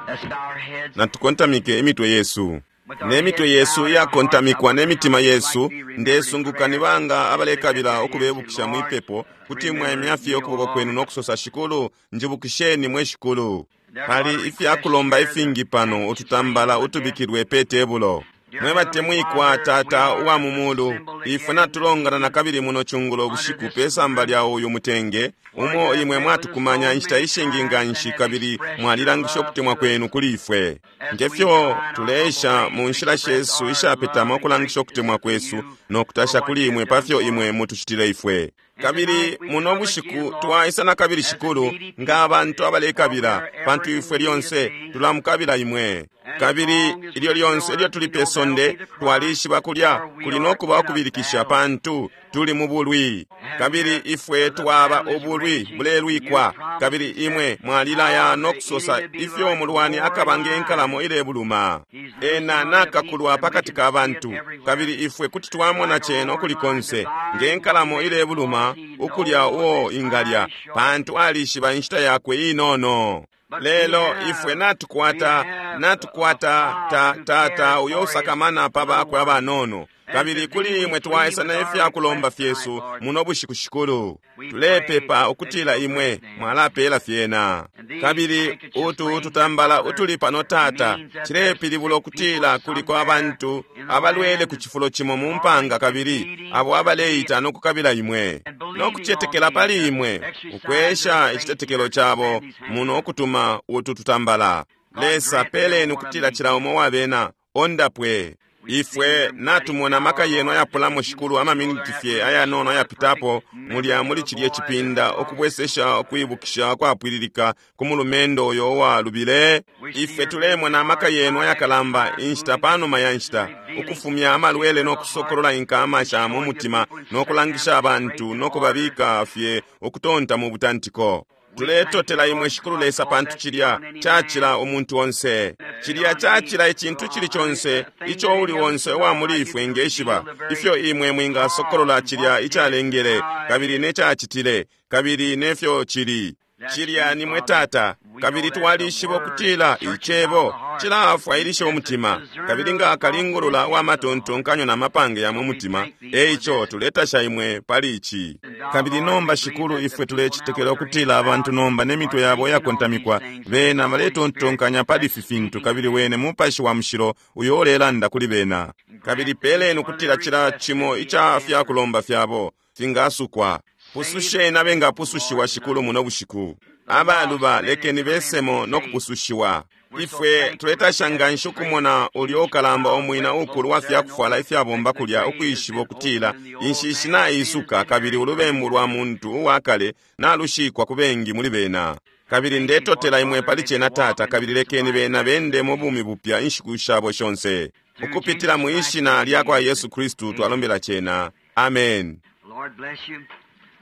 Let's bow our heads. Natukontamike imitwe yesu. Ne mitwe yesu iyakontamikwa ne mitima yesu, ndesunguka ni banga abalekabila ukubebukisha mwipepo, kuti mwaimya fye ukuboko kwenu no kusosa, Shikulu, njibukisheni mwe Shikulu. Pali ifyakulomba ifingi pano, ututambala utubikilwe pe tebulo. Mwe batemwikwa Tata uwa mu mulu, ifwe natulongana na kabili muno cungulo bushiku pe samba lya uyu mutenge, umo imwe mwatukumanya inshita ishingi nganshi kabili mwalilangisha ukutemwa kwenu kuli ifwe. Ngefyo tuleesha mu nshila shesu ishapetama ukulangisha ukutemwa kwesu no kutasha kuli imwe pafyo imwe mutucitile ifwe. Kabili muno bushiku twaisa na kabili, Shikulu, nga abantu abalekabila, pantu ifwe lyonse tulamukabila imwe. Kabili ilyo lyonse ilyo tuli pe sonde, twalishiba kulya kuli no kuba ukubilikisha, pantu tuli mu bulwi. Kabili ifwe twaba ubulwi bulelwikwa, kabili imwe mwalilaya no kusosa ifyo umulwani akaba nge nkalamo ilebuluma. Ena nakakulwa pakati ka bantu, kabili ifwe kuti twamona cena ukuli konse, nge nkalamo ilebuluma ukulya uo ingalya, pantu alishiba inshita yakwe inono. Lelo ifwe natukwata, natukwata ta, tata uyo usakamana pa bakwe abanono. Kabili kuli imwe twaisa na ifyakulomba fyesu muno bushiku, Shikulu. Tulepepa ukutila imwe mwalapela fyena. Kabili utu tutambala utuli pano, Tata, cilepilibula ukutila kuliko abantu abalwele ku cifulo cimo mu mpanga, kabili abo abaleita no kukabila imwe no kucetekela pali imwe, ukwesha icitetekelo cabo muno ukutuma utu tutambala. Lesa, peleni ukutila cila umo wabena ondapwe. Ifwe natumona amaka yenu ayapulamo, Shikulu, amaminiti fye ayanono ayapitapo mulya muli cilye cipinda, ukubwesesha ukwibukisha kwapwililika ku mulumendo uyo uwalubile. Ifwe tulemona amaka yenu ayakalamba inshita panuma ya nshita, ukufumya amalwele no kusokolola inkama sha mu mutima, no kulangisha abantu no kubabika fye ukutonta mu butantiko. Tuletotela imwe, Shikulu Lesa, pantu cilya cacila umuntu onse. Cilya cacila icintu cili conse ico uli onse uwa muli ifwe ngeshiba, ifyo imwe mwingasokolola cilya icalengele, kabili ne cacitile, kabili nefyo cili. Cilya ni mwe, Tata, kabili twalishiba ukutila icebo cilafwailisha umutima, kabili nga kalingulula wa matontonkanyo na mapange ya mu mutima. Eico tuletasha imwe pali ici. Kabili nomba, Shikulu, ifwe tulecetekela ukutila abantu nomba ne mitwe yabo yakontamikwa, bena baletontonkanya pali ifi fintu, kabili wene Mupashi wa Mushilo uyo ulelanda kuli bena. Kabili peleni ukutila cila cimo ica fyakulomba fyabo fingasukwa. Pususheni abengapusushiwa, Shikulu, muno bushiku. Abaluba lekeni besemo no kupusushiwa. Ifwe tuletasha nganshi ukumona ulyo ukalamba umwina ukulu wa fyakufwala ifyabomba kulya, ukwishiba ukutila inshishi naisuka, kabili ulubembu lwa muntu uwa kale nalushikwa ku bengi muli bena. Kabili ndetotela imwe pali cena, Tata, kabili lekeni bena bende mu bumi bupya inshiku shabo shonse. Ukupitila mu ishina lya kwa Yesu Kristu twalombela cena. Amen. Lord bless you.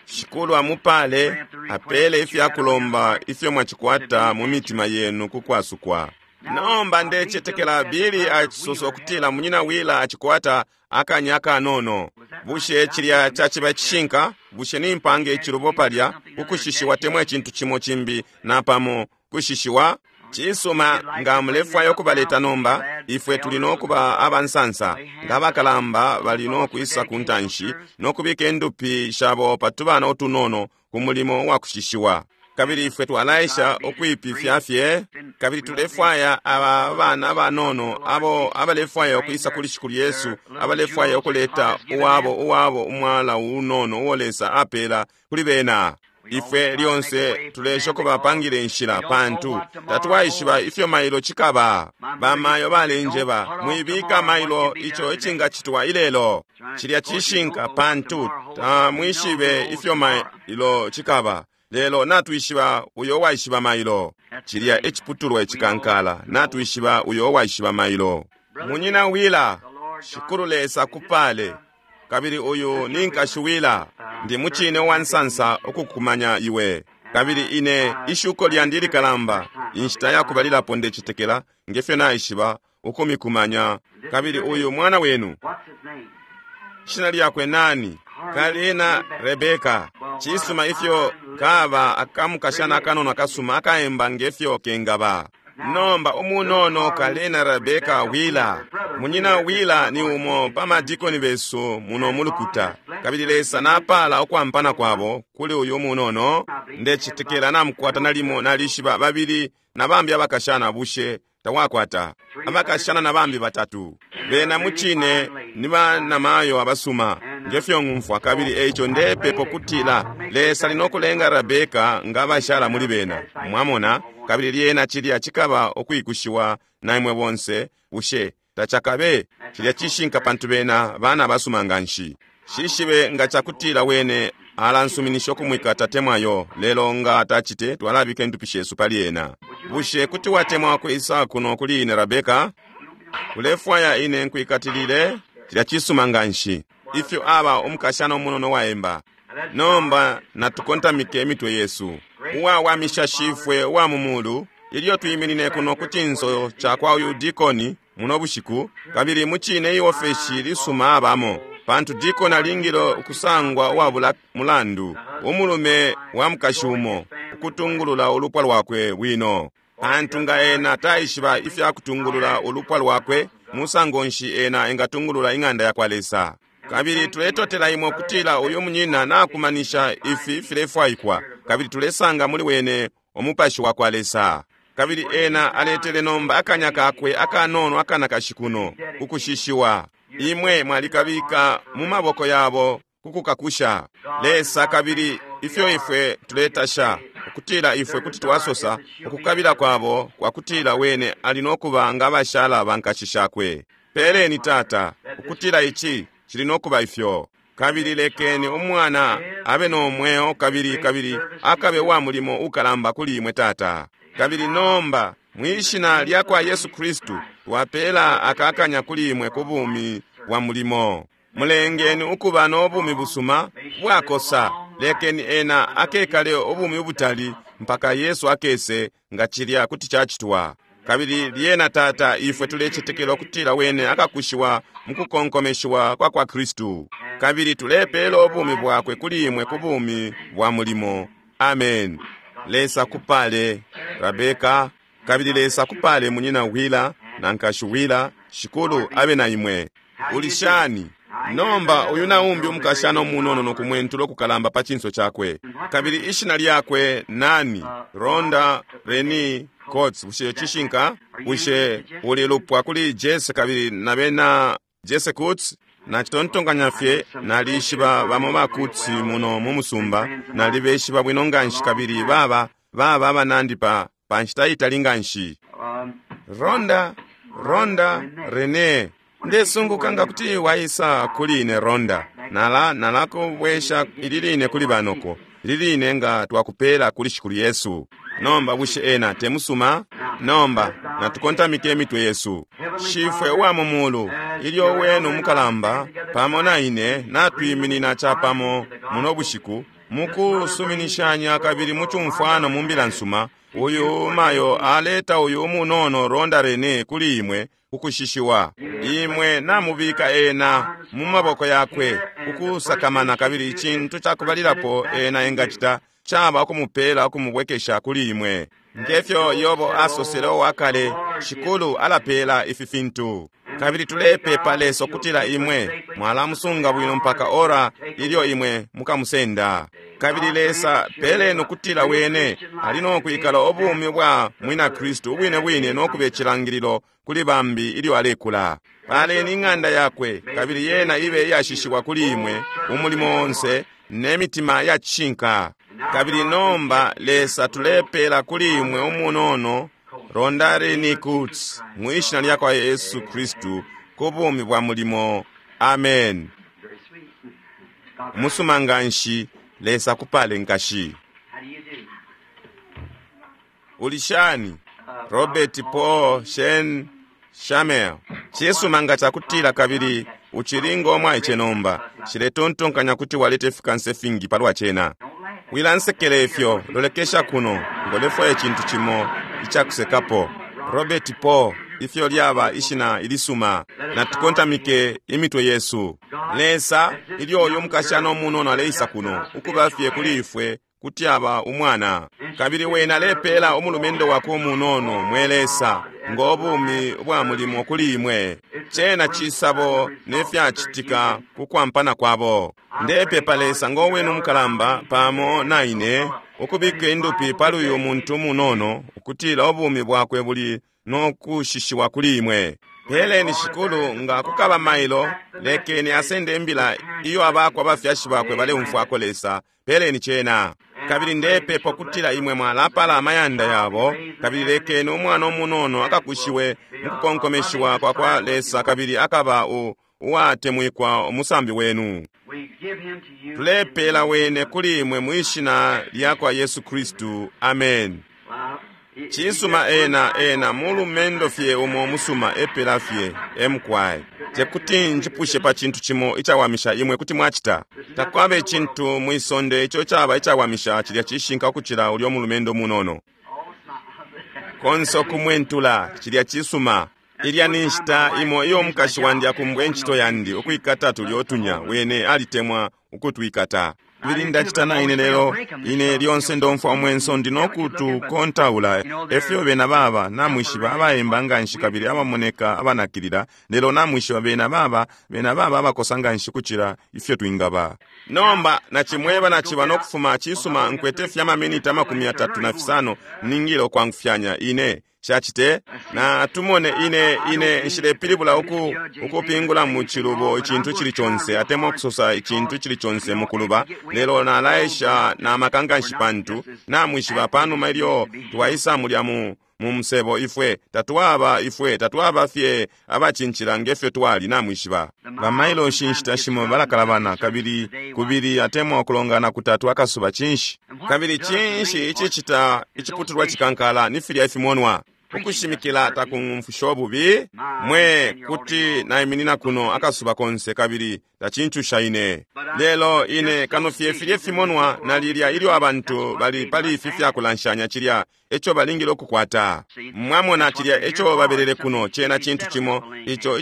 Shikulu amupale, apele ifyakulomba ifyo mwacikwata mu mitima yenu ku kwasukwa. Nomba ndecetekela Bili acisosa ukutila munyina Wila acikwata akanya akanono. Bushe cilya caciba icishinka? Bushe nimpanga icilubo palya ukushishiwa temwa icintu cimo cimbi napamo kushishiwa? Cisuma, nga mulefwaya ukubaleta nomba, ifwe tuli no kuba abansansa, nga abakalamba bali no kwisa ku ntanshi no kubika indupi shabo pa tubana utunono ku mulimo wa kushishiwa. Kabili ifwe twalaisha ukwipifya fye, kabili tulefwaya aba bana abanono abo abalefwaya ukwisa kuli Shikulu Yesu, abalefwaya ukuleta uwabo uwabo umwala unono uo Lesa apela kuli bena. Ifwe lyonse tulesha ukubapangila inshila, pantu tatwaishiba ifyo mailo cikaba. Bamayo balenjeba, mwibika mailo ico icingacitwa ilelo. Cilya cishinka, pantu tamwishibe ifyo mailo cikaba, lelo natwishiba uyo waishiba mailo. Cilya eciputulwa icikankala, natwishiba uyo waishiba mailo. Munyina Wila, Shikulu Lesa kupale. Kabili uyu ni nkashi Wila, ndi mucine uwansansa ukukumanya iwe. Kabili ine ishuko lyandi likalamba, inshita yakubalilapo ndecetekela ngefyo naishiba ukumikumanya. Kabili uyu mwana wenu, What's his name? shina lyakwe nani? Kalina Rebeka. Cisuma ifyo kaba akamukashana akanono akasuma akaemba ngefyo kengaba. Nomba umunono Kalina Rebeka Wheeler. Munyina Wheeler ni umo pa madikoni besu muno mulukuta. Kabili Lesa napala ukwampana kwabo kuli uyu munono. Ndecitekela namukwata nalimo nalishiba babili na bambi abakashana bushe tawakwata abakashana na bambi batatu. Bena mucine ni banamayo abasuma ngefyo ng'umfwa, kabili eico ndepepo kutila Lesa ali nokulenga Rebeka nga abashala muli bena. Mwamona? Kabili lyena cilya cikaba ukwikushiwa na imwe bonse, bushe tacakabe? Cilya cishinka pantu bena bana abasuma nganshi. Shishibe nga cakutila wene alansuminisha ukumwikata temwayo, lelo nga tacite twalabika indupi shesu pali ena. Bushe kuti watemwa kwisa kuno kuli ine, Rebeka? Ulefwaya ine nkwikatilile? Cilya cisuma nganshi. Ifyo aba umukashana umunono waemba. Nomba natukontamike imitwe yesu. Uwawamisha Shifwe uwa mu mulu, ilyo twiminine kuno ku cinso ca kwa uyu dikoni muno bushiku, kabili mucine iofeshi lisuma abamo, pantu dikoni alingile ukusangwa uwabula mulandu, umulume wa mukashi umo, ukutungulula ulupwa lwakwe bwino. Pantu nga ena taishiba ifya kutungulula ulupwa lwakwe, musango nshi ena engatungulula ing'anda yakwa Lesa? Kabili tuletotela imwe kutila uyu munyina nakumanisha ifi filefwaikwa, kabili tulesanga muli wene umupashi wa kwa Lesa. Kabili ena aletele nomba akanya kakwe akanono akanakashi kuno kukushishiwa. Imwe mwalikabika mu maboko yabo kukukakusha Lesa. Kabili ifyo ifwe tuletasha ukutila ifwe kuti twasosa ukukabila kwabo kwa kutila wene ali nokuba nga abashala bankashi shakwe. Peleni Tata ukutila ici cili nokuba ifyo. Kabili lekeni umwana abe no mweo, kabili kabili akabe wa mulimo ukalamba kuli imwe Tata. Kabili nomba mwishina lya kwa Yesu Kristu twapela akakanya kuli imwe ku bumi bwa mulimo. Mulengeni ukuba no bumi busuma bwakosa. Lekeni ena akekale ubumi ubutali mpaka Yesu akese, nga cilya kuti cacitwa. Kabili lyena Tata, ifwe tulecetekela ukutila wene akakushiwa mukukonkomeshiwa kwa kwa Kristu. Kabili tulepela ubumi bwakwe kuli imwe ku bumi bwa mulimo. Amen. Lesa kupale Rebeka, kabili Lesa kupale munyina Wheeler na nkashi Wheeler. Shikulu abe na imwe. Ulishani? Nomba uyu naumbi umukashana umunono nokumwentula ukukalamba pa cinso cakwe. Kabili ishina lyakwe nani? Rhonda Reni Coates. Bushe cishinka? Bushe uli lupwa kuli Jesse kabili na bena Jesse Coates? Nacitontonkanya fye nalishiba bamo ba Coates muno mu musumba, nalibeshiba bwino nganshi, kabili baba baba abanandi pa pa nshita itali nganshi. Rhonda, Rhonda Rene, ndesunguka nga kuti waisa kuli ine Rhonda. Nala nalakubwesha ili line kuli banoko, ili line nga twakupela kuli Shikulu Yesu. Nomba bushe ena temusuma? Nomba natukontamike imitwe yesu. Shifwe uwa mu mulu, ilyo wenu mukalamba pamo na ine natwiminina capamo muno bushiku mukusuminishanya kabili mucumfwano mu mbila nsuma, uyu mayo aleta uyu umunono Rhonda Rene kuli imwe kukushishiwa. Imwe namubika ena mu maboko yakwe kukusakamana, kabili icintu cakubalilapo ena engacita caba ukumupela ukumubwekesha kuli imwe. Ngefyo Yobo asosele uwakale, Shikulu alapela ifi fintu. Kabili tulepepa Lesa ukutila imwe mwalamusunga bwino mpaka ora ilyo imwe mukamusenda. Kabili Lesa peleni ukutila wene ali nokwikala ubumi bwa mwina Kristu ubwine bwine nokuba icilangililo kuli bambi ilyo alekula. Paleni ing'anda yakwe, kabili yena ibe iyashishiwa kuli imwe umulimo onse ne mitima ya cishinka. Kabili nomba Lesa tulepela kuli imwe umunono Rhonda Rene Coates mwishina lya kwa Yesu Kristu ku bumi bwa mulimo. Amen. Very sweet. God, Musuma nganshi. Lesa kupale nkashi. how do you do? Ulishani? Robert Paul Shen Shamel. Cisuma nga cakutila kabili ucili ngo mwaice nomba. Nshiletontonkanya kuti waleta ifikansa ifingi palwa cena. Don't laugh. Wilansekela ifyo, lolekesha kuno, ngolefwaya icintu cimo icakusekapo. Robert Paul, ifyo lyaba ishina ilisuma. Natukontamike imitwe yesu. Lesa, ilyo uyu mukashana umunono aleisa kuno, ukuba fye kuli ifwe, kuti aba umwana. Kabili wena alepela umulumendo wakwe umunono, mwe Lesa, ngo bumi ubwa mulimo kuli imwe. Cena cisabo ne fyacitika ku kwampana kwabo. Ndepepa Lesa ngo wenu umukalamba pamo na ine, ukubika indupi pali uyu muntu umunono, ukutila ubumi bwakwe buli no kushishiwa kuli imwe. Peleni Shikulu, nga kukaba mailo, lekeni asende imbila iyo abakwa abafyashi bakwe baleumfwako Lesa. Peleni cena. Kabili ndepepa ukutila imwe mwalapala amayanda yabo, kabili lekeni umwana umunono akakushiwe mukukonkomeshiwa kwa kwa Lesa, kabili akaba uwatemwikwa umusambi wenu. Tulepela wene kuli imwe mwishina lya kwa Yesu Kristu. Amen. Cisuma ena ena mulumendo fye umo musuma epela fye emkwai. Tekuti njipushe pa cintu cimo icawamisha imwe kuti mwacita. Takwaba icintu mwisonde ico caba icawamisha cilya cishinka ukucila ulyo mulumendo munono. Konse ukumwentula cilya cisuma. Ilya ni nshita imo iyo umukashi wandi akumbwe incito yandi ukwikata tulyo tunya wene alitemwa ukutwikata. Kabili ndacita na ine lelo ine lyonse ndomfwa umwenso ndi nokutukontaula efyo bena baba namwishiba abaemba nganshi kabili abamoneka abanakilila, lelo namwishiba bena baba bena baba abakosa nganshi kucila ifyo twingaba. Nomba nacimweba naciba nokufuma cisuma nkwete fye amaminiti 35 ningile ukwangufyanya ine shacite na tumone ine ine nshilepilibula ukupingula mu cilubo icintu cili conse atemwa ukusosa icintu cili conse mukuluba, lelo nalaesha na maka nganshi pantu namwishiba panuma ilyo twaisa mulya mu musebo ifwe tatwaba ifwe tatwaba fye abacincila ngefyo twali namwishiba. Bamailoshi inshita shimo balakalabana kabili kubili atemwa ukulongana kutatu akasuba cinshi. Kabili cinshi icicita iciputulwa cikankala ni filya ifimonwa. Ukushimikila takumfusha ububi mwe kuti naiminina kuno akasuba konse kabili tacincusha ine. Lelo ine kano fye filye fimonwa na lilya ilyo abantu bali pali ifi fyakulanshanya cilya eco balingile ukukwata. Mwamona cilya eco babelele kuno cena cintu cimo ico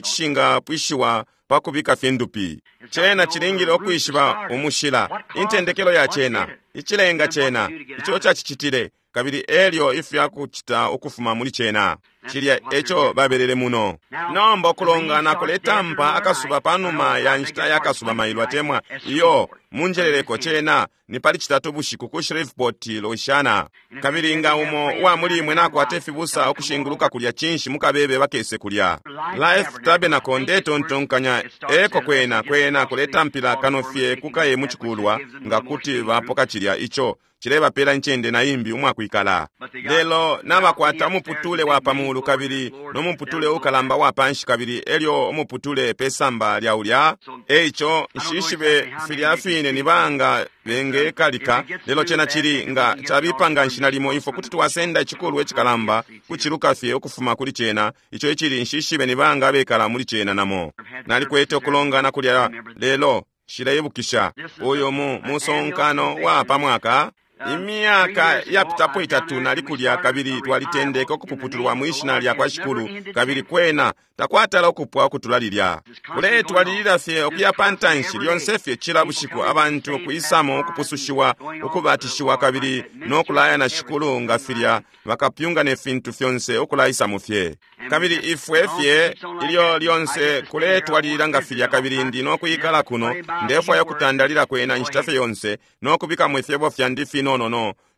icishingapwishiwa pakubika fye ndupi. Cena cilingile ukwishiba umushila, intendekelo ya cena, icilenga cena, ico cacicitile, kabili elyo ifyakucita ukufuma muli cena. Cilya eco babelele muno. Nomba ukulongana kuletampa akasuba panuma ya nshita ya kasuba mailo atemwa iyo munjeleleko cena ni pali citatu bushiku ku Shreveport, Louisiana. Kabili nga umo uwa muli imwe nakwata ifibusa ukushinguluka kulya cinshi mukabebe bakese kulya. Life Tabernacle ndetontonkanya eko kwena kwena kuletampila kano fye kukaye mucikulwa nga kuti bapoka cilya ico cilebapela incende na imbi umwakwikala. Lelo nabakwata umuputule wa pamulu kabili no muputule ukalamba wa panshi kabili elyo umuputule pesamba lya ulya. Eico nshishibe filya fine ni banga bengekalika, lelo cena cili nga cabipa nganshi nalimo ifwe kuti twasenda icikulwa icikalamba kuciluka fye ukufuma kuli cena ico icili nshishibe ni banga abekala muli cena namo. Nalikwete ukulongana kulya lelo shileibukisha uyu musonkano wa pamwaka. Imyaka yapitapo itatu nali kulya kabili twalitendeka ukupuputulwa mwishina lya kwa Shikulu kabili kwena takwatala ukupwa ukutula lilya. Kuletwalilila fye ukuya pantanshi lyonse fye cila bushiku abantu kuisamo ukupusushiwa ukubatishiwa kabili no kulaya na Shikulu nga filya bakapyunga ne fintu fyonse ukulaisamo fye. Kabili ifwe fye ilyo lyonse kuletwalilila nga filya kabili ndi no kuikala kuno ndefwaya ukutandalila kwena inshita fye yonse no kubikamo ifyebo fyandi finono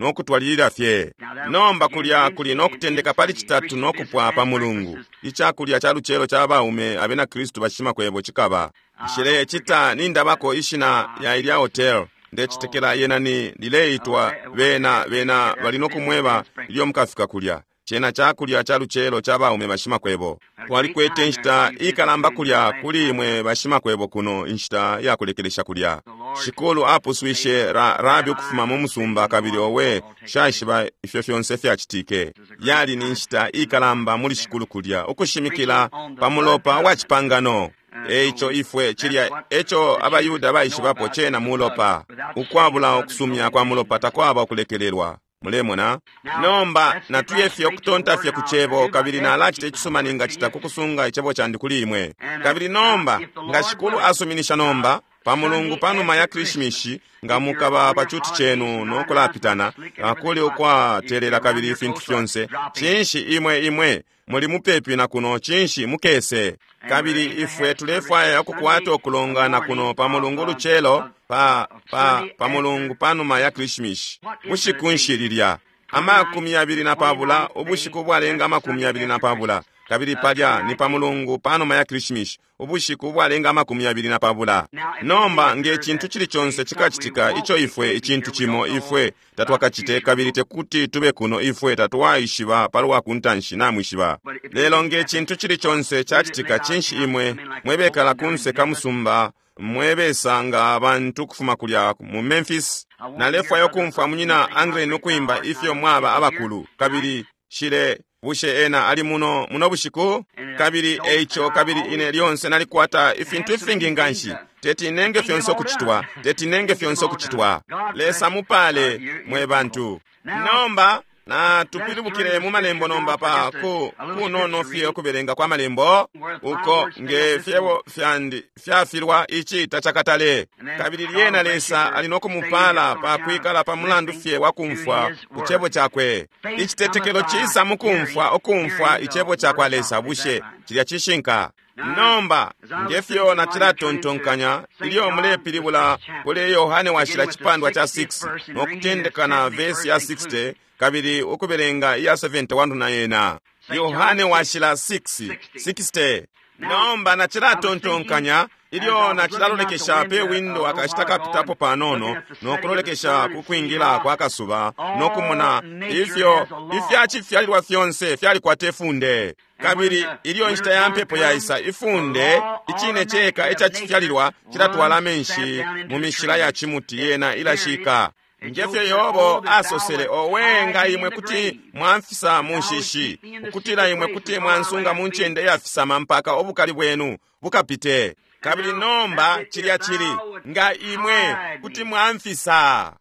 no kutwalilila fye. Nomba kulya kuli no kutendeka pali citatu no kupwa pa mulungu. Icakulya ca lucelo ca baume abena Kristu bashimakwebo cikaba. Nshilecita nindabako ishina ya ilya hotel. Ndecitekela yena ni lileitwa bena bena bali no kumweba ilyo mukafika kulya. Cena cakulya ca lucelo ca baume bashimakwebo. Twalikwete inshita ikalamba kulya kuli imwe bashimakwebo kuno inshita ya kulekelesha kulya. Shikulu apuswishe Rabi ukufuma mu musumba kabili owe shaishiba ifyo fyonse fyacitike. Yali ni nshita ikalamba muli Shikulu kulya ukushimikila pa mulopa wa cipangano. Eico ifwe cilya eco abayuda baishibapo cena mulopa. Ukwabula ukusumya kwa mulopa takwaba ukulekelelwa. Mulemona? Nomba natuye fye ukutonta fye ku Cebo, kabili nalacita icisuma ningacita ku kusunga Icebo candi kuli imwe. Kabili nomba, nga Shikulu asuminisha nomba, pa Mulungu panuma ya Krishimishi, nga mukaba pa cuti cenu no kulapitana, kuli ukwatelela kabili ifintu fyonse, cinshi imwe imwe muli mupepi na kuno, cinshi mukese. Kabili ifwe tulefwaya ukukwata ukulongana kuno pa Mulungu lucelo, pa pa pa Mulungu panuma ya Krishimishi. Bushiku nshi lilya? 20, ubushiku bwalenga 20. Kabili palya ni pa Mulungu panuma ya Krishimishi, ubushiku bwalenga 20. Nomba nge cintu cili conse cikacitika ico ifwe icintu cimo ifwe tatwakacite, kabili tekuti tube kuno, ifwe tatwaishiba palwa kuntanshi, namwishiba. Lelo nge cintu cili conse cacitika, cinshi imwe mwebekala kunse ka musumba, mwebesanga abantu kufuma kulya mu Memphis. Nalefwaya ukumfwa munyina Angren ukuimba ifyo mwaba abakulu, kabili shile bushe ena ali muno muno bushiku. Kabili eico, kabili ine lyonse nalikwata ifintu ifingi nganshi, teti nenge fyonse ukucitwa, teti nenge fyonse ukucitwa. Lesa mupale mwe bantu. Nomba na tupilibukile mu malembo nomba pa ku kunono fye ukubelenga kwa malembo, uko nge fyebo fyandi fyafilwa ici tacakatale. Kabili lyena Lesa ali no kumupala pa kwikala pa mulandu fye wa kumfwa ku cebo cakwe. Icitetekelo cisa mu kumfwa, ukumfwa icebo ca kwa Lesa. Bushe cilya cishinka? Nomba ngefyo nacilatontonkanya ilyo mulepilibula kuli Yohane washila cipandwa cha 6 no kutendeka na vesi ya 60 kabili ukubelenga iya 71 na yena. Yohane washila 6 60. Nomba nacilatontonkanya ilyo nacilalolekesha pe windo akashita kapitapo panono no kulolekesha ku kwingila kwa kasuba no kumona ifyo ifyacifyalilwa fyonse fyalikwata ifunde. Kabili ilyo inshita ya mpepo yaisa, ifunde icine ceka icacifyalilwa cilatwala amenshi mu mishila ya cimuti, yena ilashika. Ngefyo Yobo asosele, owe nga imwe kuti mwamfisa mu nshishi, ukutila imwe kuti mwansunga mu ncende yafisama mpaka ubukali bwenu bukapite. Kabili nomba cilya cili, nga imwe kuti mwamfisa.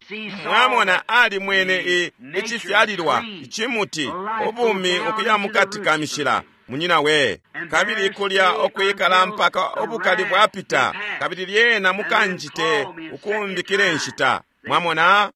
Mwamona, ali mwene icifyalilwa icimuti, ubumi ukuya mukati ka mishila, munyina we. Kabili kulya okwikala mpaka ubukali bwapita, kabili lyena mukanjite ukumbikile nshita. Mwamona,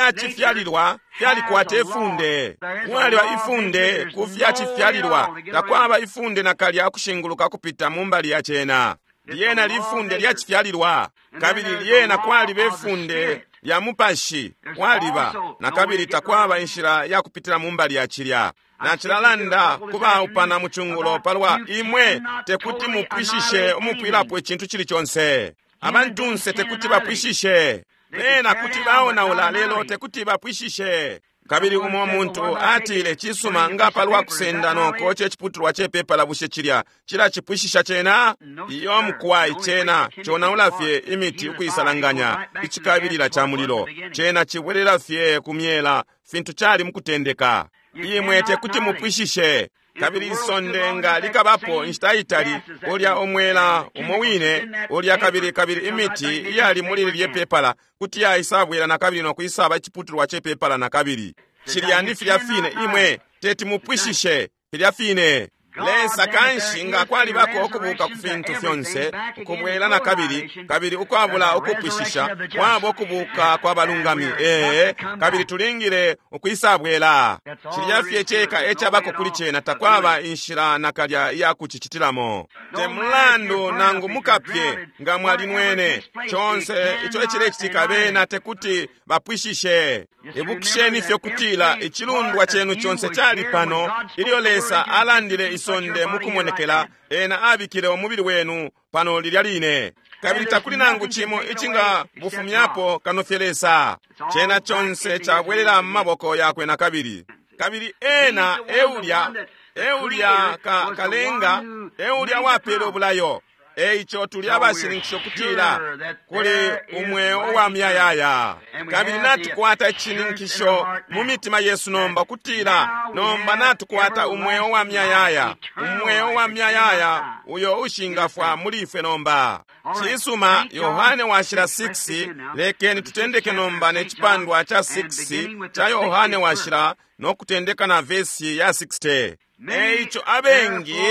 ifyacifyalilwa fyalikwata ifunde. Kwaliba ifunde ku fyacifyalilwa, takwaba ifunde nakalya kushinguluka kupita mu mbali ya cena. Lyena lifunde lyacifyalilwa, kabili lyena kwaliba ifunde lya mupashi, kwaliba nakabili takwaba inshila ya kupitila mu mbali ya cilya. Nacilalanda kubaupana mu cungulo palwa imwe tekuti mupwishishe umupwilapo icintu cili conse. Abantunse tekuti bapwishishe, bena kuti baonaula, lelo tekuti bapwishishe. Kabili umo muntu atile, cisuma, nga palwa kusenda noko ceciputulwa cepepala, bushe cilya cilacipwishisha cena? Iyo mukwai, cena conaula fye imiti ukuisalanganya icikabilila ca mulilo. Cena cibwelela fye ku myela fintu cali mukutendeka. Imwe tekuti mupwishishe. Kabili isonde nga likabapo inshita itali, ulya umwela umo wine ulya, kabili kabili imiti iyali muli lilye pepala kuti yaisabwela nakabili no kuisaba iciputulwa cepepala nakabili. Cilya ni filya fine, imwe teti mupwishishe filya fine. Lesa kanshi nga kwalibako ukubuka ku fintu fyonse, ukubwela nakabili, kabili ukwabula ukupwishisha, kwaba ukubuka kwa balungami. Ee, kabili tulingile ukwisabwela. Cilya fye ceka ecabako kuli cena, takwaba inshila nakalya iya kucicitilamo. Te mulandu nangu mukapye nga mwalinwene, conse ico ecilecitika, bena tekuti bapwishishe. Ibukisheni fye kutila icilundwa cenu conse cali pano ilyo Lesa alandile isonde mukumonekela, ena abikile umubili wenu pano lilya line. Kabili takuli nangu cimo icinga bufumyapo kano fye Lesa. Cena conse cabwelela mu maboko yakwe nakabili. Kabili ena eulya, eulya ka, kalenga, eulya wapele ubulayo. Eico tuli abashininkisha ukutila kuli umweo uwa muyayaya, kabili natukwata icishininkisho mu mitima yesu nomba ukutila nomba natukwata umweo wa muyayaya, umweo wa muyayaya uyo ushingafwa muli ifwe nomba. Cisuma, Yohane Washila 6, lekeni tutendeke nomba ne cipandwa ca 6 ca Yohane Washila no kutendeka na vesi ya 60. Eico abengi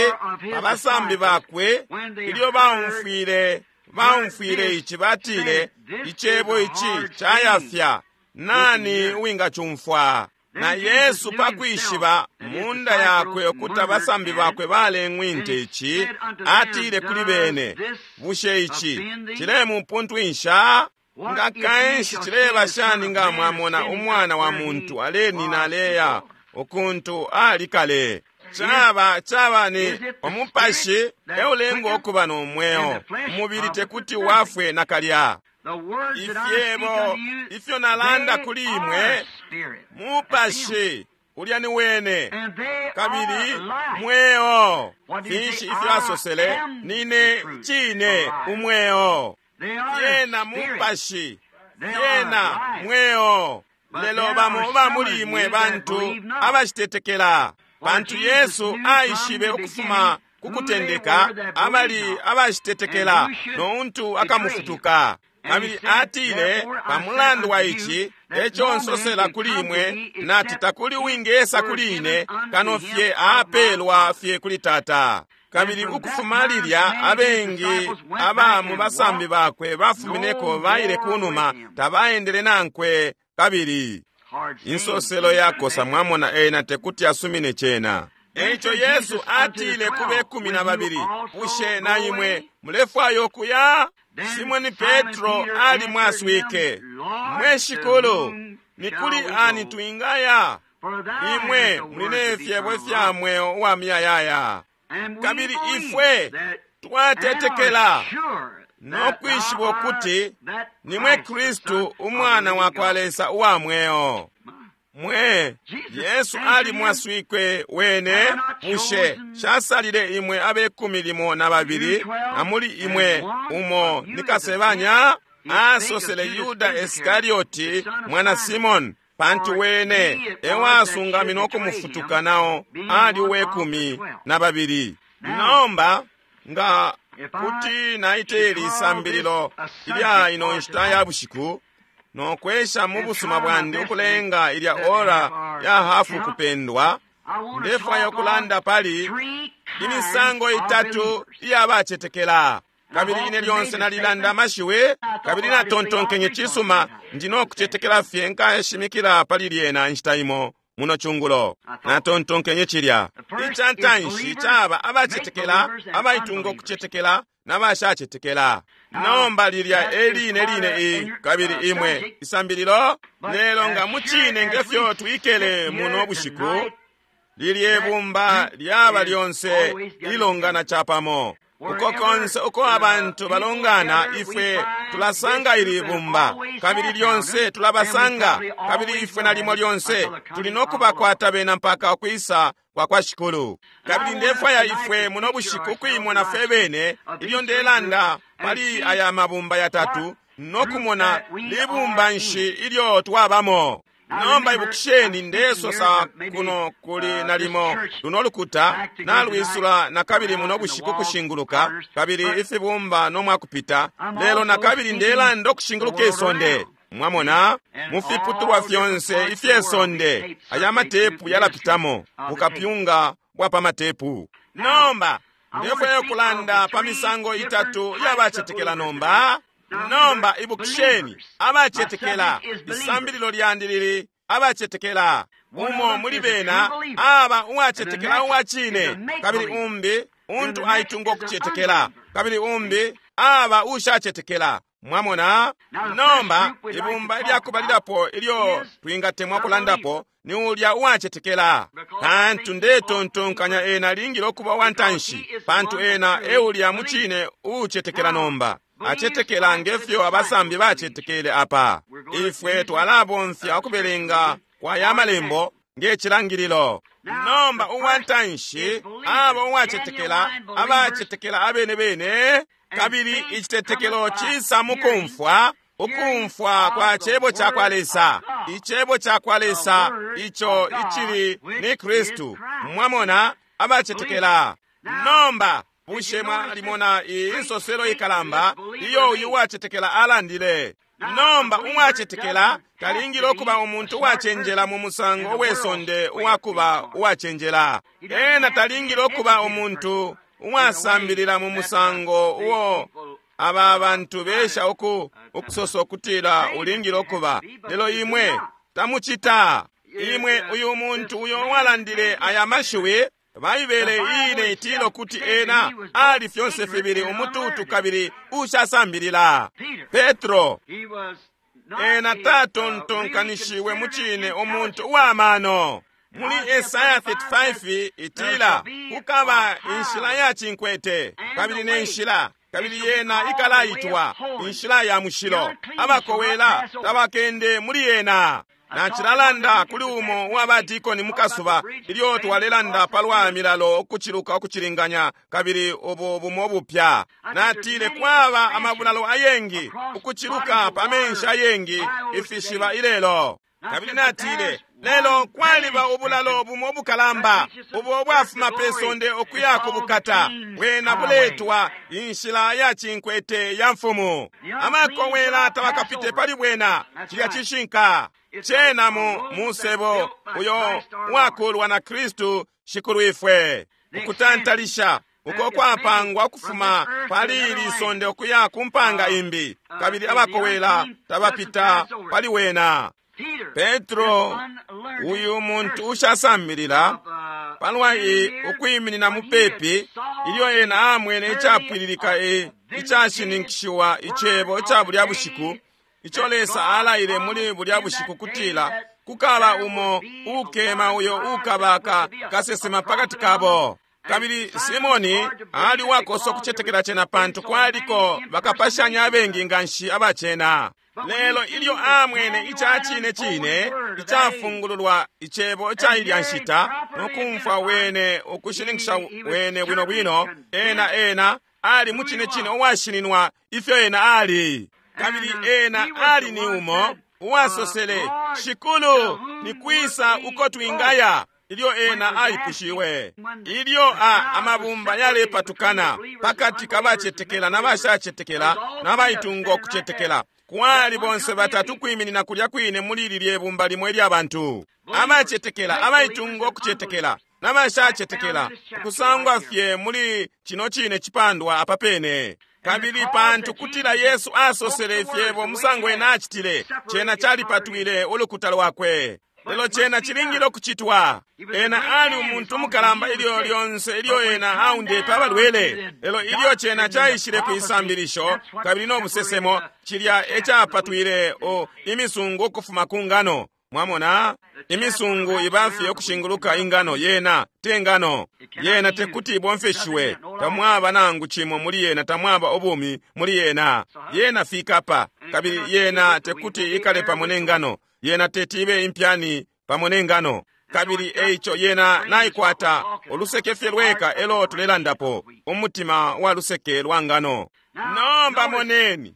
abasambi bakwe ilyo baumfwile ici batile, icebo ici cayafya, nani uwingacumfwa? Na Yesu pakwishiba munda yakwe ukuti abasambi bakwe baleng'winte ici, atile kuli bene, bushe ici cilemupuntwinsha? Nga kanshi cileba shani nga mwamona umwana wa muntu alenina aleya ukuntu ali kale? Caba ni umupashi eulenga ukuba no mweo, umubili tekuti wafwe nakalya. Ifyebo ifyo nalanda kuli imwe mupashi ulya ni wene, kabili mweo. Finshi ifyo asosele? Nine cine umweo. Fyena mupashi, fyena mweo. Lelo bamo ba muli imwe bantu abashitetekela. Pantu Yesu aishibe ukufuma kukutendeka abali abashitetekela no untu akamufutuka. Kabili atile, pamulandu wa ici eco nsosela kuli imwe, nati takuli uwingesa kuli ine kano fye apelwa fye kuli Tata. Kabili ukufuma lilya abengi aba mu basambi bakwe bafumineko baile kunuma, tabaendele nankwe kabili. Insoselo yakosa, mwamona, ena tekuti asumine cena. Eico Yesu atile kube 12, bushe na imwe mulefwaya ukuya? Simoni Petro alimwaswike, mwe Shikulu, ni kuli ani twingaya? Imwe muli ne fyebo fya mweo uwa muyayaya. Kabili ifwe twatetekela no kwishiba ukuti nimwe Kristu umwana wa kwa Lesa uwa mweo. Mwe Yesu alimwaswike wene, bushe shasalile imwe abe 12 na muli imwe umo ni kasebanya? Asosele Yuda Iskarioti mwana Simoni, pantu wene ewasungamina ukumufutuka nao ali uwe 12. Nomba nga kuti naiteli isambililo ilya ino nshita ya bushiku no kwesha mu busuma bwandi ukulenga ilya ora ya hafu kupendwa, ndefwaya ukulanda pali imisango itatu iya bacetekela. Kabili ine lyonse nalilanda amashiwi, kabili natontonkenye cisuma ndi no kucetekela fye nkashimikila pali lyena inshita imo muno cungulo. Natontonkenye cilya. Icantanshi caba abacetekela, abaitunga ukucetekela na bashacetekela. Nomba lilya eline line i kabili imwe isambililo lelo nga mucine ngefyo twikele muno bushiku, lilye bumba lyaba lyonse lilongana capamo. Uko konse uko abantu balongana, ifwe tulasanga ili bumba, kabili lyonse tulabasanga, kabili ifwe nalimo lyonse tuli no kubakwata bena mpaka ukwisa kwa kwa Shikulu. Kabili ndefwaya ifwe muno bushiku kuimona fwe bene ilyo ndelanda pali aya mabumba yatatu no kumona libumba nshi ilyo twabamo. Nomba ibukisheni, ndesosa kuno kuli nalimo luno lukuta nalwisula na kabili muno bushiku kushinguluka, kabili ifibumba no mwakupita, lelo na kabili ndelanda ukushinguluka isonde. Mwamona, mufiputulwa fyonse ifye sonde aya matepu yalapitamo bukapyunga bwa pa matepu. Nomba ndefwaya ukulanda pa misango itatu yabacetekela nomba. Nomba ibukisheni, abacetekela, isambililo lyandi lili abacetekela. Umo muli bena aba uwacetekela uwa cine, kabili umbi untu aitunga ukucetekela, kabili umbi aba ushacetekela. Mwamona? Nomba ibumba ilyakubalilapo ilyo twingatemwa kulandapo ni ulya uwacetekela, pantu ndetontonkanya ena alingile ukuba wantanshi, pantu ena eulya mucine uucetekela. Nomba acetekela ngefyo abasambi bacetekele apa. Ifwe twalabomfya ukubelenga kwa ya malembo nge cilangililo. Nomba uwantanshi aba uwacetekela, abacetekela abene bene, kabili icitetekelo cisa mukumfwa, ukumfwa kwa cebo cakwa Lesa, icebo cakwa Lesa ico icili ni Kristu. Mwamona, abacetekela. Nomba bushe mwalimona iyi insoselo ikalamba iyo uyu uwacetekela alandile? Nomba uwacetekela talingile ukuba umuntu uwacenjela mu musango we sonde uwakuba uwacenjela. Ena talingile ukuba umuntu uwasambilila mu musango uo aba bantu besha ukusosa ukutila ulingile ukuba, lelo imwe tamucita. Imwe uyu muntu uyo walandile aya mashiwi, Baibele iine itila ukuti ena ali fyonse fibili umututu kabili ushasambilila. Petro ena tatontonkanishiwe mucine umuntu uwamano. Muli Esaya 35 itila kukaba inshila ya cinkwete kabili ne nshila, kabili yena ikalaitwa inshila ya mushilo. Abakowela tabakende muli yena. Nacilalanda kuli umo uwa dikoni mukasuba ilyo twalelanda palwa milalo ukuciluka ukucilinganya kabili ubu bumo bupya. Natile kwaba amabulalo ayengi ukuciluka pa menshi ayengi ifishiba ilelo. Kabili natile lelo kwaliba ubulalo bumo bukalamba ubo bwafuma pe sonde ukuya ku bukata, bwena buletwa inshila ya cinkwete ya mfumu. Amakowela tabakapite pali bwena. Cilya cishinka cena mu musebo uyo wakulwa na Kristu Shikulwifwe, ukutantalisha uko kwapangwa ukufuma pali ili sonde ukuya ku mpanga imbi, kabili abakowela tabapita pali wena. Petro uyu muntu ushasambilila palwa ukwiminina mupepi ilyo ena amwene icapwililika icashininkishiwa icebo ica bulya bushiku ico Lesa alaile muli bulya bushiku kutila kukaba umo ukema uyo ukabaka kasesema pakati kabo. Kabili Simoni ali wakosa ukucetekela cena pantu kwaliko bakapashanya abengi nganshi abacena. Lelo ilyo amwene ica cine cine icafungululwa icebo ica ilya nshita nokumfwa wene ukushininkisha wene bwino bwino, ena ali mu cine cine uwashininwa ifyo ena ali. Kabili ena ali ni umo uwasosele, Shikulu, ni kwisa uko twingaya? Ilyo ena aipushiwe, ilyo amabumba yalepatukana pakati kabacetekela na bashacetekela na baitunga ukucetekela, kwali bonse batatu kwiminina kulya kwine muli lilye bumba limo ilya bantu abacetekela, abaitunga ukucetekela na bashacetekela, ukusangwa fye muli cino cine cipandwa apa pene. Kabili pantu kutila Yesu asosele ifyebo musango ena acitile, cena calipatwile ulukuta lwakwe. Lelo cena cilingile ukucitwa. Ena ali umuntu mukalamba ilyo lyonse ilyo ena aundepe abalwele. Lelo ilyo cena caishile ku isambilisho kabili no busesemo, cilya ecapatwile imisungu ukufuma ku ngano. Mwamona, imisungu ibafye ukushinguluka ingano, yena te ngano. Yena tekuti ibomfeshiwe, tamwaba nangu cimo muli yena, tamwaba ubumi muli yena. Yena fikapa, kabili yena tekuti ikale pamo ne ngano. Yena teti ibe impyani pamo ne ngano. Kabili eico yena naikwata oluseke fye lweka elo tulelandapo, umutima wa luseke lwa ngano. Nomba moneni,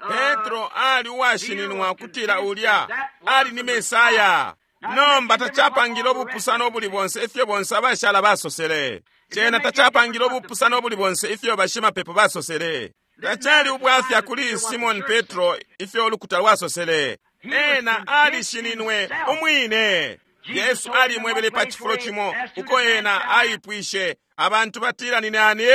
Petro ali uwashininwa kutila ulya ali ni Mesaya. Nomba tacapangile ubupusano ubuli bonse ifyo bonse abashala basosele. Cena tacapangile ubupusano ubuli bonse ifyo bashimapepo basosele. Tacali ubwafya kuli Simon Petro ifyo ulukuta lwasosele. Ena alishininwe umwine. Yesu alimwebele pa cifulo cimo uko ena aipwishe, abantu batila ni nani?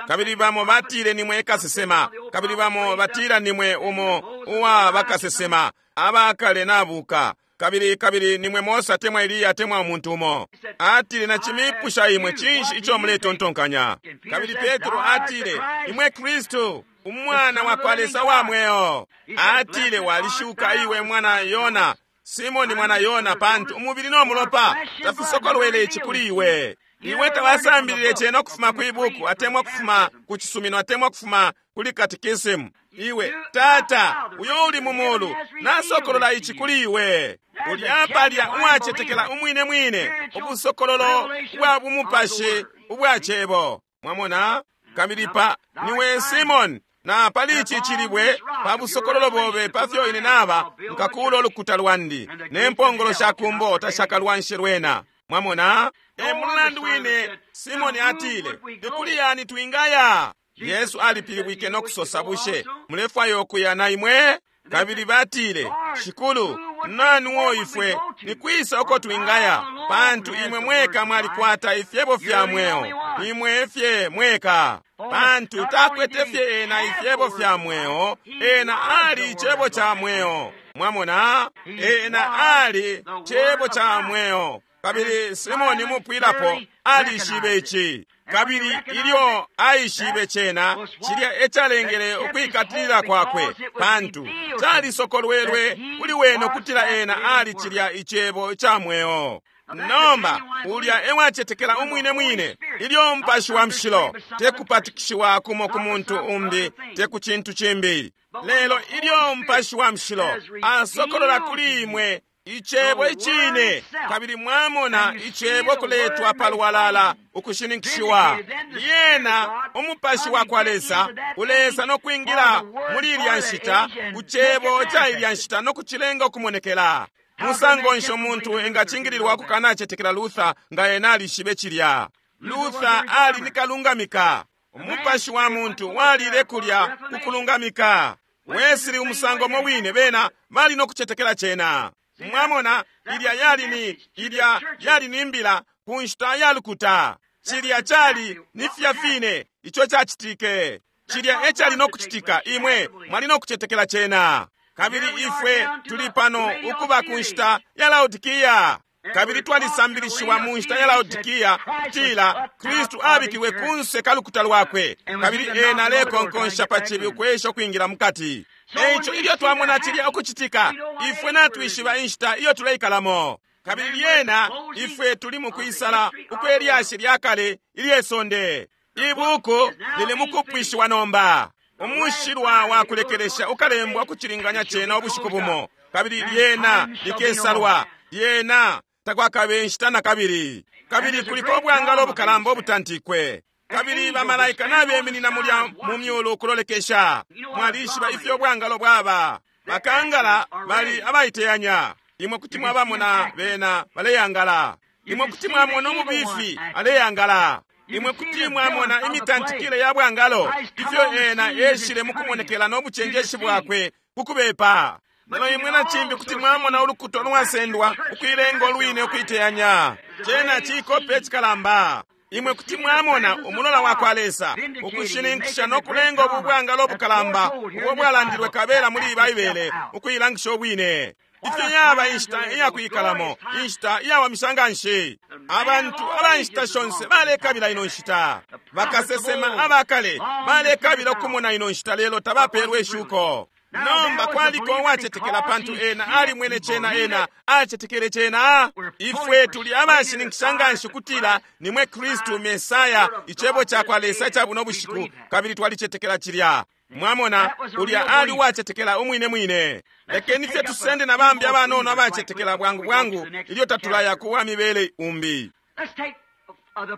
Kabili bamo batile ni mwe kasesema, kabili bamo batila ni mwe umo uwa bakasesema abakale nabuka, kabili ni mwe Mose atemwa Eliya atemwa umuntu umo. Atile, nacimipusha imwe cinshi ico muletontonkanya? Kabili Petro atile, imwe Kristu, umwana wa kwa Lesa wa mweo. Atile, walishuka iwe mwana Yona, Simoni mwana Yona, pantu umubili no mulopa tafisokolwele ici kuli iwe. Iwe tawasambilile cena ukufuma kwi buku, atemwa kufuma ku cisumino, atemwa kufuma kuli kuli katikisimu. Iwe, Tata, uyo uli mu mulu, nasokolola ici kuli iwe. Ulya palya uwacetekela umwine mwine, ubusokololo bwa bumupashi ubwa Cebo. Mwamona? Kabili pa, niwe Simon, na pali ici cilibwe, pa busokololo bobe pafyo ine naba, nkakuula ulukuta lwandi, ne mpongolo sha kumbo tashakalwanshe lwena. Mwamona? E mulandu wine Simoni atile, ni kuli yani twingaya? Yesu alipilibwike no kusosa, bushe mulefwaya ukuya na imwe? Kabili batile, Shikulu, nani uo ifwe ni kwisa uko twingaya? Pantu imwe mweka mwalikwata ifyebo fya mweo, imwe fye mweka. Pantu takwete fye ena ifyebo fya mweo, ena ali icebo ca mweo. Mwamona? Ena ali cebo ca mweo. Kabili Simoni mupwilapo alishibe ici. Kabili ilyo aishibe cena, cilya ecalengele ukwikatilila kwakwe, pantu calisokolwelwe kuli wene ukutila ena ali cilya icebo ca mweo. Nomba ulya ewacetekela umwine mwine, ilyo Mupashi wa Mushilo tekupatikishiwa kumo ku muntu umbi, te ku cintu cimbi, lelo ilyo Mupashi wa Mushilo asokolola kuli imwe icebo icine, kabili mwamona icebo kuletwa palwalala ukushininkishiwa, lyena umupashi wa kwa Lesa ulesa no kwingila muli ilya nshita ku cebo ca ilya nshita no kucilenga ukumonekela. Musango nshi umuntu engacingililwa kukanacetekela Luther nga ena alishibe cilya? Luther ali ni kalungamika. Umupashi wa muntu walile kulya kukulungamika. Wesley umusango mo wine, bena bali no kucetekela cena. Mwamona, ilya yali ni, ilya yali ni mbila ku nshita ya lukuta. Cilya cali ni fya fine ico cacitike. Cilya ecali no kucitika, imwe mwali no kucetekela cena. Kabili ifwe tuli pano ukuba ku nshita ya Laodikia. Kabili twalisambilishiwa mu nshita ya Laodikia kutila Kristu abikilwe kunse ka lukuta lwakwe, kabili ena alekonkonsha pa cibi ukwesha ukwingila mukati. Eico ilyo twamona cilya ukucitika, ifwe natwishiba inshita iyo tuleikalamo. Kabili lyena ifwe tuli mu kwisala ukwe lyashi lya kale ilye sonde. Ibuku lili mukupwishiwa nomba. Umushilwa wa kulekelesha ukalembwa kucilinganya cena ubushiku bumo, kabili lyena likesalwa, lyena takwakabe inshita na kabili. Kabili kuliko ubwangalo obukalamba obutantikwe, kabili bamalaika nabeminina mulya mu myulu ukulolekesha. Mwalishiba ifyo ubwangalo bwaba. Bakangala bali abaiteyanya. Imwe kuti mwabamona bena baleyangala. Imwe kuti mwamona umubifi aleyangala. Imwe kuti mwamona imitantikile ya bwangalo, ifyo ena eshile mukumonekela no bucenjeshi bwakwe kukubepa. Lelo imwe na cimbi kuti mwamona ulukuto lwasendwa ukuilenga olwine ukuiteyanya. Cena cikope icikalamba. Imwe kuti mwamona umulola wa kwa Lesa ukushininkisha no kulenga ubu bwangalo obukalamba ubwo bwalandilwe kabela muli Baibele ukuilangisha obwine. Ifyo yaba inshita iyakwikalamo, inshita iyawamisha nga nshi. Abantu aba nshita shonse balekabila ino nshita. Bakasesema abakale balekabila ukumona ino nshita, lelo tabapelwe ishuko. Nomba kwaliko uwacetekela, pantu ena alimwene cena, ena acetekele cena. Ifwe tuli abashininkisha nga nshi ukutila nimwe Kristu Mesaya, icebo ca kwa Lesa ca buno bushiku, kabili twalicetekela cilya. Mwamona, ulya ali uwacetekela umwine mwine. Lekeni fye tusende na bambi abanono abacetekela bwangu bwangu ilyo tatulaya kuwa mibele umbi.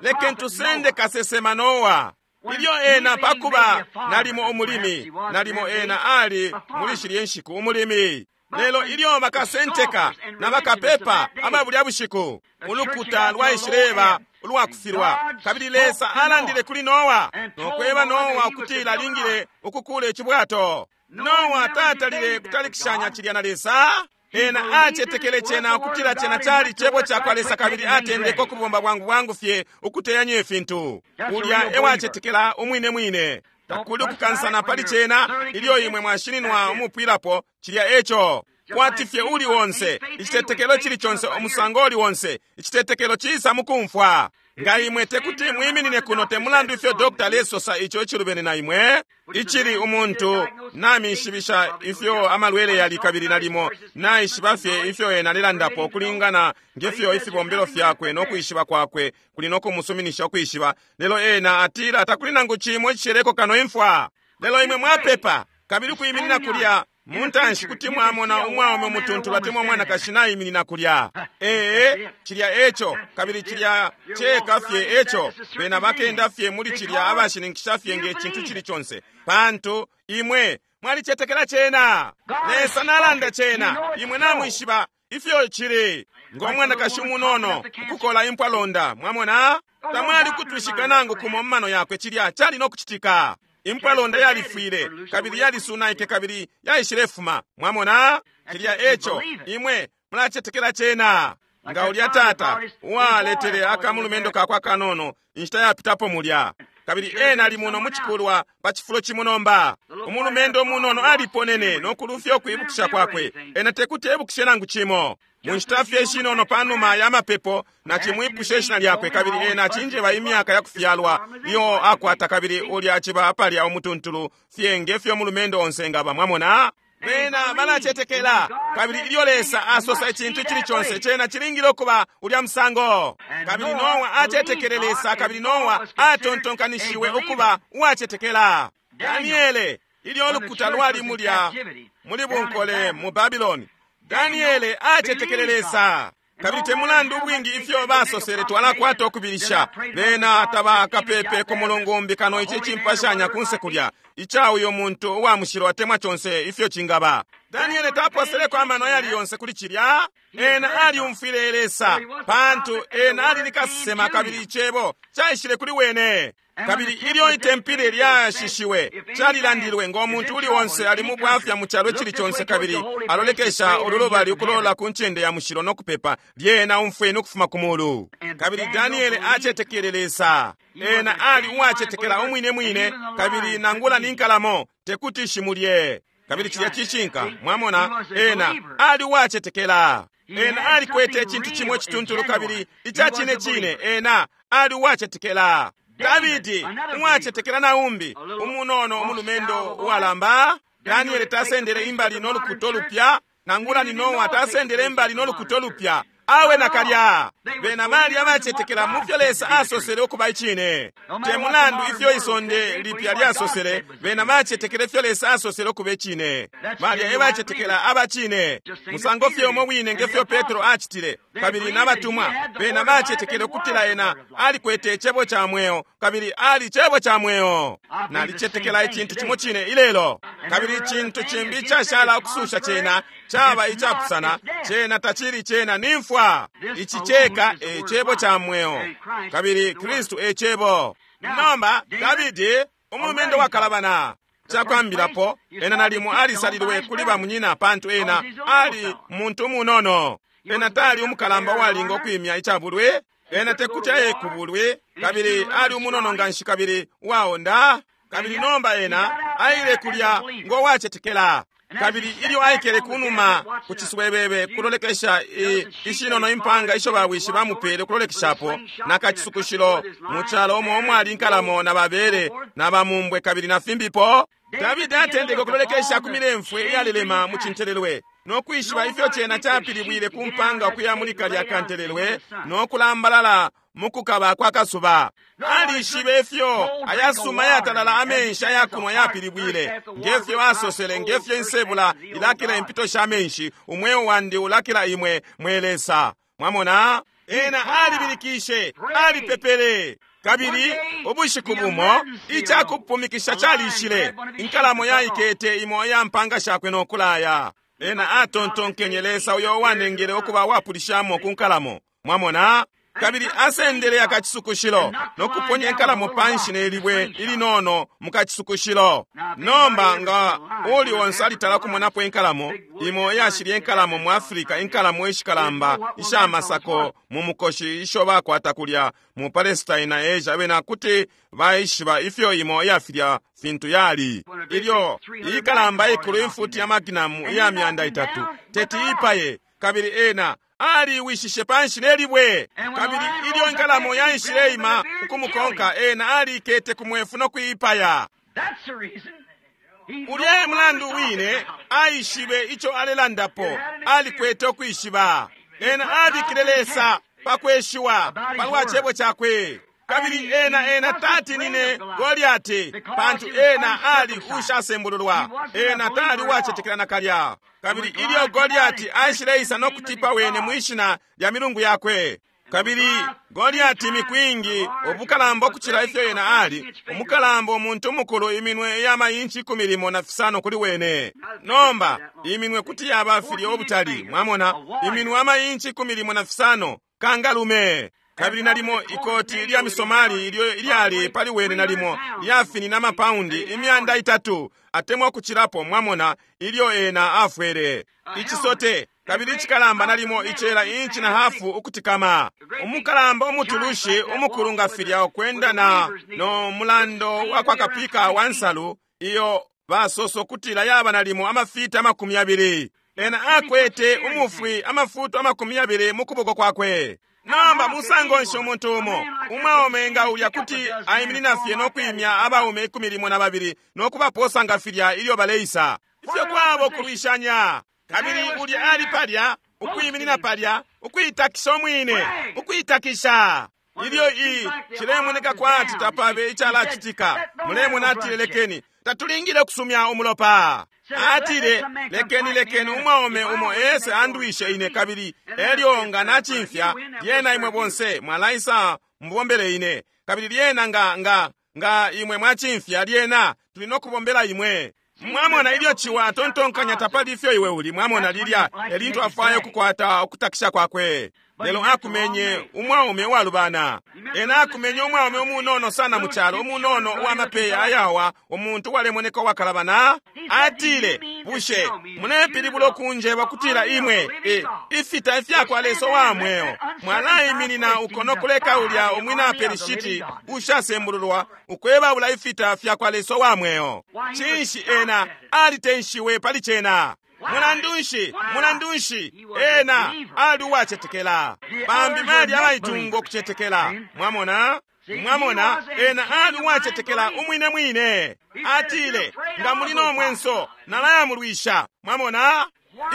Lekeni tusende kasesema Noa. Ilyo ena pakuba nalimo umulimi, nalimo ena ali muli shilye nshiku umulimi. Lelo ilyo bakasenteka na bakapepa aba bulya bushiku, ulukuta lwaishileba ulwakufilwa. Kabili Lesa alandile kuli Noa no kweba Noa ukutila alingile ukukula icibwato. Noa tatalile kutalikishanya cilya na Lesa. Ena acetekele cena ukutila cena cali cebo ca kwa Lesa, kabili atendeke ukubomba bwangu bwangu fye ukuteyanya ifintu. Ulya ewacetekela umwine mwine. Takuli ukukansana pali cena ilyo imwe mwashininwa umupwilapo cilya eco. Kwati fye uli wonse, icitetekelo cili conse, umusango uli wonse, icitetekelo cisa mukumfwa. Nga imwe tekuti mwiminine kuno, te mulandu ifyo Dr. lesosa ico icilubene na imwe, icili umuntu namishibisha ifyo amalwele yali, kabili nalimo naishiba fye ifyo ena alelandapo ukulingana ngefyo ifibombelo fyakwe no kwishiba kwakwe kuli no kumusuminisha ukwishiba, lelo ena atila takuli nangu cimo icisheleko kano imfwa. Lelo imwe mwapepa, kabili ukwiminina kulya muntanshi kuti mwamona umwaume umutuntulu atemwa umwanakashi naiminina kulya. Ee, cilya eco, kabili cilya ceka fye eco. Bena bakenda fye muli cilya abashininkisha fye nge cintu cili conse, pantu imwe mwalicetekela cena. Lesa nalanda cena, imwe namwishiba ifyo cili. Ngo mwanakashi umunono ukukola impwalonda, mwamona, tamwali kutwishika nangu kumo mumano yakwe cilya cali no kucitika. Impwalonda yalifwile kabili yalisunaike kabili yaishilefuma. Mwamona, cilya eco, imwe mulacetekela cena. Nga ulya tata uwaletele akamulumendo kakwe akanono inshita yapitapo mulya, kabili ena ali muno mucikulwa pa cifulo cimo nomba. Umulumendo umunono aliponene no kulufya ukwibukisha kwakwe. Ena tekuti ebukishe nangu cimo. Mu nshita fye ishinono panuma ya mapepo nacimwipusha ishina lyakwe, kabili ena acinjeba imyaka ya kufyalwa iyo akwata, kabili ulya aciba apalya umutuntulu fye nge fyo umulumendo onse ngaba. Mwamona, bena balacetekela, kabili ilyo Lesa asosa icintu cili conse, cena cilingile ukuba ulya musango. Kabili Noa acetekele Lesa, kabili Noa atontonkanishiwe ukuba uwacetekela. Daniele, ilyo ulukuta lwali mulya muli bunkole mu Babiloni, Daniele acetekele Lesa. Kabili te mulandu ubwingi ifyo basosele twalakwata ukubilisha, bena tabakapepe ku mulungu kano ici cimpashanya kunse kulya ica uyo muntu uwa mushilo atemwa conse ifyo cingaba. Daniele taposeleko amano ayali yonse kuli cilya. Ena aliumfwile Lesa, pantu ena ali ni kasesema, kabili icebo caishile kuli wene. Kabili ilyo itempile lyashishiwe, calilandilwe ngo muntu uli onse ali mu bwafya mu calo icili conse, kabili alolekesha ululubali ukulola ku ncende ya mushilo no kupepa, lyena umfweni ukufuma ku mulu. Kabili Daniele acetekele Lesa. Ena ali uwacetekela umwine mwine, kabili nangula ni nkalamo tekuti shimulye. Kabili cilya cishinka, mwamona, ena ali uwacetekela. Ena alikwete icintu cimo icituntulu kabili ica cine cine, ena ali uwacetekela. Davidi, uwacetekela na umbi, umunono umulumendo uwalamba. Daniele tasendele imbali no lukuto lupya, nangula ni Noa tasendele imbali no lukuto lupya. Awe nakalya. Bena bali abacetekela mu fyo Lesa asosele ukuba icine. Te mulandu ifyo isonde lipya lyasosele, bena bacetekele ifyo Lesa asosele ukuba icine. Balya ebacetekela abacine. Musango fye umo wine nge fyo Petro acitile, kabili n'abatumwa, bena bacetekele ukutila ena alikwete icebo ca mweo, kabili ali cebo ca mweo. Nalicetekela icintu cimo cine ilelo. Kabili icintu cimbi icashala ukususha cena caba icapusana, cena tacili cena ni mfwa. Ici ceka e cebo ca mweo, kabili Kristu e cebo. Nomba Davidi, umulumendo wakalabana, cakwambilapo ena nalimo alisalilwe kuli bamunyina, pantu ena ali muntu umunono. Ena tali umukalamba uwalinga ukwimya icabulwe, ena tekuti aye kubulwe, kabili ali umunono nganshi kabili uwaonda. Kabili nomba ena aile kulya ngo wacetekela. Kabili ilyo aikele kunuma ku ciswebebe kulolekesha ishinono impanga isho bawishi bamupele kulolekeshapo, na kacisukushilo mu calo umo umwali inkalamo na babele na bamumbwe kabili na fimbipo, Davidi atendeke ukulolekesha ku milemfwe iyalelema mu cintelelwe, no kwishiba ifyo cena capilibwile ku mpanga ukuya muli kalya kantelelwe no kulambalala mu kukaba kwa kasuba. Alishibe ifyo ayasuma yatalala amenshi ayakunwa yapilibwile, ngefyo asosele, ngefyo insebula ilakila impito sha menshi, umweo wandi ulakila imwe mwe Lesa. Mwamona, ena alibilikishe, alipepele. Kabili ubushiku bumo icakupumikisha calishile, inkalamo yaikete imo iya mpanga shakwe no kulaya. Ena atontonkenye Lesa uyo wanengele ukuba wapulishamo ku nkalamo. Mwamona, kabili asendele akacisukushilo no kuponya inkalamo panshi ne libwe ilinono mu kacisukushilo. Nomba nga uli onse alitala kumonapo inkalamo imo iyashilya inkalamo mu Afrika, inkalamo ishikalamba isha masako mu mukoshi isho bakwata kulya mu Palestine na Asia, bena kuti baishiba ifyo imo iyafilya fintu yali. Ilyo ikalamba ikulu imfuti ya maginamu iya 300 teti ipaye, kabili ena aliwishishe panshi ne libwe. Kabili ilyo inkalamo yaishile ima ukumukonka, ena alikete ku mwefu no kuipaya. Ulya mulandu wine aishibe ico alelandapo, alikwete ukwishiba. Ena abikile Lesa pakweshiwa palwa cebo cakwe. Kabili ena ena tatinine Goliati, pantu ena ali ushasembululwa, ena tali uwacetekela nakalya. Kabili ilyo Goliati aishileisa no kutipa wene mwishina lya milungu yakwe, kabili Goliati mikwingi ubukalamba ukucila ifyo ena ali umukalamba, umuntu umukulu, iminwe ya mayinchi 15 kuli wene. Nomba iminwe kuti yaba filya ubutali, mwamona, iminwe amayinchi 15 kangalume. Kabili nalimo ikoti lya misomali ilyo ilyali pali wene nalimo lyafinina amapaundi 300 atemwa kuchilapo, mwamona, ilyo ena afwele ichisote. Kabili ichikalamba nalimo ichela 1.5 inchi ukutikama, umukalamba umutulushi umukulu nga filya ukwenda na no mulando wa kwa kapika wa nsalu iyo basoso kutila yaba nalimo amafita 20. Ena akwete umufwi amafuto 20 mukuboko kwakwe. Namba musango nshi umuntu umo umwaume nga ulya kuti aiminina fye no kwimya abaume 12 no kubaposa nga filya ilyo baleisa, ifyo kwabo kulwishanya. Kabili ulya ali palya ukwiminina palya ukuitakisha umwine, ukuitakisha. Ilyo i cilemoneka kwati tapabe icalacitika, mulemona, atile, lekeni, tatulingile kusumya umulopa. Atile, lekeni lekeni umwaume umo ese andwishe ine, kabili elyo nga nachimfya, lyena imwe bonse mwalaisa mubombele ine. Kabili lyena nga nga nga imwe mwachimfya, lyena tuli no kubombela imwe. Mwamona, ilyo chiwa tontonkanya tapali ifyo iwe uli, mwamona, lilya elintu afwaye ukukwata ukutakisha kwakwe. Lelo akumenye umwaume uwalubana. Ena akumenye umwaume umunono sana mu cyalo, umunono uwamapeya ayawa, umuntu uwalemoneka uwakalabana. Atile, bushe mulepilibula ukunjeba kutila imwe ifita ifyakwa Lesa wa mweo mwalaiminina uko no kuleka ulya umwina Pelishiti ushasembululwa ukwebaula ifita fyakwa Lesa wa mweo? Cinshi ena alitenshiwe pali cena? Mulandu nshi, mulandu nshi, ena ali uwacetekela. Bambi bali abaitunga ukucetekela. Mwamona, mwamona, ena ali uwacetekela umwine mwine. Atile, nga muli no mwenso nalayamulwisha. Mwamona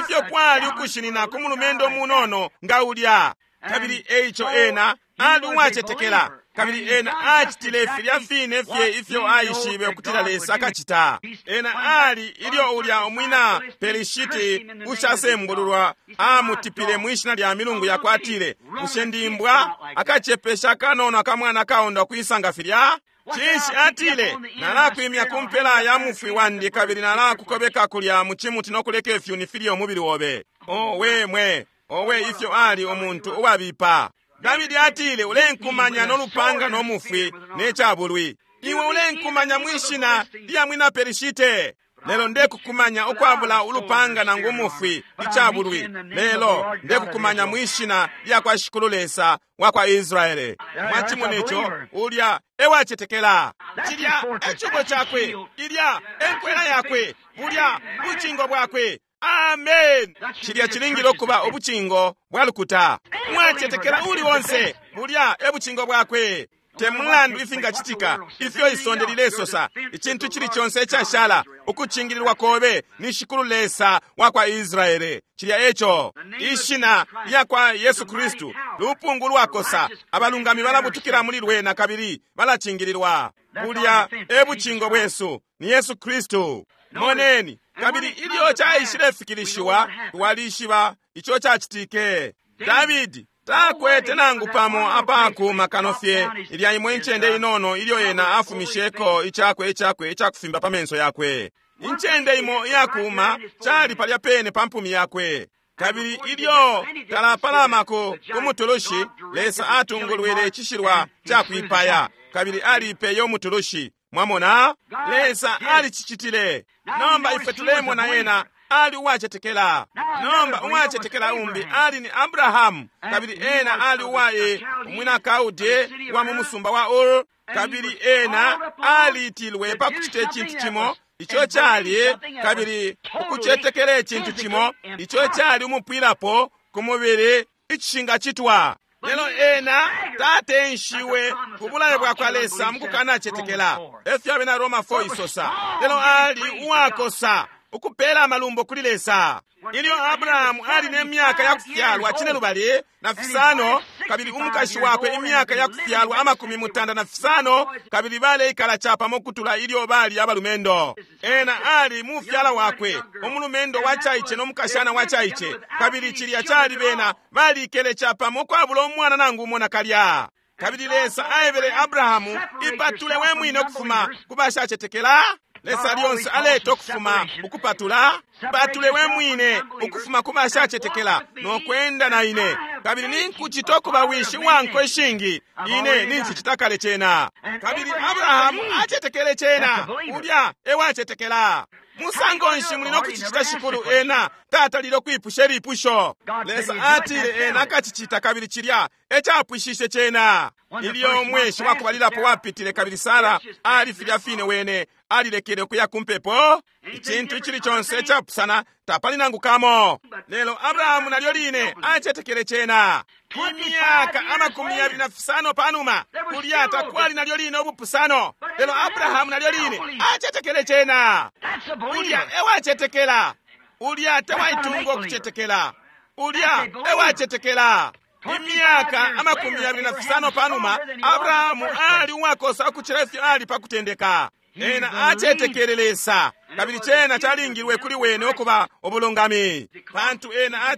ifyo kwali ukushinina ku mulumendo munono nga ulya. Kabili eico ena ali uwacetekela, kabili ena acitile filya fine fye ifyo aishibe ukutila Lesa akacita. Ena ali ilyo ulya umwina Pelishiti ushasembululwa amutipile mwishina lya milungu yakwe, atile, bushe ndimbwa akacepesha kanono akamwana kaonda kuisanga filya? Cinshi, atile, nalakwimya kumpela ya mufwi wandi, kabili nalakukobeka kulya mu cimuti no kuleka ifyuni filye umubili wobe. Owe mwe, owe ifyo ali umuntu uwabipa. Davidi atile, ulenkumanya no lupanga no mufwi ne cabulwi, iwe ulenkumanya mwishina lya mwina Pelishite. Lelo ndekukumanya ukwabula ulupanga nangu umufwi icabulwi, lelo ndekukumanya mwishina lya kwa Shikulu Lesa wa kwa Israele. Mwachimone ico, ulya ewacetekela. Cilya ecubo cakwe, ilya enkwela yakwe, bulya bucingo bwakwe. Amen. Cilya cilingile ukuba ubucingo bwa lukuta. Mwacetekela uli onse, bulya ebucingo bwakwe. Te mulandu ifingacitika, ifyo isonde lilesosa, icintu cili conse icashala ukucingililwa kobe ni Shikulu Lesa wa kwa Israele. Cilya eco ishina lya kwa Yesu Kristu, lupungu lwakosa, abalungami balabutukila muli lwena kabili balacingililwa. Bulya ebucingo bwesu ni Yesu Kristu. Moneni, kabili ilyo caishilefikilishiwa, twalishiba ico cacitike. Davidi takwete nangu pamo apakuma kano fye ilya imwe incende inono ilyo ena afumisheko icakwe icakwe icakufimba pa menso yakwe. Incende imo iyakuma cali palya pene pa mpumi yakwe. Kabili ilyo talapalamako ku mutulushi, Lesa atungulwile icishilwa cakwipaya, kabili alipeye umutulushi. Mwamona, Lesa alicicitile. Nomba ifwe tulemona ena ali uwacetekela. Nomba uwacetekela umbi ali ni Abrahamu, kabili ena ali uwaye umwina Kaude wa mu musumba wa Ur, kabili ena aliitilwe pa kucita icintu cimo ico cali, kabili ukucetekela icintu cimo ico cali umupwilapo ku mubili icishingacitwa. Lelo ena tatenshiwe ku bulayo bwa kwa Lesa mukukanacetekela, efyo abena Roma 4 isosa. Lelo ali uwakosa. ukupela amalumbo kuli Lesa. Ilyo Abrahamu ali ne myaka ya kufyalwa 75, kabili umukashi wakwe imyaka ya kufyalwa 95, kabili baleikala capamo kutula ilyo bali abalumendo. Ena ali mufyala wakwe, umulumendo wacaice no mukashana wacaice, kabili cilya cali bena balikele capamo kwabula umwana nangu umo nakalya. Kabili Lesa aebele Abrahamu, ipatule we mwine ukufuma ku bashacetekela. Lesa lyonse aleta ukufuma ukupatula, patule we mwine ukufuma ku bashacetekela no kwenda na ine, kabili ninkucita ukuba wishi wanko ishingi, ine ninchicita kale cena. Kabili Abrahamu acetekele cena, ulya ewacetekela. Musango nshi muli no kucicita Shikulu? Ena tatalile ukwipusha ilipusho. Lesa atile ena akacicita, kabili cilya ecapwishishe cena. Ilyo umweshi wakubalilapo wapitile, kabili Sara ali filya fine wene alilekele ukuya ku mpepo. Icintu icili conse ecapusana, tapali nangu kamo. Lelo Abrahamu nalyo line acetekele cena. Imyaka 25 panuma, kulya takwali nalyo line ubupusano, lelo Abrahamu nalyo line acetekele cena. Ulya ewacetekela, ulya tewaitunga okucetekela, ulya ewacetekela. Imyaka 25 panuma, Abrahamu ali uwakosa ukucila ifyo ali pa kutendeka. Ena acetekele Lesa, kabili cena calingilwe kuli wene ukuba ubulungami, pantu ena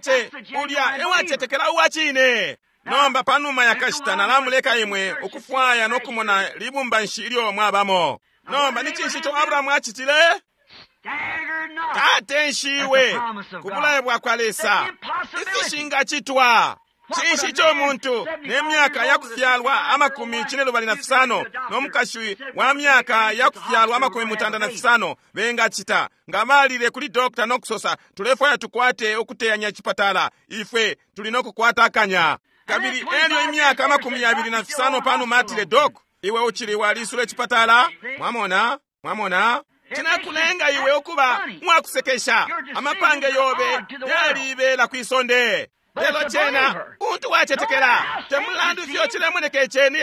ulya ewacetekela uwacine. Nomba panuma yakashita nalamuleka imwe ukufwaya no kumona libumba nshi ilyo mwabamo. Nomba ni cinshi ico Abrahamu acitile? Tatenshiwe ku bulayo bwakwa Lesa, ifishingacitwa. Cinshi ico muntu ne myaka ya kufyalwa 75 no mukashi wa myaka ya kufyalwa 95 bengacita nga balile kuli dokta no kusosa, tulefwaya tukwate ukuteyanya chipatala, ifwe tuli no kukwata akanya. Kabili elyo imyaka 25 panuma atile, dok, iwe uchili walisula chipatala. Mwamona, mwamona cinakulenga iwe ukuba mwakusekesha, amapange yobe yalibela kwisonde. Lelo cena untu wacetekela, temulandu ifyo cilemoneka iceni.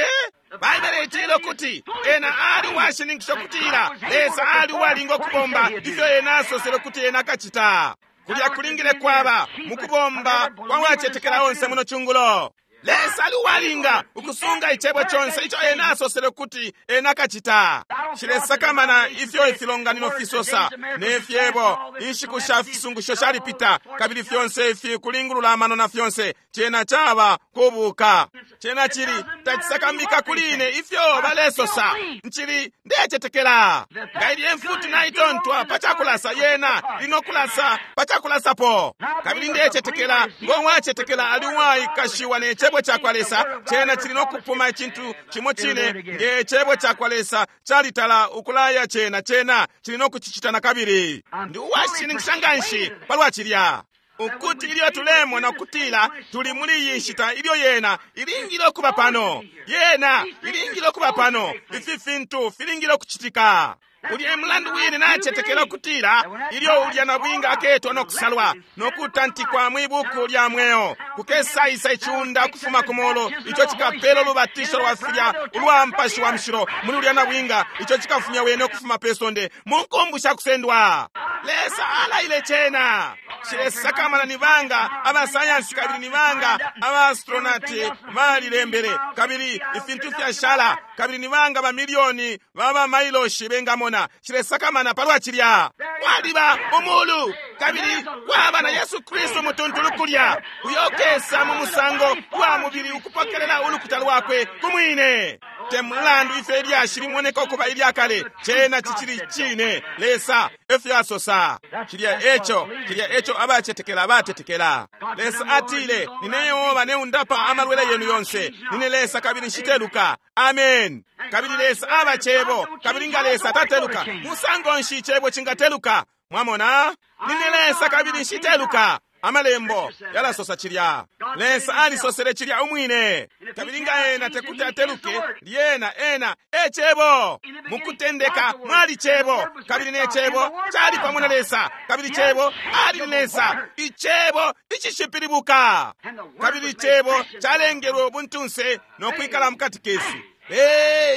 Baibele itile ukuti ena ali uwashininkisha ukutila Lesa ali uwalinga ukubomba ifyo ena asosele ukuti ena akacita. Kulya kulingile kwaba mukubomba kwa wacetekela onse muno chungulo. Lesa ali uwalinga ukusunga icebo conse ico ena asosele ukuti ena akacita. Shilesakamana ifyo ifilonganino fisosa ne fyebo, inshiku sha fisungusho shalipita, kabili fyonse ifi kulingulula amano na fyonse, cena caba kubuka. Cena cili tacisakamika kuli ine ifyo balesosa, ncili ndecetekela. Nga ilye mfuti naitontwa pa cakulasa, yena linokulasa pa cakulasapo. Kabili ndecetekela ngo wacetekela ali uwaikashiwa ne cebo cakwa Lesa, cena cili nokupuma icintu cimo cine nge cebo cakwa Lesa calitala ukulaya cena, cena cili nokucicita na kabili. Ndi uwashininkisha nganshi palwa cilya, ukuti ilyo tulemona ukutila tuli muli iyi nshita ilyo yena ilingile ukuba pano, yena ilingile ukuba pano, ifi fintu filingile ukucitika. Ulya mulandu wine nacetekela ukutila ilyo ulya nabwinga aketwa no kusalwa no kutantikwa mwi buku lya mweo, kukesaisa iciunda ukufuma ku molo ico cikapela ulubatisho lwa filya ulwa mpashi wa mushilo muli ulya nabwinga, ico cikafumya wene ukufuma pe sonde mu nkumbu sha kusendwa. Lesa alaile cena. Shilesakamana ni banga abasayansi kabili ni banga abaastronati balilembele, kabili ifintu fyashala, kabili ni banga bamilioni baba mailoshi bengamona. Shilesakamana palwa cilya. Kwaliba umulu, kabili kwaba na Yesu Kristu mutuntulu kulya, uyo kesa mu musango wa mubili ukupokelela ulukuta lwakwe kumwine. Te mulandu ifyo ilyashi limoneka ukuba ilyakale, cena cicili cine. Lesa efyo asosa. Cilya eco, cilya eco abacetekela batetekela. Lesa atile, nine Yehova neundapa amalwele yenu yonse, nine Lesa kabili nshiteluka. Amen. Kabili Lesa aba cebo, kabili nga Lesa tateluka, musango nshi icebo cingateluka? Mwamona, nine Lesa kabili nshiteluka. Amalembo yalasosa cilya. Lesa alisosele cilya umwine. Kabili nga ena tekuti ateluke, lyena ena e cebo. Mukutendeka mwali cebo, kabili ne cebo cali pamo na Lesa, kabili cebo ali ni Lesa, icebo icishipilibuka. Kabili icebo calengelwe ubuntunse no kwikala mukati kesu.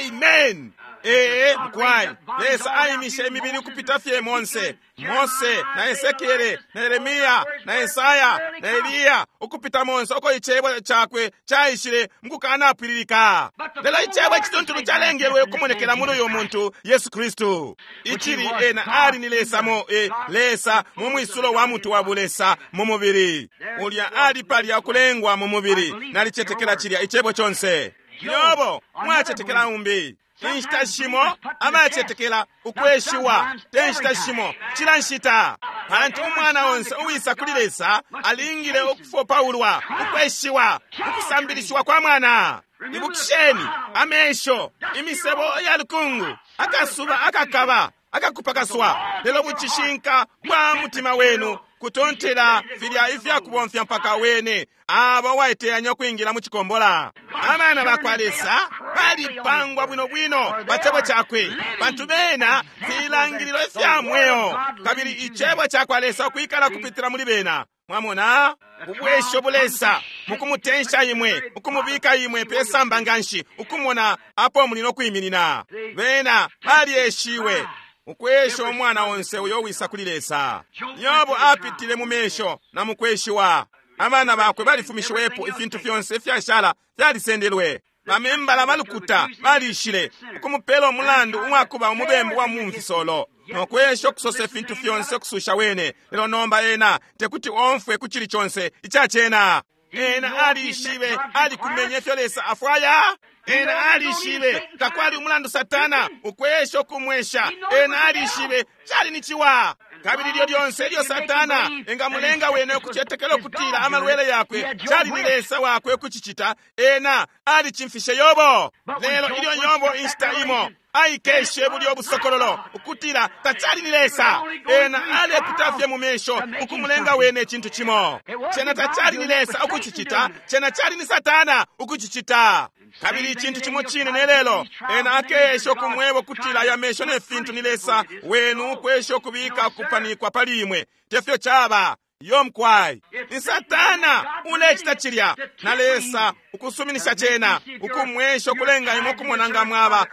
Amen. Ee, mukwai, Lesa aimishe imibili ukupita fye monse, Mose na Esekiele na Yeremiya na Esaya na Eliya, ukupita monse uko icebo cakwe caishile mukukanapwililika. Lelo icebo icituntulu calengelwe ukumonekela muli uyu muntu Yesu Kristu, icili ena ali ni Lesa mo Lesa mu mwisulo wa mutu wa bulesa mu mubili. Ulya ali palya kulengwa mu mubili. Nalicetekela cilya icebo conse. Yobo mwacetekela umbi. Inshita shimo abacetekela ukweshiwa, te nshita shimo, cila nshita. Pantu umwana onse uwisa kuli Lesa alingile ukufopaulwa, ukweshiwa, ukusambilishiwa kwa mwana. Ibukisheni amesho, imisebo ya lukungu, akasuba akakaba, akakupakaswa, lelo bucishinka bwa mutima wenu kutontela filya ifyakubomfya mpaka wene abo waiteyanya ukwingila mu cikombola. Abana bakwa Lesa balipangwa bwino bwino pa cebo cakwe, pantu bena filangililo ifya mweo, kabili icebo cakwa Lesa ukwikala kupitila muli bena. Mwamona ubwesho bulesa mukumutensha imwe, ukumubika imwe pesamba nganshi, ukumona apo muli no kwiminina. Bena balyeshiwe ukwesha umwana onse uyo wisa kuli Lesa. Yobo apitile mu mesho na mukweshiwa. Abana bakwe balifumishiwepo, ifintu fyonse ifyashala fyalisendelwe. Bamembala balukuta balishile ukumupela umulandu uwakuba umubembu wa mumfisolo, nokwesha ukusosa ifintu fyonse ukususha wene. Lelo nomba ena tekuti omfwe ku cili conse icacena. Ena alishibe, alikumenye ifyo Lesa afwaya. Ena alishibe takwali umulandu Satana ukwesha ukumwesha. Ena alishibe cali ni ciwa. Kabili lyo lyonse ilyo Satana engamulenga wene ukucetekela ukutila amalwele yakwe cali ni Lesa wakwe ukucicita, ena alicimfishe Yobo. Lelo ilyo Yobo inshita imo aikeshe bulyo busokololo ukutila tacali ni Lesa, ena alepita fye mu mesho ukumulenga wene icintu cimo. Cena tacali ni Lesa ukucicita, cena cali ni Satana ukucicita. Kabili icintu cimo cine ne lelo, ena akesha ukumweba ukutila aya mesho ne fintu ni Lesa wenu ukwesha ukubika ukupanikwa pali imwe. Tefyo caba. Yomkwai ni Satana ulecita cilya, na Lesa ukusuminisha cena ukumwesha ukulenga imwe ukumona nga mwaba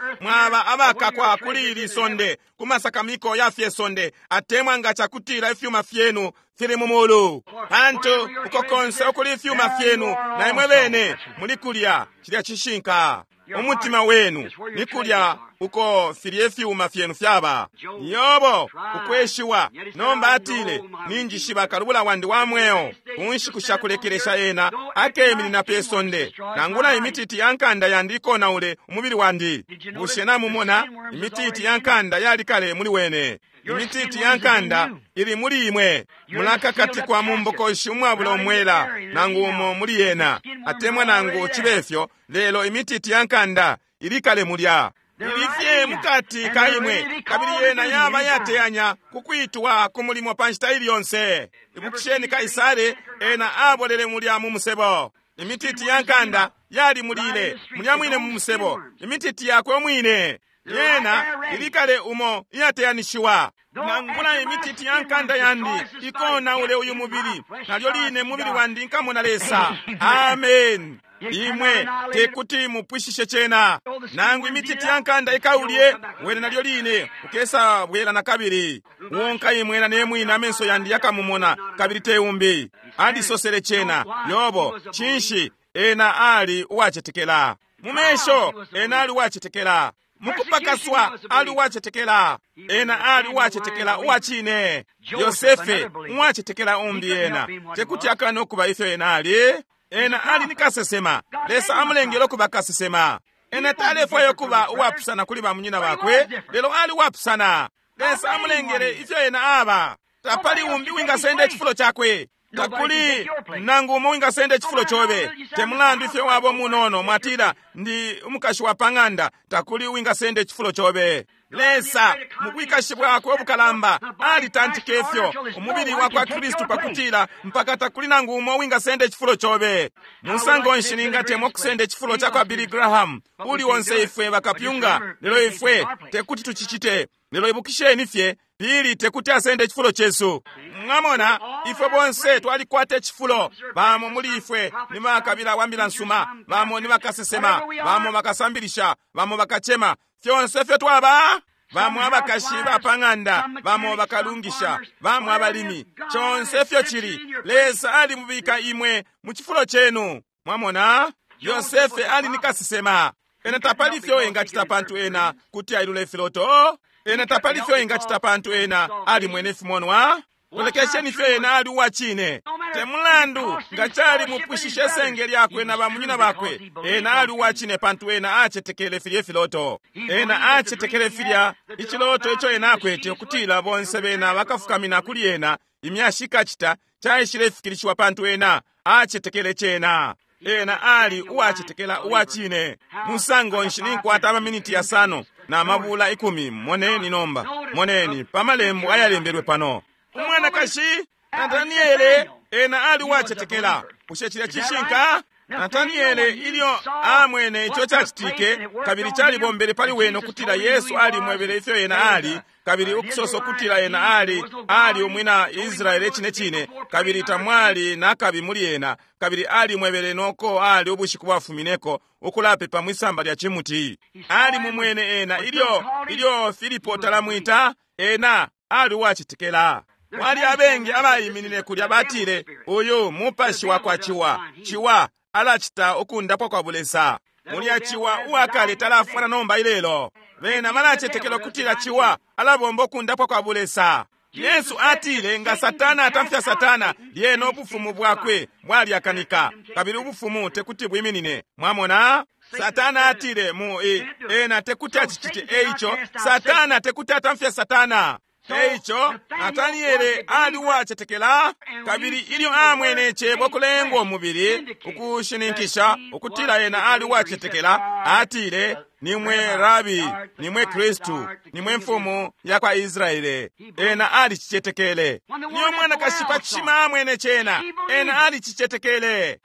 abakakwa kuli ili sonde, ku masakamiko ya fye sonde, atemwa nga cakutila ifyuma fyenu fili mu mulu. Pantu uko konse ukuli ifyuma fyenu, na imwe bene muli kulya. Cilya cishinka. Umutima wenu ni kulya uko filye ifyuma fyenu fyaba. Yobo ukweshiwa nomba atile, ninjishiba kalubula wandi wa mweo, kunshiku shakulekelesha ena akeminina pe sonde, nangula imititi ya nkanda yandi ikonaule umubili wandi. Bushe namumona? Imititi ya nkanda yali kale muli wene. Imititi ya nkanda ili muli imwe. Mulakakatikwa mu mbokoshi umwabula umwela nangu umo muli yena, atemwa nangu cibefyo, lelo imititi ya nkanda ili kale mulya. Ilifye mukati ka imwe, kabili yena yaba yateyanya kukwitwa ku mulimo pa nshita ili yonse. Ibukisheni Kaisare, ena abolele mulya mu musebo. Imititi ya nkanda yali mulile mulya mwine mu musebo, imititi yakwe umwine yena ilikale umo iyateyanishiwa. Nangula imititi ya nkanda yandi ikonaule uyu mubili, nalyo line mubili wandi nkamona Lesa. Amen. Imwe tekuti mupwishishe cena. Nangu imititi ya nkanda ikaulye wene, nalyo line ukesa bwela na kabili. Wonka imwena ne mwina amenso yandi yakamumona, kabili te umbi. Alisosele cena. Yobo cinshi? Ena ali uwacetekela mu mesho, ena ali uwacetekela mukupakaswa, ali uwacetekela. Ena ali uwacetekela uwacine. Yosefe uwacetekela umbi, ena tekuti akane ukuba ifyo ena ali. Ena ali ni kasesema. Lesa amulengele ukuba kasesema. Ena talefwaya ukuba uwapusana kuli bamunyina bakwe, lelo ali uwapusana. Lesa amulengele ifyo ena aba. Tapali umbi wingasenda icifulo cakwe. Takuli nangu umo wingasenda icifulo cobe. Te mulandu ifyo waba umunono, mwatila ndi umukashi wa pang'anda, takuli wingasenda icifulo cobe. Lesa mu bwikashi bwakwe ubukalamba alitantika ifyo umubili wa kwa Kristu pakutila mpaka takuli nangu umo wingasenda icifulo cobe. Musango nshi ningatemwa kusenda icifulo ca kwa Billy Graham uli onse ifwe bakapyunga, lelo ifwe tekuti tucicite. Lelo ibukisheni fye, Pili tekuti asende icifulo cesu. Mwamona, ifwe bonse twalikwata icifulo. Bamo muli ifwe ni bakabila wa mbila nsuma, bamo ni bakasesema, bamo bakasambilisha, bamo bakacema. Fyonse fyo twaba bamo abakashi bapang'anda, bamo bakalungisha, bamo abalimi. Chonse fyo chili Lesa alimubika imwe mu chifulo chenu. Mwamona, Yosefe ali ni kasesema. Ena tapali fyo engachita pantu ena kuti ailule filoto. Ena tapali fyo engachita pantu ena ali mwene fimonwa. Lolekesheni fyo ena ali uwachine. Temulandu nga chali mupwishishe senge lyakwe na bamunyina bakwe. Ena ali uwachine pantu ena achetekele filye filoto. Ena achetekele filya ichiloto icho ena akwete ukutila bonse bena bakafukamina kuli ena imyashi ikachita chaishile fikilishiwa pantu ena achetekele chena. Ena ali uwachetekela uwachine. Musango nshi ninkwata amaminiti yasano na mabula 10. Moneni nomba, moneni pamalembo ayalembelwe pano. Umwanakashi Nataniele ena ali uwachetekela. Bushe chilya chishinka? Nataniele ilyo amwene icho chachitike kabili chalibombele pali wene ukutila Yesu alimwebele ifyo ena ali, kabili ukusosa ukutila ena ali ali umwina Israele chine chine, kabili tamwali nakabi muli ena, kabili alimwebele noko ali ubushiku bwafumineko ukulapepa mwisamba lya chimuti. Ali mumwene ena ilyo Filipo talamwita, ena ali uwachetekela. Wali abengi abayiminine kulya batile, uyu mupashi wakwa chiwa, chiwa alachita ukundapwa kwa bulesa. Mulya chiwa uwakale talafwana nomba ilelo. Bena balachetekela kutila chiwa alabomba ukundapwa kwa bulesa. Yesu atile nga Satana atamfya Satana, lyena ubufumu bwakwe bwalyakanika, kabili ubufumu tekuti bwiminine. Mwamona? Satana atile mu ena tekuti achichite. Eicho Satana tekuti atamfya Satana. Eicho Nataniele ali uwachetekela, kabili ilyo amwene chebo kulengwa umubili ukushininkisha ukutila ena ali uwachetekela, atile nimwe Rabi, nimwe Kristu, nimwe mfumu ya kwa Israele. Ena ali chichetekele. Niyo mwanakashi pa chishima amwene chena, ena ali chichetekele.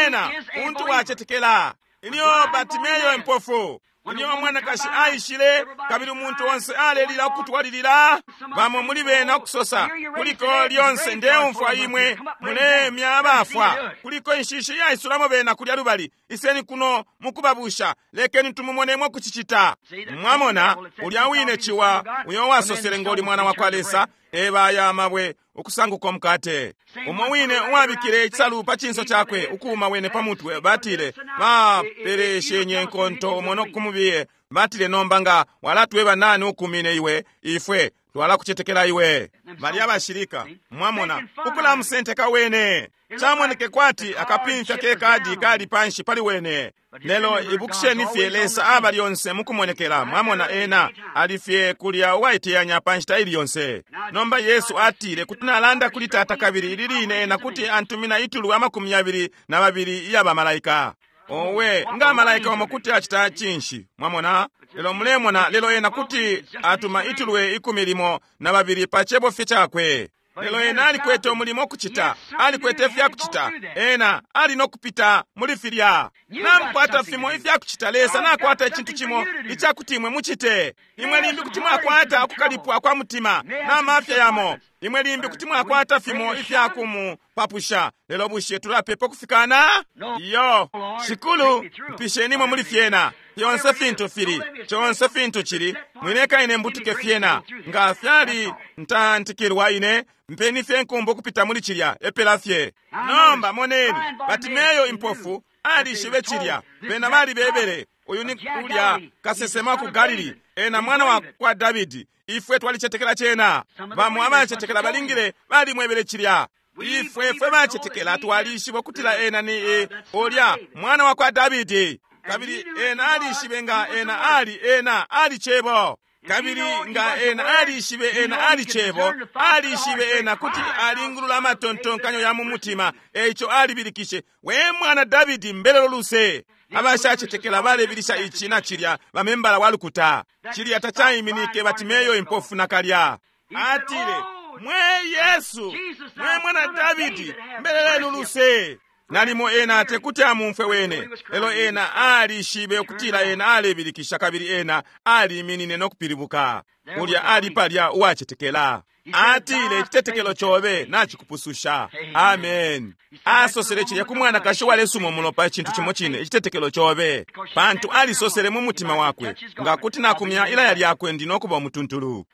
Ena untu wachetekela. Ilyo Bartimeyo impofu, ilyo mwanakashi aishile, kabili umuntu onse alelila ukutwalilila, bamo muli bena ukusosa kuliko lyonse ndeumfwa imwe mulemya abafwa, kuliko inshishi yaisulamo bena kulya lubali, iseni kuno mukubabusha, lekeni tumumonemo kuchichita. Mwamona ulya wine chiwa uyo wasosele ngoli mwana wa kwa Lesa, eba ya mabwe ukusanguka mukate. Umo wine uwabikile ichisalu pa chinso chakwe ukuuma wene pa mutwe, batile bapereshenye nkonto umo kumubiye, batile nomba nga walatweba nani ukumine iwe, ifwe twalakuchetekela iwe. Bali abashilika, mwamona ukulamusenteka wene. Chamoneke kwati akapimfya ke kadi kali panshi pali wene. Lelo ibukisheni fye Lesa aba lyonse mukumonekela. Mwamona ena alifye kulya uwaiteyanya panshita ili yonse. Nomba Yesu atile kuti nalanda kuli Tata kabili ili line ena kuti antumina itulu 22 iya bamalaika. Owe nga malaika omo kuti achita chinshi. Mwamona lelo mulemona lelo ena kuti atuma itulwe 12 pa chebo fye chakwe. Lelo ena alikwete umulimo okuchita, alikwete ifyakuchita, ena ali nokupita muli filya. Namukwata fimo ifyakuchita, Lesa nakwata ichintu chimo ichakuti imwe muchite. Imwe limbi kuti mwakwata ukukalipwa kwa mutima na mafya yamo. Imwe limbi kuti mwakwata fimo ifyakumupapusha. Lelo bushe tulapepa kufikana? Iyo, Shikulu, mpisheni muli fyena. Fyonse fintu fili, chonse fintu chili, mwineka ine mbutuke fyena. Nga fyali ntantikilwa ine, mpeni fye nkumbu kupita muli chilya, epela fye. Nomba moneni, Bartimeyo impofu alishibe chilya, bena bali bebele, uyu ni ulya kasesema ku Galili, ena mwana wa kwa Davidi. Ifwe twalichetekela chena. Bamo abachetekela balingile balimwebele chilya. Ifwe fwe bachetekela twalishiba kutila ena ni ulya mwana wa kwa Davidi. Kabili ena alishibe nga ena ali ena ali chebo. Kabili nga ena alishibe ena ali chebo, alishibe ena kuti alingulula amatontonkanyo ya mu mutima. Eicho alibilikishe, we mwana Davidi mbelelo luse. Abashachetekela balebilisha ichi na chilya bamembala walukuta. Chilya tachayiminike Bartimeyo impofu nakalya. Atile, mwe Yesu, mwe mwana Davidi mbelelenu luse. Nalimo ena tekuti amumfwe wene, lelo ena alishibe ukutila ena alebilikisha kabili ena aliminine no kupilibuka. Ulya ali palya uwacetekela. Atile, icitetekelo cobe nacikupususha. Amen. Asosele cilya ku mwanakashi uwalesuma umulopa icintu cimo cine, icitetekelo cobe, pantu alisosele mu mutima wakwe, nga kuti nakumya ilaya lyakwe ndi no kuba umutuntulu.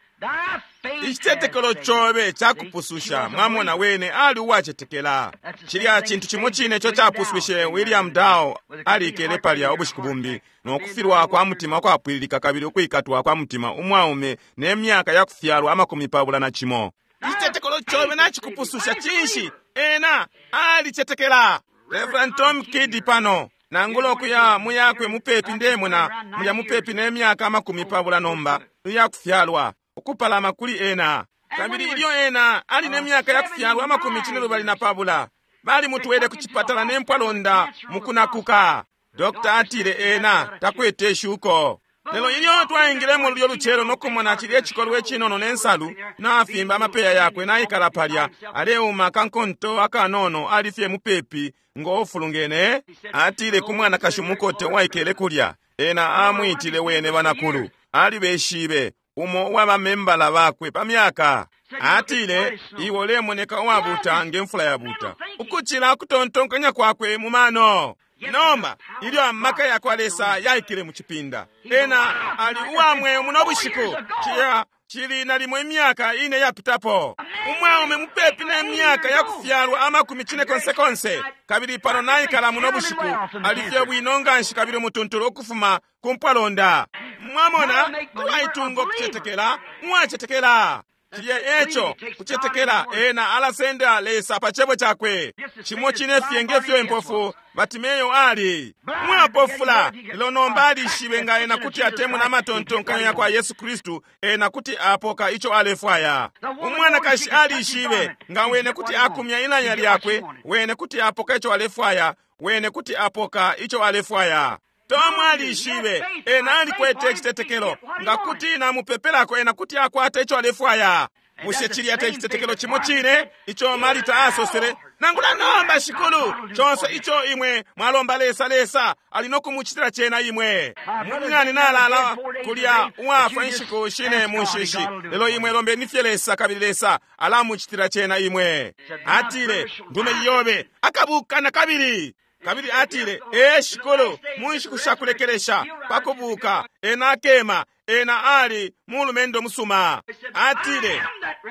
Icitetekelo cobe cakupususha. Mwamona, wene ali uwacetekela. Cilya cintu cimo cine ico capuswishe William Dow. Alikele palya ubushiku bumbi no kufilwa kwa mutima kwapwililika kabili ukwikatwa kwa mutima, umwaume ne myaka ya kufyalwa 21. Icitetekelo cobe nacikupususha. Cinshi? Ena alicetekela. Reverend Tom Kidd pano, nangula ukuya muyakwe mupepi, ndemona mulya mupepi ne myaka 20 nomba iyakufyalwa, ukupalama kuli ena. Kabili ilyo ena ali ne myaka yakufyalwa 22, balimutwele ku cipatala ne mpwalonda mukunakuka. Dokta atile ena takwete shuko. Lelo ilyo twaingilemo lulyo lucelo no kumona cilye cikolwe cinono ne nsalu nafimba amapeya yakwe naikala palya aleuma kankonto akanono, ali fye mupepi ngo ofulungene. Atile ku mwanakashi umukote uwaikele kulya, ena amwitile wene banakulu, alibeshibe umo uwabamembala bakwe pa myaka. Atile, iwe ulemoneka uwabuta nge mfula yabuta, ukucila kutontonkanya kwakwe mu mano. Nomba ilyo amaka yakwa Lesa yaikile mu cipinda, ena ali uwamweo muno bushiku. Ciya cili nalimo imyaka ine yapitapo, umwaume mupepi ne myaka yakufyalwa 50, kabili pano naikala muno bushiku, ali fye bwino nganshi kabili umutuntulu ukufuma ku mpwalonda. Mwamona, uwaitunga ukucetekela, uwacetekela. Cilya eco kucetekela, ena alasenda Lesa pa cebo cakwe. Cimo cine fye ngefyo impofu Batimeyo ali mwapofula, lelo nomba alishibe nga ena kuti atemuna amatontonkanyo yakwa Yesu Kristu, ena kuti apoka ico alefwaya. Umwanakashi alishibe nga wene kuti akumya ilanya lyakwe, wene kuti apoka ico alefwaya, wene kuti apoka ico alefwaya. Tomu alishibe, ena alikwete icitetekelo, nga kuti namupepelako ena kuti akwata ico alefwaya. Bushe cilya te citetekelo cimo cine ico Marita asosele? Nangula nomba, Shikulu, conse ico imwe mwalomba Lesa, Lesa ali no kumucitila cena imwe. Munyani nalala kulya uwafwa inshiku shine mu nshishi, lelo imwe lombeni fye Lesa, kabili Lesa alamucitila cena imwe. Atile, ndume yobe akabuka na kabili. Kabili atile, ee Shikulu, mu nshiku shakulekelesha pakubuka ena akema. Ena ali mulumendo musuma. Atile,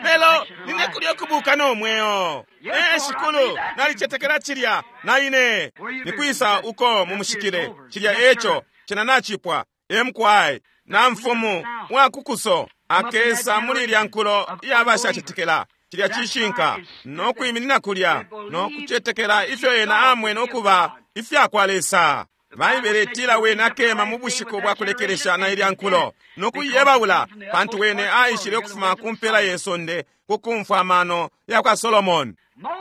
lelo nine kulya kubuka no mweo. Ee Shikulu, nalicetekela cilya na ine. Nikwisa uko mumushikile cilya eco cena nacipwa. Emkwai na mfumu wakukuso akesa muli ilya nkulo iyabashacetekela. Cilya cishinka no kwiminina kulya no kucetekela ifyo ena amwene ukuba ifyakwa Lesa. Baibele itila wene akema mu bushiku bwa kulekelesha na ilya nkulo no kuiyebaula, pantu wene aishile ukufuma ku mpela ye sonde ku kumfwa amano yakwa Solomoni.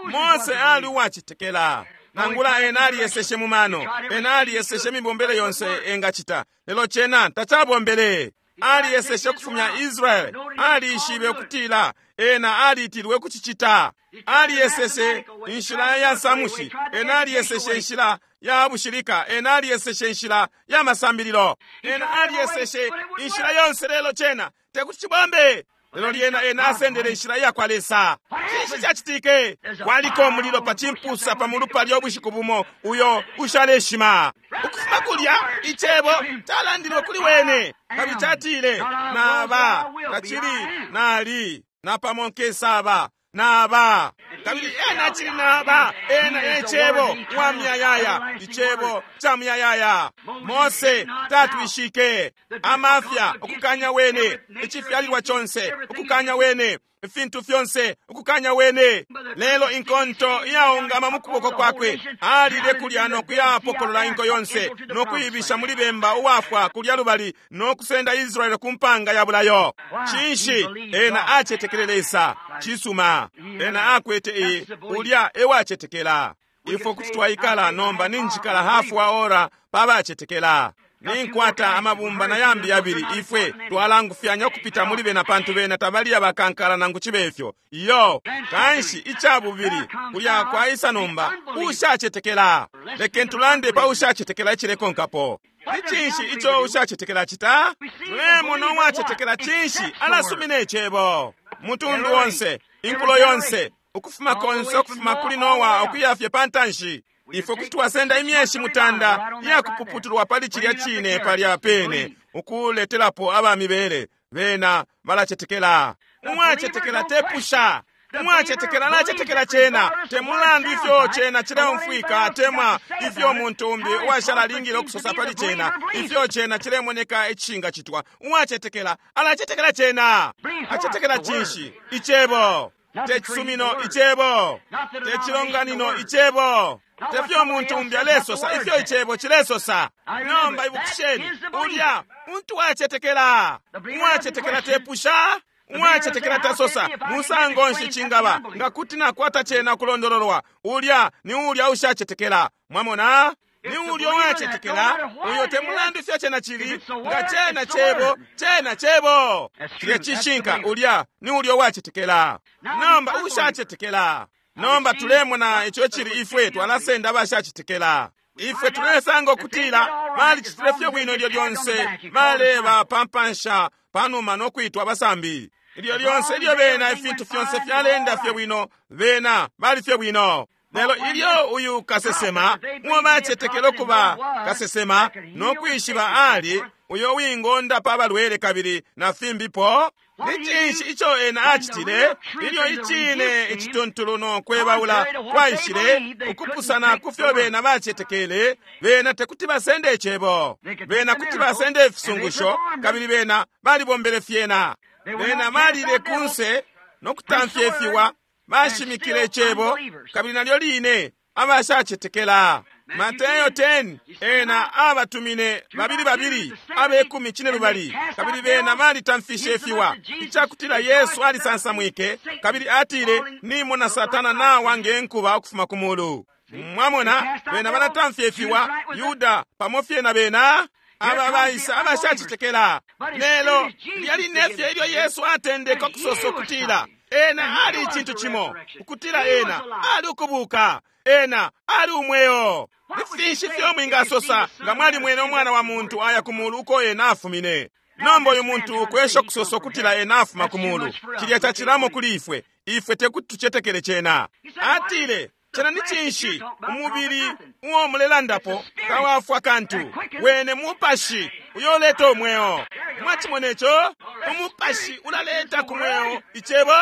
Mose ali uwacetekela. Nangula ena aliyeseshe mu mano, ena aliyeseshe imibombele yonse engacita, lelo cena tacabombele. Aliyeseshe ukufumya Israele, alishibe ukutila ena aliitilwe kucicita. Aliyeseshe inshila ya nsamushi, ena aliyeseshe inshila ya bushilika, ena aliyeseshe inshila ya masambililo, ena aliyeseshe inshila yonse, lelo cena tekuti cibombe. Lelo lyena ena asendele inshila yakwa Lesa. Cinshi cacitike? Kwaliko umulilo pa cimpusa pa mulu palya ubushiku bumo uyo ushaleshima. Ukufuma kulya icebo calandilwe kuli wene, kabili catile, naba tacili nali napamo nkesaba naba. Kabili ena acili naba, ena e cebo wa muyayaya, icebo ca muyayaya. Mose tatwishike amafya ukukanya wene, icifyalilwa conse ukukanya wene, ifintu fyonse ukukanya wene, lelo inkonto iyaungama mu kuboko kwakwe alile kulya no kuyapokolola inko yonse no kuibisha muli bemba uwafwa kulya lubali no kusenda Israele ku mpanga ya bulayo. Cinshi? Ena acetekele Lesa. Cisuma, ena akwete ulya ewacetekela. Ifwe kuti twaikala nomba ninjikala hafu wa ora pabacetekela. Ninkwata amabumba na yambi yabili. Ifwe twalangufyanya ukupita muli bena pantu bena tabali abakankala nangu cibe ifyo. Iyo, kanshi ica bubili kulya kwaisa nomba ushacetekela. Lekeni tulande pa ushacetekela icilekonkapo. Ni cinshi ico ushacetekela cita? Tulemona uwacetekela cinshi alasumina icebo. Mutundu onse, inkulo yonse, ukufuma konse ukufuma kuli Noa ukuya fye pantanshi. Ifwe kuti twasenda imyeshi mutanda iyakupuputulwa pali cilya cine palya pene ukuletelapo abamibele. Bena balacetekela. Uwacetekela tepusha. Uwacetekela alacetekela cena, te mulandu ifyo cena cileumfwika atemwa ifyo muntu umbi uwashala alingile ukusosa pali cena, ifyo cena cilemoneka icishingacitwa. Uwacetekela alacetekela cena. Acetekela cinshi? Icebo. Te cisumino, icebo. Te cilonganino, icebo. Te fyo muntu umbi alesosa, ifyo icebo cilesosa. Nomba ibukisheni, ulya muntu wacetekela. Uwacetekela tepusha. Uwacetekela tasosa musango nshi cingaba nga kuti nakwata cena kulondololwa. Ulya ni ulya ushacetekela. Mwamona, ni ulya uwacetekela uyo te mulandu ifyo cena cili, nga cena cebo, cena cebo. Cilya cishinka. Ulya ni ulya uwacetekela. Nomba ushacetekela. Nomba tulemona ico cili. Ifwe twalasenda abashacetekela. Ifwe tulesanga ukutila balicitile fye bwino ilyo lyonse balebapampansha panuma no kwitwa abasambi. Ilyo lyonse ilyo bena ifintu fyonse fyalenda fye bwino, bena bali fye bwino. Lelo ilyo uyu kasesema uo bacetekela ukuba kasesema no kwishiba ali uyo wingonda pa balwele kabili na fimbipo, ni cinshi ico ena acitile? Ilyo icine icituntulu no kwebaula kwaishile ukupusana ku fyo bena bacetekele, bena tekuti basende icebo. Bena kuti basende ifisungusho, kabili bena balibombele fyena. Bena balile kunse no kutamfya ifiwa, bashimikile icebo, kabili nalyo line abashacetekela. Mateyo 10, ena abatumine babili babili abekumi cine lubali, kabili bena balitamfishe ifiwa, icakutila Yesu alisansamwike kabili atile, nimona Satana nawa nge nkuba ukufuma ku mulu. Mwamona, bena balatamfya ifiwa, Yuda pamo fye na bena aba baisa abashacetekela. Lelo lyali nefye ilyo Yesu atendeka ukusosa ukutila ena ali icintu cimo, ukutila ena ali ukubuka, ena ali umweo. Ni finshi fyo mwingasosa nga mwalimwene umwana wa muntu aya ku mulu uko ena afumine? Nomba uyu muntu ukwesha ukusosa ukutila ena afuma ku mulu, cilya cacilamo kuli ifwe. Ifwe tekuti tucetekele cena. Atile, cena ni cinshi? Umubili uo mulelandapo tawafwa kantu, wene mupashi uyo uleta umweo. Mwacimona ico? Umupashi ulaleta ku mweo icebo.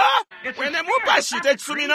Wene mupashi, te cisumino.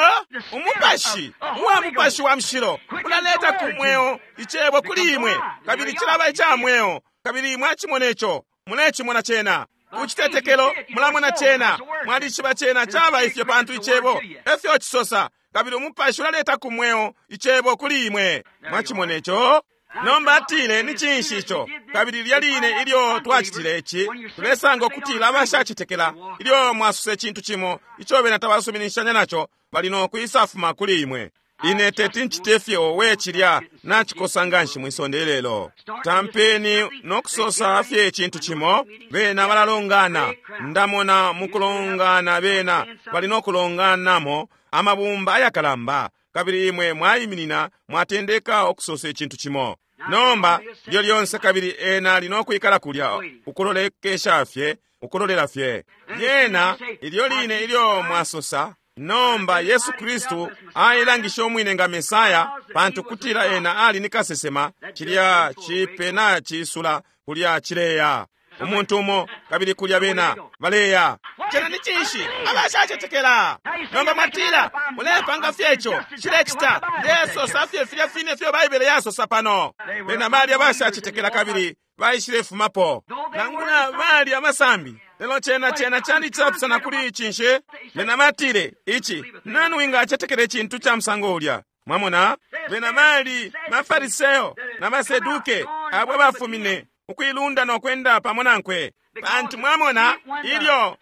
Umupashi uwa mupashi wa mushilo ulaleta ku mweo icebo kuli imwe, kabili cilaba ica mweo. Kabili mwacimona ico, mulecimona cena kucitetekelo, mulamona cena, mwalishiba cena caba ifyo pantu icebo efyo cisosa, kabili umupashi ulaleta ku mweo icebo kuli imwe. Mwacimona ico? Nomba atile, ni cinshi ico? Kabili lilya line ilyo twacitile ici, tulesanga ukutila abashacetekela, ilyo mwasose cintu cimo ico bena tabasuminishanya naco, bali no kwisafuma kuli imwe. Ine teti ncite fye we cilya nacikosa nganshi mwisonde lelo. Tampeni no kusosa fye icintu cimo, bena balalongana. Ndamona mukulongana bena bali no kulonganamo amabumba ayakalamba, kabili imwe mwayiminina mwatendeka ukusosa icintu cimo. Nomba lyo lyonse kabili ena ali no kwikala kulya ukulolekesha fye, ukulolela fye. Lyena ilyo line ilyo mwasosa, nomba Yesu Kristu ailangisha umwine nga Mesaya, pantu kutila ena ali ni kasesema, cilya cipe na cisula kulya cileya umuntu umo, kabili kulya bena baleya. Cena ni cinshi? Abashacetekela. Nomba mwatila, mulepanga fye ico cilecita. Ndesosa fye filya fine fyo Baibele yasosa pano. Bena bali abashacetekela kabili baishilefumapo, nangula bali abasambi. Lelo cena cena cali icapusana kuli cinshi? Bena batile, ici nani wingacetekela icintu ca musango ulya? Mwamona, bena bali bafariseo na baseduke abo bafumine ukuilunda no kwenda pamo nankwe. Pantu mwamona, ilyo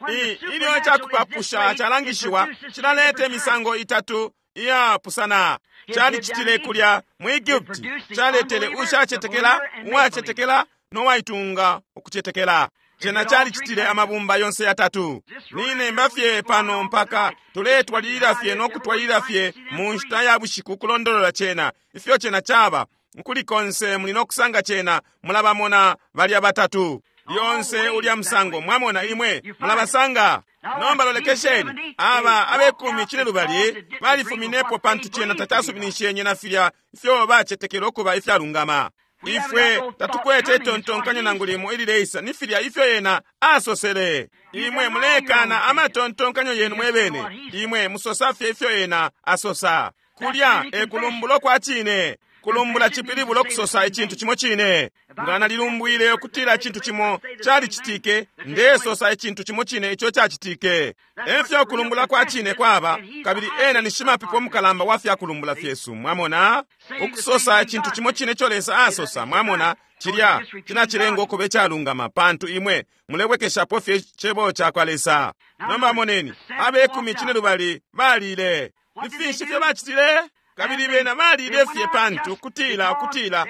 ilyo icakupapusha calangishiwa, cilaleta imisango itatu iyapusana. Calicitile kulya mu Egupti, caletele ushacetekela, uwacetekela. no waitunga ukucetekela. Cena calicitile amabumba yonse yatatu. Ninemba fye pano mpaka tuletwalilila fye no kutwalilila fye mu nshita ya bushiku kulondolola cena ifyo cena caba. Nkuli konse muli no kusanga cena, mulabamona balya batatu lyonse ulya musango. Mwamona, imwe mulabasanga. Nomba lolekesheni, aba abekumi cine lubali balifuminepo pantu cena tacasuminishenye na filya ifyo bacetekela ukuba ifyalungama. Ifwe tatukwete itontonkanyo nangu limo ilileisa ni filya ifyo ena asosele. Imwe mulekana amatontonkanyo yenu mwebene, imwe musosa fye ifyo ena asosa. Kulya e kulumbulo kwa cine. Kulumbula cipilibulo kusosa icintu cimo cine. Nga nalilumbwile ukutila icintu cimo calicitike, ndesosa icintu cimo cine ico cacitike. Efyo kulumbula kwa cine kwaba, kabili ena ni shimapepo mukalamba wa fya kulumbula fyesu. Mwamona, ukusosa icintu cimo cine ico Lesa asosa. Mwamona, cilya cinacilenga ukuba icalungama, pantu imwe mulebwekeshapo fye cebo cakwa Lesa. Nomba moneni, abekumi cine lubali balile. Ni finshi fyo bacitile? Kabili bena balile fye pantu kutila ukutila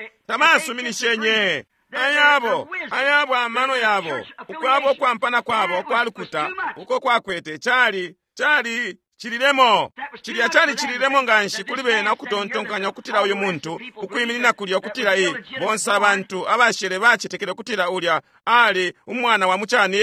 tabasuminishenye. Ayabo ayabo amano yabo, ukwabo kwampana kwabo kwalukuta uko kwakwete cali cali cililemo. Cilya cali cililemo nganshi kuli bena ukutontonkanya ukutila uyu muntu ukwiminina kulya ukutila i bonse abantu abashele bacetekele ukutila ulya ali umwana wa mucani.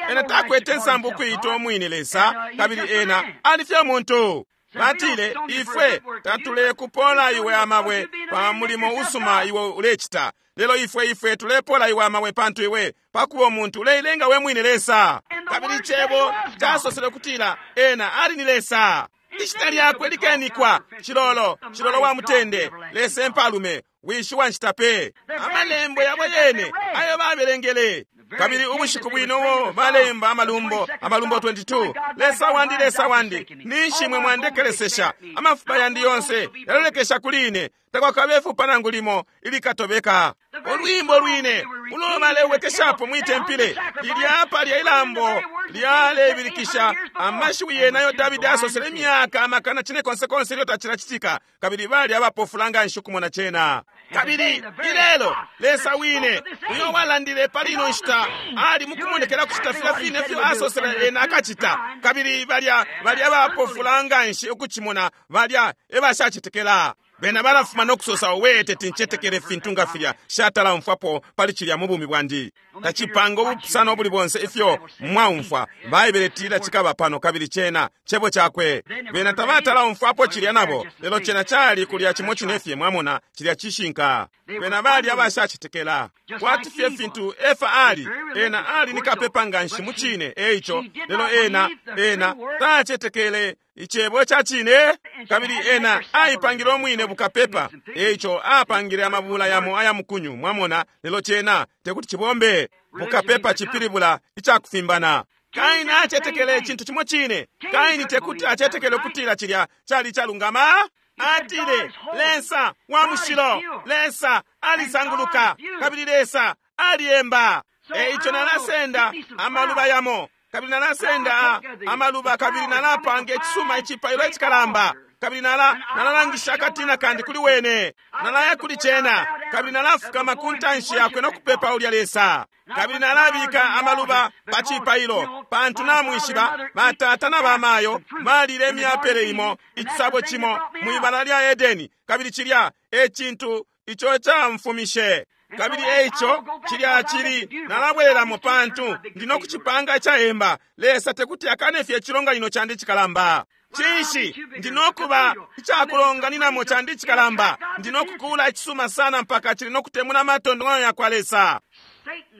Ena takwete nsambu ukuyita umwine Lesa, kabili ena ali fye muntu. Batile, ifwe tatulekupola iwe amabwe pa mulimo usuma iwe ulecita, lelo ifwe ifwe tulepola iwe amabwe pantu iwe pakuba umuntu uleilenga we mwine Lesa. Kabili cebo casosele kutila ena ali ni Lesa. Ishina lyakwe likenikwa Cilolo, Cilolo wa mutende, Lesa empalume, wishi wa nshita pe. Amalembo yabo yene ayo babelengele. Kabili ubushiku bwino ubo balemba amalumbo, amalumbo 22. Lesa wandi, Lesa wandi, ninshi mwe mwandekelesesha? Amafupa yandi yonse yalolekesha kuli ine, takwakabe ifupa nangu limo ilikatobeka. Olwimbo lwine ulo balewekeshapo mwitempile lilya palya ilambo lyalebilikisha amashiwi yenayo Davidi asosele imyaka amakana cine konse konse ilyo tacilacitika, kabili bali abapofula nganshi ukumona cena. Kabili ilelo Lesa wine uyo walandile pali ino nshita ali mukumonekela kucita filya fine fyo asosele ena akacita. Kabili balya balya abapofula nganshi ukucimona, balya ebashacetekela. Bena balafuma nokusosa, owe teti ncetekele fintu nga filya, shatala umfwapo pali cilya mu bumi bwandi. Tacipanga ubupusano ubuli bonse ifyo mwaumfwa. Baibele itila cikaba pano, kabili cena cebo cakwe. Bena tabatala umfwapo cilya nabo, lelo cena cali kulya cimo cine fye. Mwamona, cilya cishinka. Bena bali abashacetekela kwati fye fintu Efa ali. Ena ali ni kapepa nganshi mu cine, eico lelo ena ena tacetekele icebo ca cine, kabili ena aipangile umwine bukapepa, eico apangile amabula yamo aya mukunyu. Mwamona, lelo cena tekuti cibombe. Bukapepa cipilibula icakufimbana. Kaini acetekele icintu cimo cine. Kaini tekuti acetekele ukutila cilya cali calungama. Atile, Lesa wa mushilo, Lesa alisanguluka, kabili Lesa aliyemba. Eico nalasenda amaluba yamo, kabili nalasenda amaluba, kabili nalapanga icisuma icipailo icikalamba, kabili nalalangisha akatina kandi kuli wene, nalaya kuli cena, kabili nalafukama ku ntanshi yakwe no kupepa ulya Lesa, kabili nalabika amaluba pa cipailo, pantu namwishiba batata na bamayo balile imyapele imo icisabo cimo mwibala lya Edeni, kabili cilya e cintu ico camfumishe. Kabili eico cilya cili nalabwelelamo pantu ndi no kucipanga icayemba. Lesa tekuti akane fye icilonganino candi icikalamba. Cinshi ndi no kuba icakulonganinamo candi icikalamba? Ndi no kukula icisuma sana mpaka cili no kutemuna amatontonkanyo yakwa Lesa.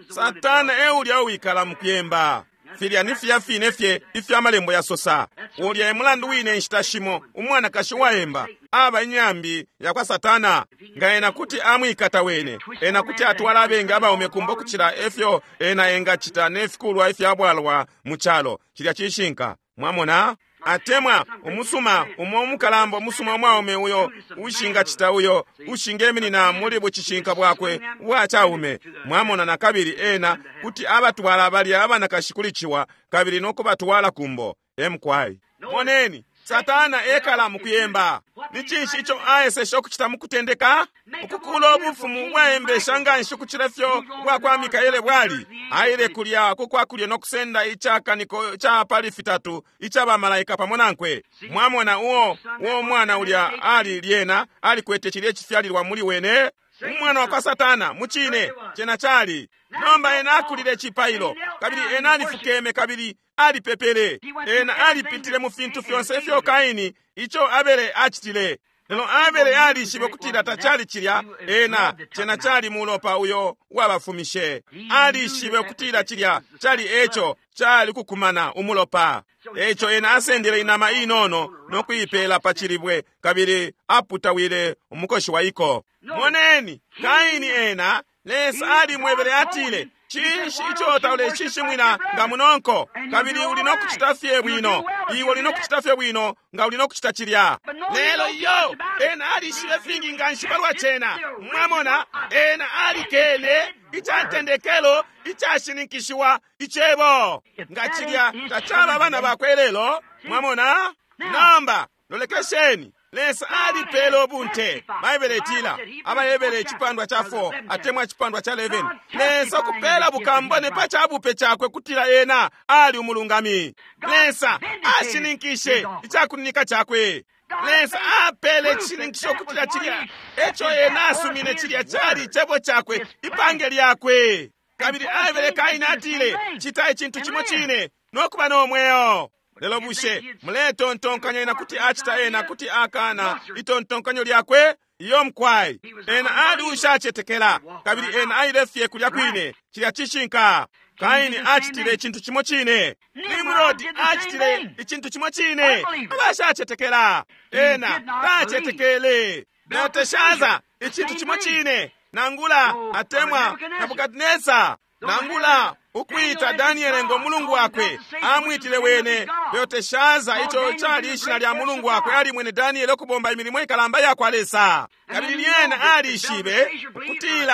Satana e ulya uwikala mu kuyemba. Filya ni filya fine fye ifyo amalembo yasosa. Ulya e mulandu wine inshita shimo umwanakashi uwayemba aba inyambi yakwa Satana. Nga ena kuti amwikata wene, ena kuti atwala abengi abaume kumbo kucila efyo ena engacita ne fikulwa ifyabwalwa mu calo. Cilya cishinka. Mwamona? Atemwa umusuma umo umukalamba umusuma umwaume uyo ushingacita uyo ushingeminina muli bucishinka bwakwe ubwa caume. Mwamona, na kabili ena kuti abatwala balya abanakashi kuli ciwa kabili no kubatwala kumbo. Emkwai. Moneni, Satana ekala mu kuyemba. Ni cinshi ico aeseshe ukucita mukutendeka? Ukukula ubufumu ubwaembesha nganshi ukucila ifyo ubwakwa Mikaele bwali. Aile kulya kukwakulya no kusenda icakaniko ca pali fitatu ica bamalaika pamo nankwe. Mwamona uo mwana ulya ali lyena alikwete cilye cifyalilwa muli wene. Umwana wakwa Satana, mucine, cena cali. Nomba ena akulile icipailo, kabili ena alifukeme kabili alipepele. Ena alipitile mu fintu fyonse ifyo Kaini ico Abele acitile. Lelo Abele alishibe ukutila tacali cilya, ena cena cali mulopa uyo wabafumishe. Alishibe ukutila cilya cali eco cali kukumana umulopa. Eco ena asendele inama inono no kuipela pa cilibwe kabili aputawile umukoshi wa iko. Moneni, Kaini ena, Lesa alimwebele atile, cinshi ico tauleshishimwina nga munonko, kabili uli no kucita fye bwino. Iwe uli no kucita fye bwino nga uli no kucita cilya. Lelo yo, ena alishibe fingi nganshi palwa cena. Mwamona, ena alikene icatendekelo icashininkishiwa icebo. Nga cilya tacaba abana bakwe lelo. Mwamona? Nomba, lolekesheni. Lesa alipele ubunte. Baibele itila, Abahebere icipandwa ca 4 atemwa icipandwa ca 11. Lesa kupela bukambone pa cabupe cakwe kutila ena ali umulungami. Lesa ashininkishe icakuninika cakwe. Lesa apele icishininkisho kutila cilya eco ena asumine cilya cali icebo cakwe, ipange lyakwe. Kabili aebele Kaini atile, cita icintu cimo cine no kuba no mweo. Lelo bushe muletontonkanya ena kuti acita ena kuti akana itontonkanyo lyakwe? Iyo mkwai. Ena ali ushacetekela, kabili ena aile fye kulya kwine. Cilya cishinka. Kaini acitile icintu cimo cine. Nimrod acitile icintu cimo cine. Abashacetekela. Ena tacetekele. Belteshaza icintu cimo cine. Nangula atemwa Nebukadnesa. Nangula ukwita Daniele ngo mulungu wakwe, amwitile wene Belteshaza, ico cali ishina lya mulungu wakwe, ali mwene Daniele ukubomba imilimo ikalamba ya kwa Lesa. Kabili lyena alishibe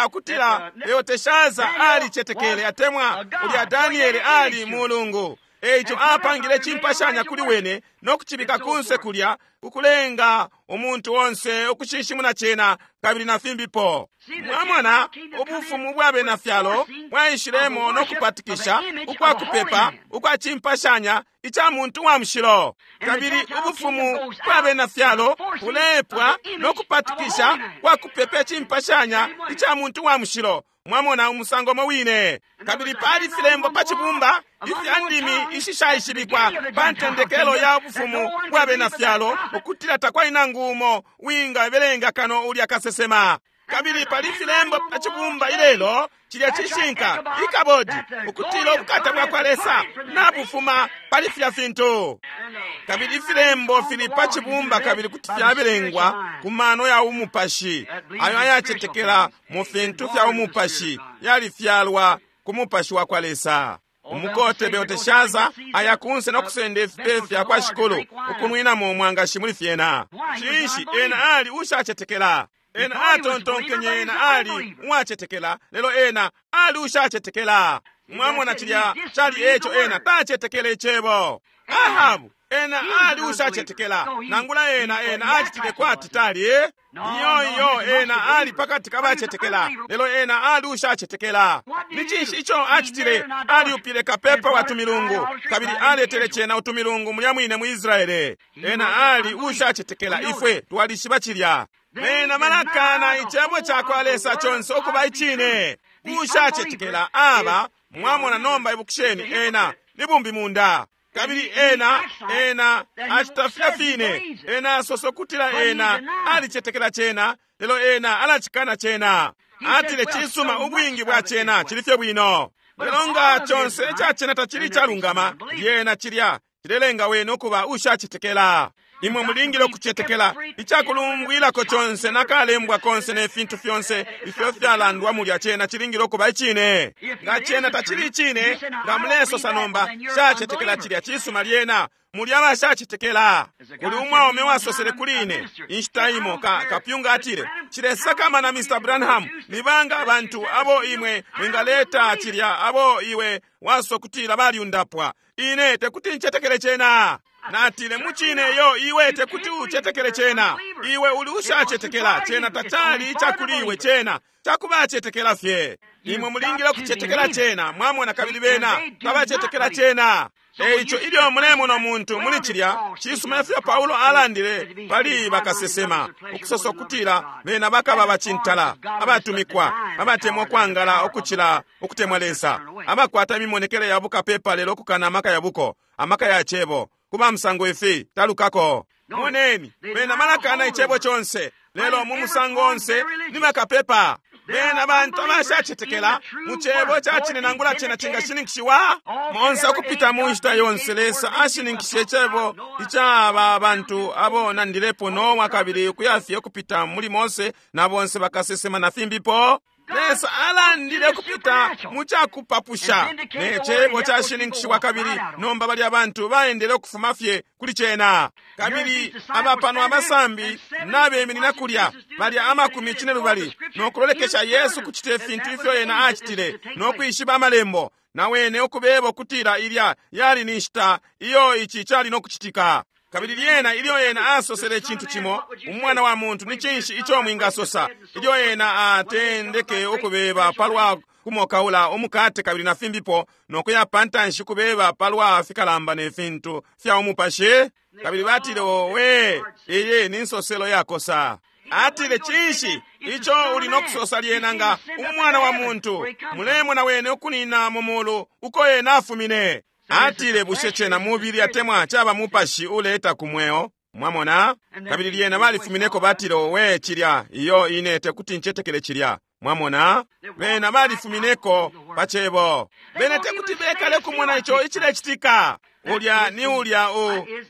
ukutila Belteshaza alicetekele atemwa ulya Daniele ali mulungu. Eico apangile cimpashanya kuli wene no kucibika kunse kulya ukulenga umuntu onse ukushinshimuna cena kabili na fimbipo. Mwamona ubufumu bwa bena fyalo bwaishilemo no kupatikisha ukwa kupepa ukwa cimpashanya ica muntu wa mushilo. Kabili ubufumu bwa bena fyalo bulepwa no kupatikisha kwa kupepa cimpashanya ica muntu wa mushilo. Mwamona umusango mo wine. Kabili pali filembo pa cibumba ifya ndimi ishishaishibikwa pa ntendekelo ya bufumu bwa bena fyalo, ukutila takwali nangu umo wingabelenga kano ulya kasesema. Kabili pali filembo pa cibumba ilelo, cilya cishinka ikabodi, ukutila ubukata bwa kwa Lesa nabufuma pali filya fintu. Kabili ifilembo fili pa cibumba kabili kuti fyabelengwa ku mano ya umupashi ayo ayacetekela mu fintu fya umupashi yalifyalwa ku mupashi wa kwa Lesa. Umukote Belteshaza aya kunse no kusenda ifipe fya kwa shikulu ukunwinamo umwangashi muli fyena. Cinshi ena ali ushacetekela? Ena atontonkenye ena ali uwacetekela, lelo ena ali ushacetekela. Mwamona cilya cali eco ena tacetekele icebo. Ahabu ena ali ushacetekela, nangula ena acitile kwati tali. Iyo ena ali pakati kabacetekela, lelo ena ali ushacetekela. Ni cinshi ico acitile? Aliupile kapepa wa tumilungu, kabili aletele cena utumilungu mulya mwine mu Israele. Ena ali ushacetekela, ifwe twalishiba cilya. Bena balakana icebo ca kwa Lesa conse ukuba icine. Ushacetekela aba, mwamona nomba ibukisheni, ena ni bumbi munda. Kabili ena acita filya fine. Ena asosa ukutila ena alicetekela cena, lelo ena alacikana cena. Atile cisuma ubwingi bwa cena cili fye bwino. Lelo nga conse ica cena tacili icalungama, lyena cilya cilelenga wene ukuba ushacetekela. Imwe mulingile ukucetekela icakulumbwilako conse nakalembwa konse ne fintu fyonse ifyo fyalandwa mulya cena cilingile ukuba icine. Nga cena tacili icine, nga mulesosa nomba shacetekela cilya cisuma lyena mulya abashacetekela. Kuli umwaume wasosele kuli ine inshita imo kapyunga atile, cilesakamana Mr. Branham, nibanga abantu abo imwe mwingaleta cilya abo iwe wasokutila balyundapwa. Ine tekuti ncetekele cena. Natile, mucine iyo, iwe tekuti ucetekele cena. Iwe uli ushacetekela. Cena tacali icakuli iwe, cena cakubacetekela fye. Imwe mulingile ukucetekela cena, mwamona, kabili bena tabacetekela cena. Eico ilyo mulemona umuntu muli cilya, cisuma ifyo Paulo alandile pali bakasesema, ukusosa ukutila bena bakaba bacintala, abatumikwa, abatemwa ukwangala ukucila ukutemwa Lesa, abakwata imimonekele ya bukapepa lelo ukukana amaka ya buko, amaka ya cebo. Kuba musango ifi talukako. Moneni, bena balakana icebo conse, lelo mu musango onse ni bakapepa. Bena bantu abashacetekela mu cebo ca cine nangula cena cingashininkishiwa. Monse ukupita mu nshita yonse Lesa ashininkishe icebo ica aba bantu abo nandilepo Nowa, kabili ukuyafye ukupita muli Mose na bonse bakasesema na fimbipo. Lesa alandile kupita mu cakupapusha ne cebo cashininkishiwa, kabili nomba balya bantu baendele ukufuma fye kuli cena. Kabili aba pano abasambi nabeminina kulya balya 70 no kulolekesha Yesu kucita ifintu ifyo ena acitile no kwishiba amalembo, na wene ukubeba ukutila ilya yali ni nshita iyo ici cali no kucitika. Kabili lyena ilyo ena asosele icintu cimo, umwana wa muntu ni cinshi ico mwingasosa? Ilyo ena atendeke ukubeba palwa kumokaula umukate kabili na fimbipo, no kuya pantanshi kubeba palwa fikalamba ne fintu fya umupashi. Kabili batile, owe, iyi ni nsoselo yakosa. Atile, cinshi ico uli no kusosa lyena nga umwana wa muntu mulemona wene ukunina mu mulu uko ena afumine? Atile, bushe cena mubili atemwa caba mupashi uleta ku mweo? Mwamona? Kabili lyena balifumineko, batile, owe, cilya iyo ine tekuti ncetekele cilya. Mwamona? Bena balifumineko pa cebo. Bena tekuti bekale kumona ico icilecitika. Ulya ni ulya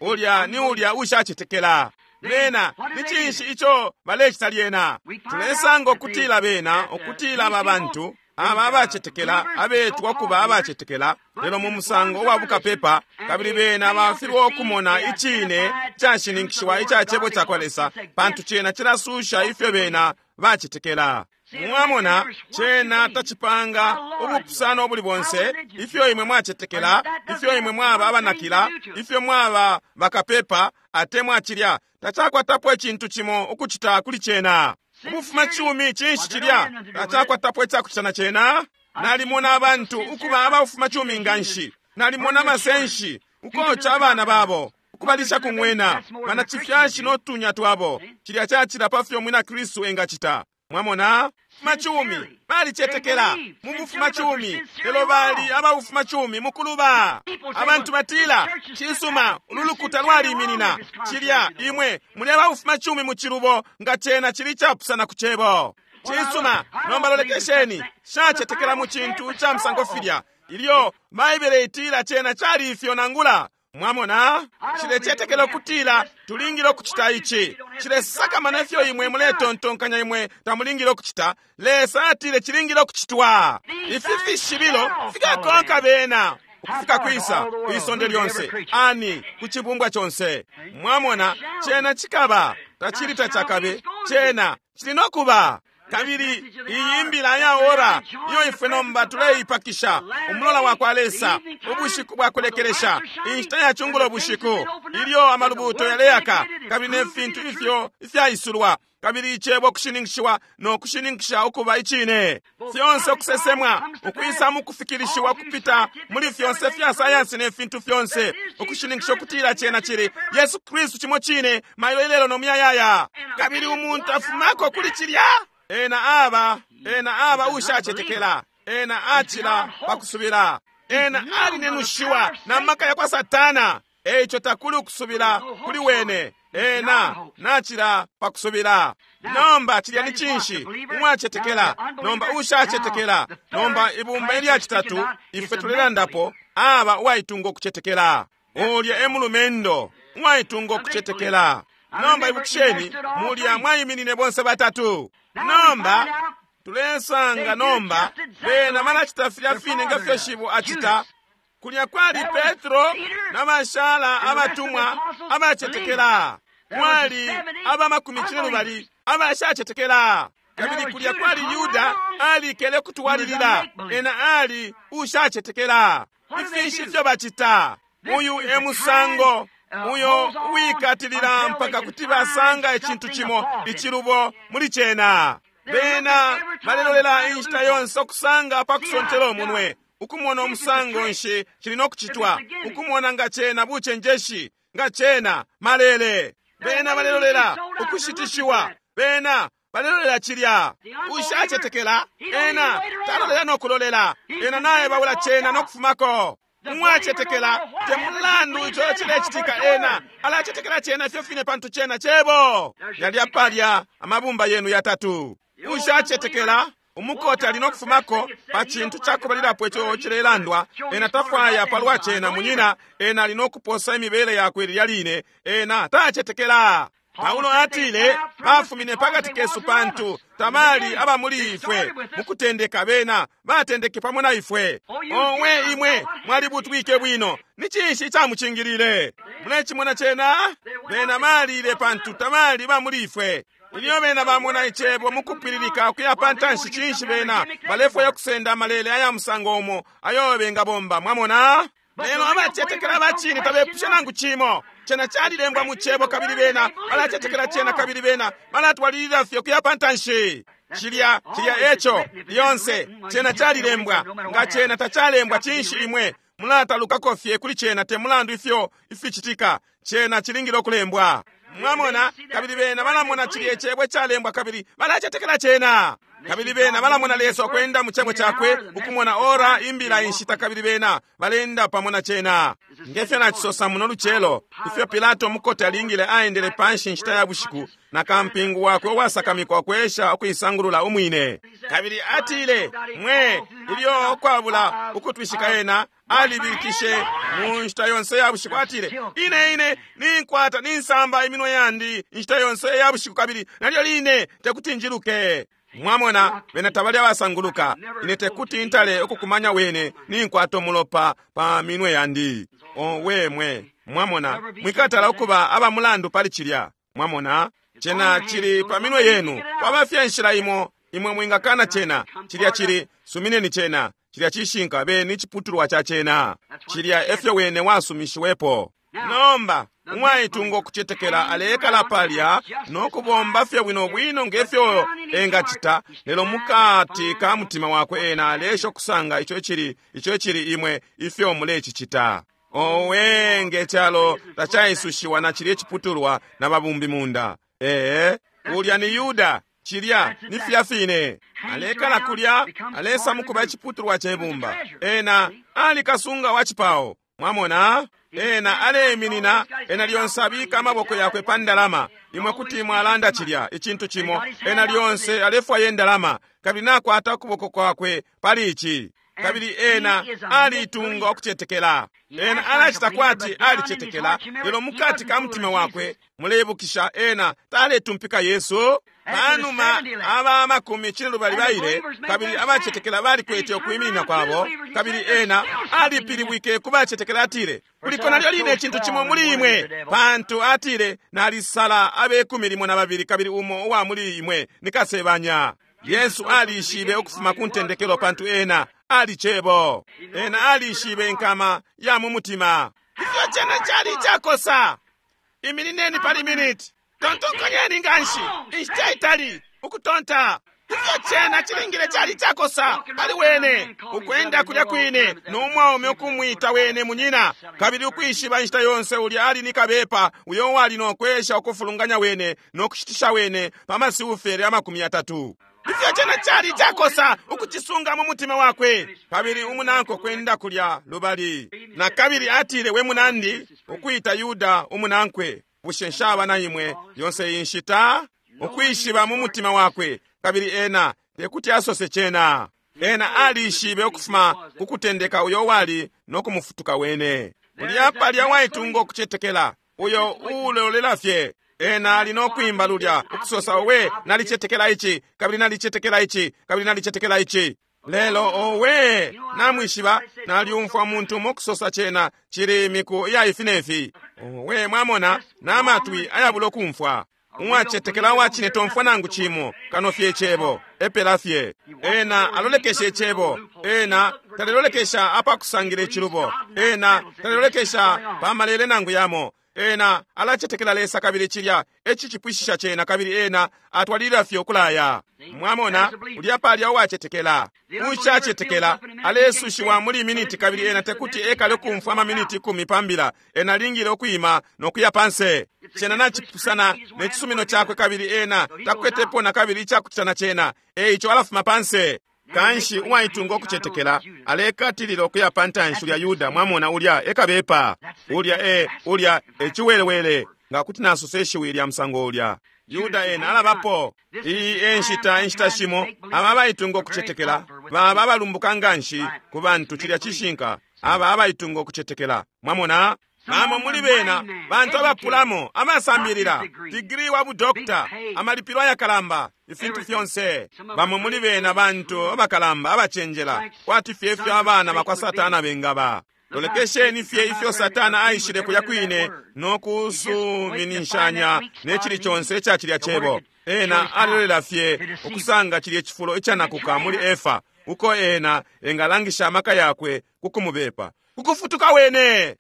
ulya ni ulya ushacetekela. Bena ni cinshi ico balecita lyena? Tulesanga ukutila bena, ukutila aba bantu aba abacetekela, abetwa kuba abacetekela, lelo mu musango uwa bukapepa, kabili bena bafilwa ukumona icine cashininkishiwa ica cebo ca kwa Lesa, pantu cena cilasusha ifyo bena bacetekela. Mwamona, cena tacipanga ubupusano ubuli bonse, ifyo imwe mwacetekela, ifyo imwe mwaba abanakila, ifyo mwaba bakapepa, atemwa cilya tacakwatapo icintu cimo ukucita kuli cena. Ubufuma cumi cinshi cilya tacakwatapo icakucita na cena. Nalimona abantu ukuba abafuma cumi nganshi, nalimona amasenshi ukoca abana babo, ukubalisha kung'wena, banacifyashi no tunya twabo. Cilya cacila pa fyo mwina Kristu engacita. Mwamona, machumi balicetekela mu bufuma cumi, lelo bali ababufuma cumi mukuluba. Abantu batila, cisuma, ululukuta lwaliminina cilya, imwe muli ababufuma cumi mu cilubo, nga cena cili capusana ku cebo. Cisuma, nomba lolekesheni, shacetekela mu cintu ca musango filya. Ilyo Baibele itila cena cali ifyo nangula. Mwamona, cilecetekela ukutila tulingile ukucita ici. Cilesakamana ifyo imwe muletontonkanya imwe tamulingile ukucita. Lesa atile cilingile ukucitwa. Ifi fishibilo fikakonka bena ukufika kwisa kwisonde lyonse, ani ku cibumbwa conse. Mwamona, cena cikaba, tacili tacakabe, cena cili no kuba. Kabili iyi mbila ya ora iyo ifwe nomba tuleipakisha, umulola wa kwa Lesa, ubushiku bwa kulekelesha, inshita ya cungulo bushiku, ilyo amalubuto yaleaka, kabili ne fintu ifyo ifyaisulwa, kabili icebo kushininkishiwa no kushininkisha ukuba icine, fyonse ukusesemwa ukwisa mu kufikilishiwa kupita muli fyonse fya sayansi ne fintu fyonse, ukushininkisha ukutila cena cili Yesu Kristu cimo cine mailo ilelo no muyayaya. Kabili umuntu afumako kuli cilya, ena aba ushacetekela, ena acila pakusubila, ena alinenushiwa na maka ya kwa Satana. Eico takuli ukusubila kuli wene, ena nachila pakusubila. Nomba cilya ni cinshi? Umwacetekela, nomba ushacetekela. Nomba ibumba ilya citatu ifwe tulelandapo, aba uwaitunga ukucetekela. Ulya e mulumendo uwaitunga ukucetekela. Nomba ibukisheni, mulya mwaiminine bonse batatu. Nomba tulesanga nomba bena balacita filya fine nga fyo shibo acita. Kulya kwali Petro na bashala abatumwa abacetekela, kwali aba 70 abashacetekela. Kabili kulya kwali Yuda alikele kutwalilila, ena ali ushacetekela. Ifinshi ifyo bacita. Uyu e musango Uyo uwikatilila mpaka kuti basanga icintu cimo icilubo muli cena. Bena balelolela inshita yonse ukusanga pakusontela umunwe, ukumona umusango nshi cili nokucitwa, ukumona nga cena bucenjeshi, nga cena malele. Bena balelolela ukushitishiwa. Bena balelolela cilya. Ushacetekela ena talolela nokulolela. Ena naye babula cena nokufumako. Umwacetekela te mulandu ico cilecitika, ena alacetekela cena ifyo fine pantu cena cebo. Yalya palya amabumba yenu yatatu. Ushacetekela umukota ali nokufumako pa cintu cakubalilapo ico cilelandwa. Ena tafwaya palwa cena, munyina. Ena ali nokuposa imibele yakwe lilya line. Ena tacetekela. Paulo atile bafumine pakati kesu pantu tabali aba muli ifwe. Mukutendeka bena batendeke pamo na ifwe. Owe imwe mwalibutwike bwino. Ni cinshi icamucingilile? Mulecimona cena? Bena balile pantu tabali ba muli ifwe. Ilyo bena bamona icebo mukupwililika ukuya pantanshi, cinshi bena balefwaya kusenda amalele aya musango umo ayo bengabomba. Mwamona? Lelo abacetekela abacine tabepusha nangu cimo. Cena calilembwa mu cebo, kabili bena balacetekela cena, kabili bena balatwalilila fye ukuya pantanshi. Cilya, cilya eco lyonse cena calilembwa. Nga cena tacalembwa, cinshi imwe mulatalukako fye kuli cena? Te mulandu ifyo ificitika, cena cilingile ukulembwa. Mwamona? Kabili bena balamona cilya icebo icalembwa, kabili balacetekela cena. Kabili bena balamona Lesa ukwenda mu cebo cakwe, ukumona ora imbila inshita, kabili bena balenda pamo na cena. Ngefyo nacisosa muno lucelo, ifyo Pilato mukote alingile aendele panshi inshita ya bushiku na kampingu wakwe uwasakamikwa kwesha ukuisangulula umwine. Kabili atile, mwe, ilyo ukwabula ukutwishika ena alibikishe mu nshita yonse ya bushiku. Atile, ine ine ninkwata ninsamba iminwe yandi inshita yonse ya bushiku, kabili nalyo line tekuti njiluke. Mwamona, bena tabali abasanguluka. Ine tekuti ntale ukukumanya wene ninkwata umulopa pa minwe yandi. Owe mwe, mwamona, mwikatala ukuba aba mulandu pali cilya. Mwamona, cena cili pa minwe yenu. Kwaba fye inshila imo imwe mwingakana cena. Cilya cili, sumineni cena. Cilya cishinka, beni iciputulwa ca cena. Cilya efyo wene wasumishiwepo. Nomba umwaitunga ukucetekela alekala palya no kubomba fye bwino bwino ngefyo engacita, lelo mukati ka mutima wakwe ena alesha ukusanga ico icili, ico icili imwe ifyo mulecicita. Owe, nge calo tacaisushiwa na cilya iciputulwa na babumbi munda. Ee, ulya ni Yuda. Cilya ni filya fine. Alekala kulya, alesa mukuba iciputulwa ce bumba. Ena ali kasunga wa cipao. Mwamona? Ena aleiminina, ena lyonse abika amaboko yakwe pa ndalama. Imwe kuti mwalanda cilya icintu cimo. Ena lyonse alefwaya indalama, kabili nakwata ukuboko kwakwe pali ici. Kabili ena aliitunga ukucetekela. Ena alacita kwati alicetekela, lelo mukati ka mutima wakwe, muleibukisha, ena taletumpika Yesu. Panuma aba makumi cinelubali baile, kabili abacetekela balikwete ukwiminina kwabo, kabili ena alipilibwike ku bacetekela, atile, kuliko nalyo line icintu cimo muli imwe, pantu atile, nalisala abekumi limo na babili, kabili umo uwa muli imwe ni kasebanya. Yesu alishibe ukufuma ku ntendekelo, pantu ena ali cebo. Ena alishibe inkama ya mu mutima. Ifyo cena cali icakosa! Iminineni pali miniti. Tontonkanyeni nganshi inshita itali ukutonta. Ifyo cena cilingile cali icakosa pali wene ukwenda kulya kwine no mwaume ukumwita wene munyina, kabili ukwishiba inshita yonse ulya ali ni kabepa uyo wali no kwesha ukufulunganya wene no kushitisha wene pa masiufere 30. Ifyo cena cali icakosa ukucisunga mu mutima wakwe, kabili umunanko kwenda kulya lubali. Na kabili atile, we munandi, ukwita Yuda umunankwe, bushe nshaba na imwe yonse iyi nshita? Ukwishiba mu mutima wakwe, kabili ena tekuti asose cena. Ena alishibe ukufuma ku kutendeka uyo wali no kumufutuka wene. Ulya palya waitunga ukucetekela, uyo ulolela fye. Ena ali no kwimba lulya ukusosa, owe, nalicetekela ici, kabili nalicetekela ici, kabili nalicetekela ici. Lelo owe, namwishiba, nalyumfwa umuntu umo kusosa cena cili imiku iya ifi ne fi. Owe, mwamona, namatwi ayabula ukumfwa. Uwacetekela uwacine tomfwa nangu cimo kano fye icebo, epela fye. Ena alolekesha icebo, ena talelolekesha apakusangila icilubo, ena talelolekesha pa malele nangu yamo. Ena alacetekela Lesa kabili cilya e cicipwishisha cena kabili ena atwalilila fye ukulaya. Mwamona, ulya palya uwacetekela. Ushacetekela alesushiwa muli miniti kabili ena tekuti ekale ukumfwa amaminiti 10 pa mbila. Ena alingile ukwima no kuya panse. Cena nacipusana ne cisumino cakwe kabili ena takwetepo na kabili icakucita na cena. E ico alafuma panse. Kanshi uwaitunga ukucetekela alekatilila ukuya pa ntanshi ulya Yuda, mwamona, ulya ekabepa. Ulya e ulya e ciwelewele, nga kuti nasosa ishiwi lya musango ulya. Yuda ena alabapo. Iyi e nshita, inshita shimo aba abaitunga ukucetekela baba abalumbuka nganshi ku bantu. Cilya cishinka. Aba abaitunga ukucetekela, mwamona, bamo muli bena bantu abapulamo, abasambilila, digiri wa budokta, amalipilo ayakalamba, ifintu fyonse. Bamo muli bena bantu abakalamba abacenjela, kwati fye ifyo abana bakwa Satana bengaba. Lolekesheni fye ifyo Satana aishile kulya kwine no kusuminishanya ne cili conse ica cilya cebo. Ena alilolela fye ukusanga cilye cifulo icanakuka muli Efa, uko ena engalangisha amaka yakwe ku kumubepa, kukufutuka wene.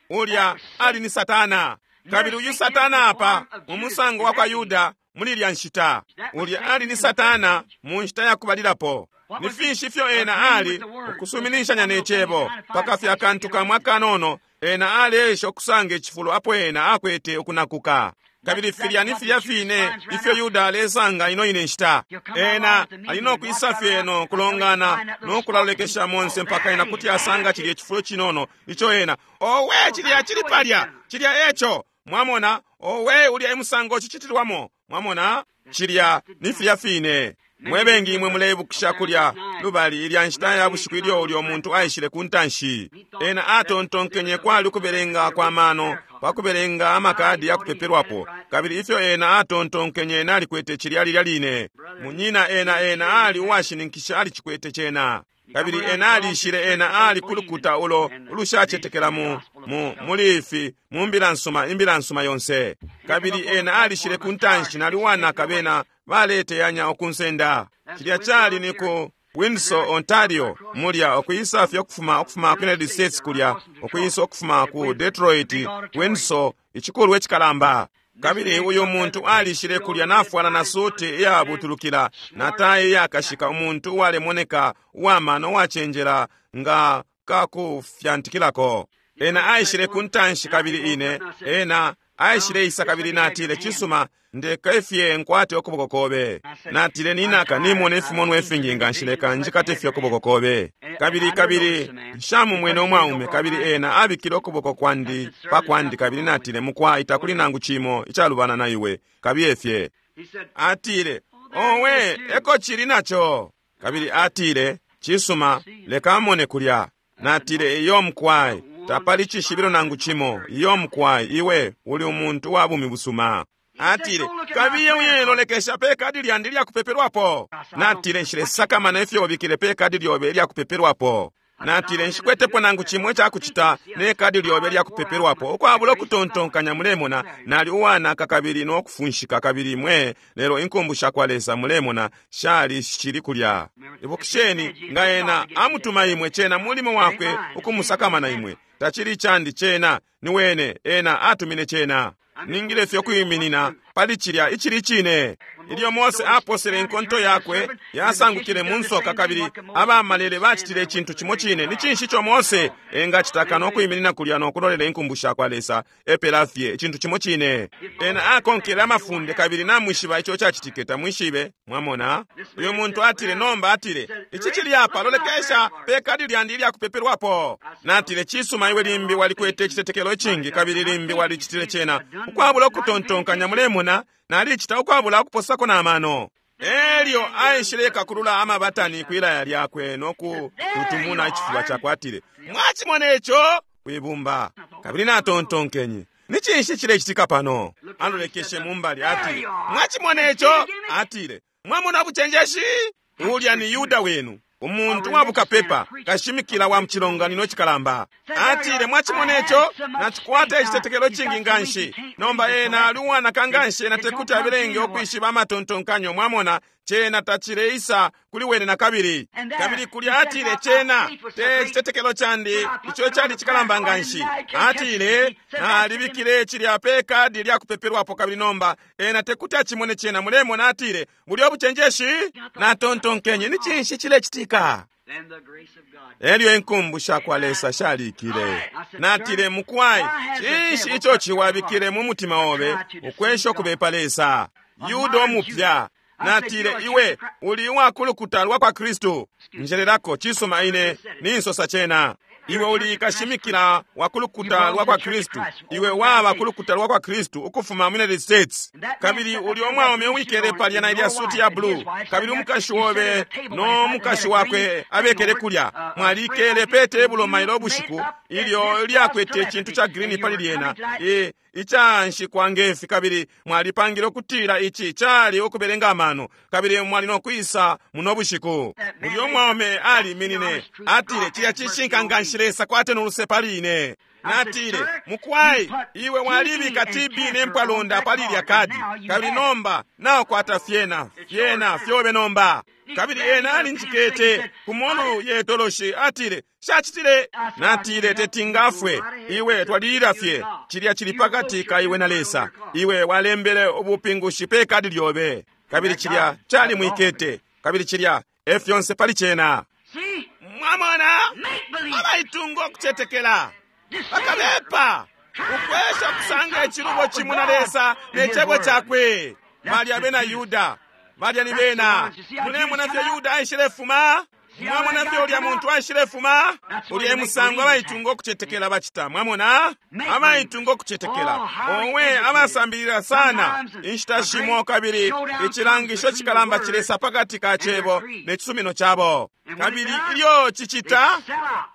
Ulya ali ni Satana. Kabili uyu Satana apa mu musango wa kwa Yuda muli ilya nshita. Ulya ali ni Satana mu nshita ya kubalilapo. Ni finshi ifyo ena ali? Ukusuminishanya ne cebo, paka fye akantu kamwe akanono. Ena aleesha ukusanga icifulo apo ena akwete ukunakuka. Kabili filya ni filya fine ifyo Yuda alesanga ino ine nshita. Ena ali no kwisa fye no kulongana no kulalolekesha monse mpaka ena kuti asanga cilya cifulo cinono ico ena, owe, cilya cili palya, cilya eco. Mwamona, owe, ulya emusango cicitilwamo. Mwamona, cilya ni filya fine. Mwe bengi imwe muleibukisha kulya lubali ilya nshita ya bushiku ilyo ulyo muntu aishile ku ntanshi. Ena atontonkenye kwali ukubelenga kwa mano pa kubelenga amakadi ya kupepelwapo, kabili ifyo ena atontonkenye nalikwete cilya lilya line. Munyina, ena ali uwashininkisha alicikwete cena. Kabili ena alishile, ena ali kulukuta ulo ulushacetekela mu mu muli ifi mu mbila nsuma, imbila nsuma yonse. Kabili ena alishile ku ntanshi, nali uwanaka, bena baleteyanya ukunsenda. Cilya cali ni ku Windsor, Ontario, mulya ukwisa fye ukufuma ku United States kulya, ukwisa ukufuma ku Detroit, Windsor, icikulwa icikalamba. Kabili uyu muntu alishile kulya nafwala na suti iyabutulukila na tai iyakashika, umuntu uwalemoneka uwamano, uwacenjela nga kakufyantikilako. Ena aishile ku ntanshi kabili ine, ena aishileisa kabili natile, "Cisuma, ndeka fye nkwate ukuboko kobe." Natile, "Ninaka, nimona ifimonwa ifingi nganshi, leka njikate fye ukuboko kobe." Kabili nshamumwene umwaume, kabili ena abikile ukuboko kwandi pa kwandi, kabili natile, "Mukwai, takuli nangu cimo icalubana na iwe, kabiye fye." Atile, "Owe, eko cili naco." Kabili atile, "Cisuma, leka mone kulya." Natile, "Iyo mukwai, tapali cishibilo nangu cimo. Iyo mukwai, iwe uli umuntu wa bumi busuma." Atile, "Kabiye uyelolekesha pe kadi lyandi lyakupepelwapo." Natile, "Nshilesakamana ifyo ubikile pe kadi lyobe lyakupepelwapo." Natile, "Nshikwetepo nangu cimwe cakucita ne kadi lyobe lyakupepelwapo." Ukwabula ukutontonkanya, mulemona, nali uwanaka kabili no kufunshika kabili mwe, lelo inkumbu sha kwa Lesa, mulemona, shali shili kulya. Ibukisheni, nga ena amutuma imwe, cena mulimo wakwe ukumusakamana imwe. Tacili candi cena, ni wene, ena atumine cena. Ningile fye kwiminina pali cilya icili cine. Ilyo Mose aposele inkonto yakwe, yasangukile mu nsoka, kabili abamalele bacitile icintu cimo cine, ni cinshi ico Mose engacita no kwiminina kulya no kulolela inkumbu sha kwa Lesa? Epela fye, icintu cimo cine. Ena akonkele amafunde, kabili namwishiba ico cacitike, tamwishibe? Mwamona, uyu muntu atile, nomba atile, "Ici cili apa, lolekesha pe kadi lyandi ilyakupepelwapo." Natile, "Cisuma, iwe limbi walikwete icitetekelo icingi, kabili limbi walicitile cena ukwabula ukutontonkanya. Mulemona, nalicita ukwabula ukuposako na mano." Elyo aishile kakulula amabatani kwilaya lyakwe no kututumuna icifuba cakwe, atile, "Mwacimona ico?" kwibumba. Kabili natontonkenye, "Ni cinshi cilecitika pano?" Alolekeshe mumbali, atile, "Mwacimona ico?" Atile, "Mwamona bucenjeshi? Ulya ni Yuda wenu, umuntu wa bukapepa, kashimikila wa mucilonganino cikalamba." Atile, "Mwacimona ico? Nacikwata icitetekelo cingi nganshi." Nomba ena ali uwanaka nganshi, ena tekuti abelenge ukwishiba amatontonkanyo. Mwamona, Cena tacileisa kuli wene nakabili. Kabili kulya atile, Cena te citetekelo candi ico cali cikalamba nganshi. Atile, Nalibikile cilya pe kadi lya kupepelwapo, kabili nomba ena tekuti acimone cena. Mulemona, atile, bulyo bucenjeshi. Natontonkenye, ni cinshi cilecitika? Elyo inkumbu shakwa Lesa shalikile. Natile, Mukwai, cinshi ico ciwabikile mu mutima obe ukwesha ukubepa Lesa? Yuda omupya. Natile, Iwe uli uwakulukuta lwa kwa Kristu. Njelelako, cisuma, ine ninsosa cena. Iwe uli kashimikila wa kulukuta lwa kwa Kristu. Iwe waba kulukuta lwa kwa Kristu ukufuma mu United States. Kabili uli omwaume uwikele palya na ilya suti ya blue, kabili umukashi wobe no mukashi wakwe abekele kulya. Mwalikele pe tebulo mailo ubushiku ilyo lyakwete icintu ca green pali lyena, icanshikwa ngefi, kabili mwalipangile ukutila ici cali ukubelenga amano, kabili mwali no kwisa muno bushiku. Ulyo mwaume aliminine, atile, Cilya cishinka nganshi, Lesa kwate noluse pali ine. Natile, Mukwai, iwe walibika TB ne mpwalonda pali ilya kadi, kabili nomba naokwata fyena fyena fyobe nomba. Kabili ena alinjikete ku molu ye toloshi, atile, Shacitile. Natile, Tetingafwe iwe, twalilila fye. Cilya cili pakati ka iwe na Lesa. Iwe walembele ubupingushi pe kadi lyobe, kabili cilya cali mwikete, kabili cilya e fyonse pali cena. Mwamona, abaitunga ukucetekela bakabepa ukwesha kusanga icilubo cimo na Lesa ne cebo cakwe. Balya bena Yuda, balya ni bena. Mulemona fye Yuda aishilefuma. Mwamona fye ulya muntu aishilefuma. Ulya musango abaitunga ukucetekela bacita. Mwamona, abaitunga ukucetekela, owe, abasambilila sana inshita shimo, kabili icilangisho cikalamba cilesa pakati ka cebo ne cisumino cabo. Kabili ilyo cicita,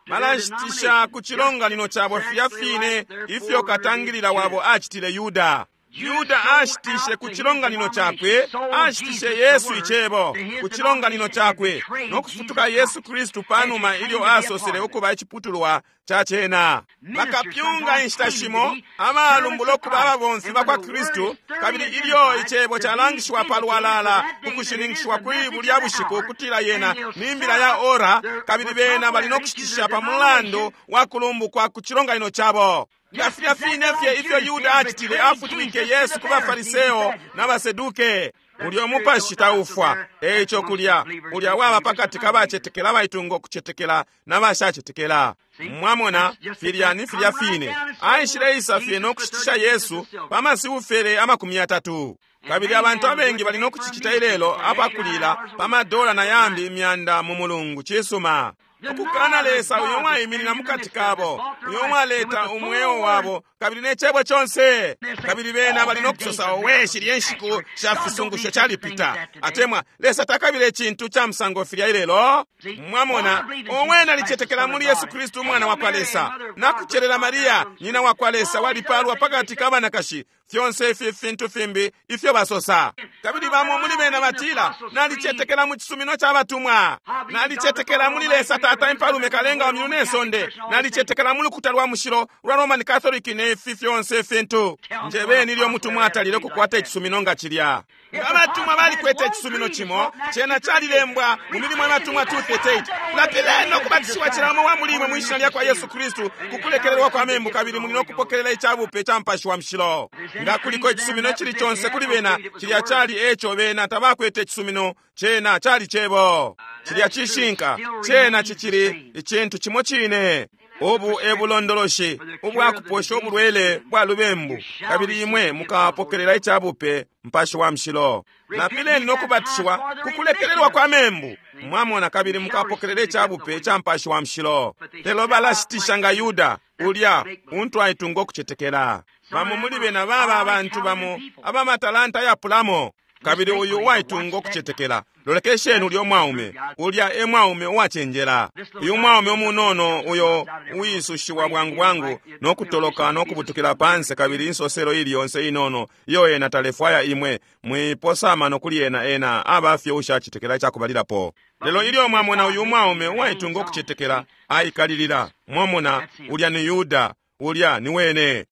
balashitisha ku cilonganino cabo filya fine ifyo katangilila wabo acitile Yuda. Yuda ashitishe ku cilonganino cakwe, ashitishe Yesu icebo ku cilonganino cakwe, no kufutuka Yesu Kristu panuma ilyo asosele ukuba iciputulwa ca cena. Bakapyunga inshita shimo abalumbula ukuba ababomfi ba kwa Kristu, kabili ilyo icebo calangishiwa palwalala ukushininkishiwa kuli bulya bushiku ukutila yena ni mbila ya ora, kabili bena bali no kushitisha pa mulandu wa kulumbukwa ku cilonganino cabo. Nga filya fine fye ifyo Yuda acitile, afutwike Yesu ku baFariseo na baSeduke. Ulyo mupashi taufwa. Eico kulya ulya waba pakati ka bacetekela abaitunga ukucetekela na bashacetekela. Mwamona, filya ni filya fine. Aishileisa fye no kushitisha Yesu pa masiufele 30. Kabili abantu abengi bali no kucicita ilelo apakulila pa madola na yambi imyanda mu mulungu. Cisuma. Ukukana Lesa uyo mwaiminina mukati kabo, uyo mwaleta umweo wabo, kabili ne cebo conse. Kabili bena bali no kusosa, owe, shilye nshiku sha fisungusho calipita, atemwa Lesa takabile icintu ca musango filya ilelo. Mwamona, owe, nalicetekela muli Yesu Kristu umwana wa kwa Lesa, nakucelela Maria nyina wa kwa Lesa, walipalwa pakati ka banakashi, fyonse ifi fintu fimbi ifyo basosa. Kabili bamo muli bena batila, nalicetekela mu cisumino ca batumwa, nalicetekela muli Lesa Tata impalume kalenga wa myulu ne sonde, nalicetekela mu lukuta lwa mushilo lwa Roman Catholic ne ifi fyonse fintu. Njebeni ilyo mutumwa atalile kukwata icisumino nga cilya. Abatumwa balikwete icisumino cimo, cena calilembwa mu milimo y'abatumwa 2:38. Lapileni ukubatishiwa cila umo wa muli imwe mwishina lya kwa Yesu Kristu ku kulekelelwa kwa membu, kabili muli no kupokelela icabupe ca Mupashi wa Mushilo. Nga kuliko icisumino cili conse kuli bena, cilya cali eco bena tabakwete icisumino, cena cali cebo. Cilya cishinka, cena cicili icintu cimo cine. Ubu e bulondoloshi ubwakuposha ubulwele bwa lubembu, kabili imwe mukapokelela icabupe Mupashi wa Mushilo. Lapileni no kubatishiwa ku kulekelelwa kwa membu, mwamona, kabili mukapokelela icabupe ca Mupashi wa Mushilo. Lelo balashitisha nga Yuda ulya untu aitunga ukucetekela. Bamo muli bena baba abantu bamo abamatalanta yapulamo. Kabili uyu uwaitunga ukucetekela, lolekesheni ulya mwaume, ulya e mwaume uwacenjela. Uyu mwaume umunono uyo uwisushiwa bwangu bwangu no kutoloka no kubutukila panse, kabili insoselo ili yonse inono iyo ena talefwaya imwe mwiposa amano kuli ena, ena aba fye ushacetekela icakubalilapo. Lelo ilyo mwamona uyu mwaume uwaitunga ukucetekela aikalilila, mwamona, ulya ni Yuda, ulya ni wene.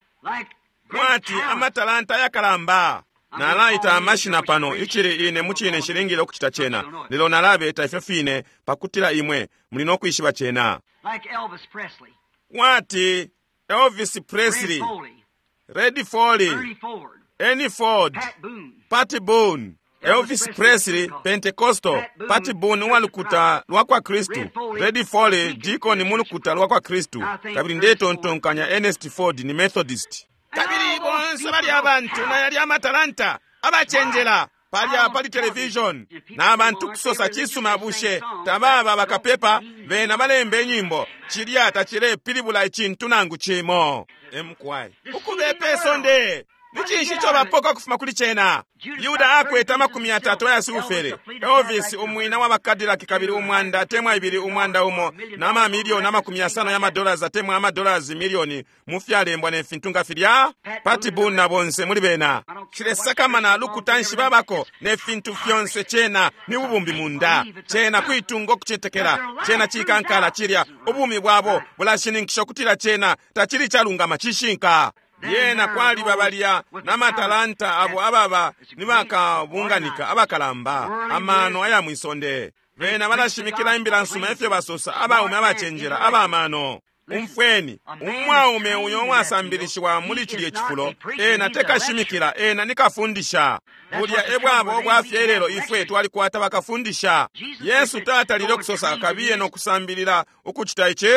Mwati amatalanta yakalamba. Nalaita amashina pano, icili ine mucine nshilingile ukucita cena, lelo nalabeta ifyo fine pakutila imwe muli no kwishiba cena. Like Elvis Presley, Kwati Elvis Red Presley, Foley, Red Foley, Ernie Ford, Ernie Ford, Pat Boone, Pat Boone, Elvis Presley, Pentecostal, Pat Boone uwalukuta lwa kwa Kristu, Red Foley, deacon mu lukuta lwa kwa Kristu, kabili ndetontonkanya Ernest Ford ni Methodist. Kabili bonse bali abantu na yali amatalanta abacenjela palya pali television na bantu kusosa cisuma bushe tababa bakapepa bena balemba inyimbo cilya tacilepilibula icintu nangu cimo. Emkwai ukubepa isonde ni cinshi ico bapoka kufuma kuli cena? Yuda akwete 30 aya silufere, Elvis umwina wa bakadilaki kabili 100 atemwa 2 100 na mamilioni 50 ya madollars atemwa amadollars milioni mu fyalembwa ne fintu nga filya. Pat Boone na bonse muli bena cilesakamana lukuta nshi babako ne fintu fyonse. Cena ni bubumbi munda, cena kuitunga okucetekela, cena cikankala cilya ubumi bwabo bulashininkisha ukutila cena tacili calungama cishinka. Yena kwaliba balya n'amatalanta abo ababa nibakabunganika abakalamba amano aya mwisonde. Bena balashimikila imbila nsuma efyo basosa abaume abacenjela abamano. Umfweni, umwaume uyo uwasambilishiwa muli cilye cifulo, ena tekashimikila, ena nikafundisha. Bulya ebwabo obwafye lelo ifwe twalikwata bakafundisha. Yesu tatalile okusosa kabiye nokusambilila ukucita ici.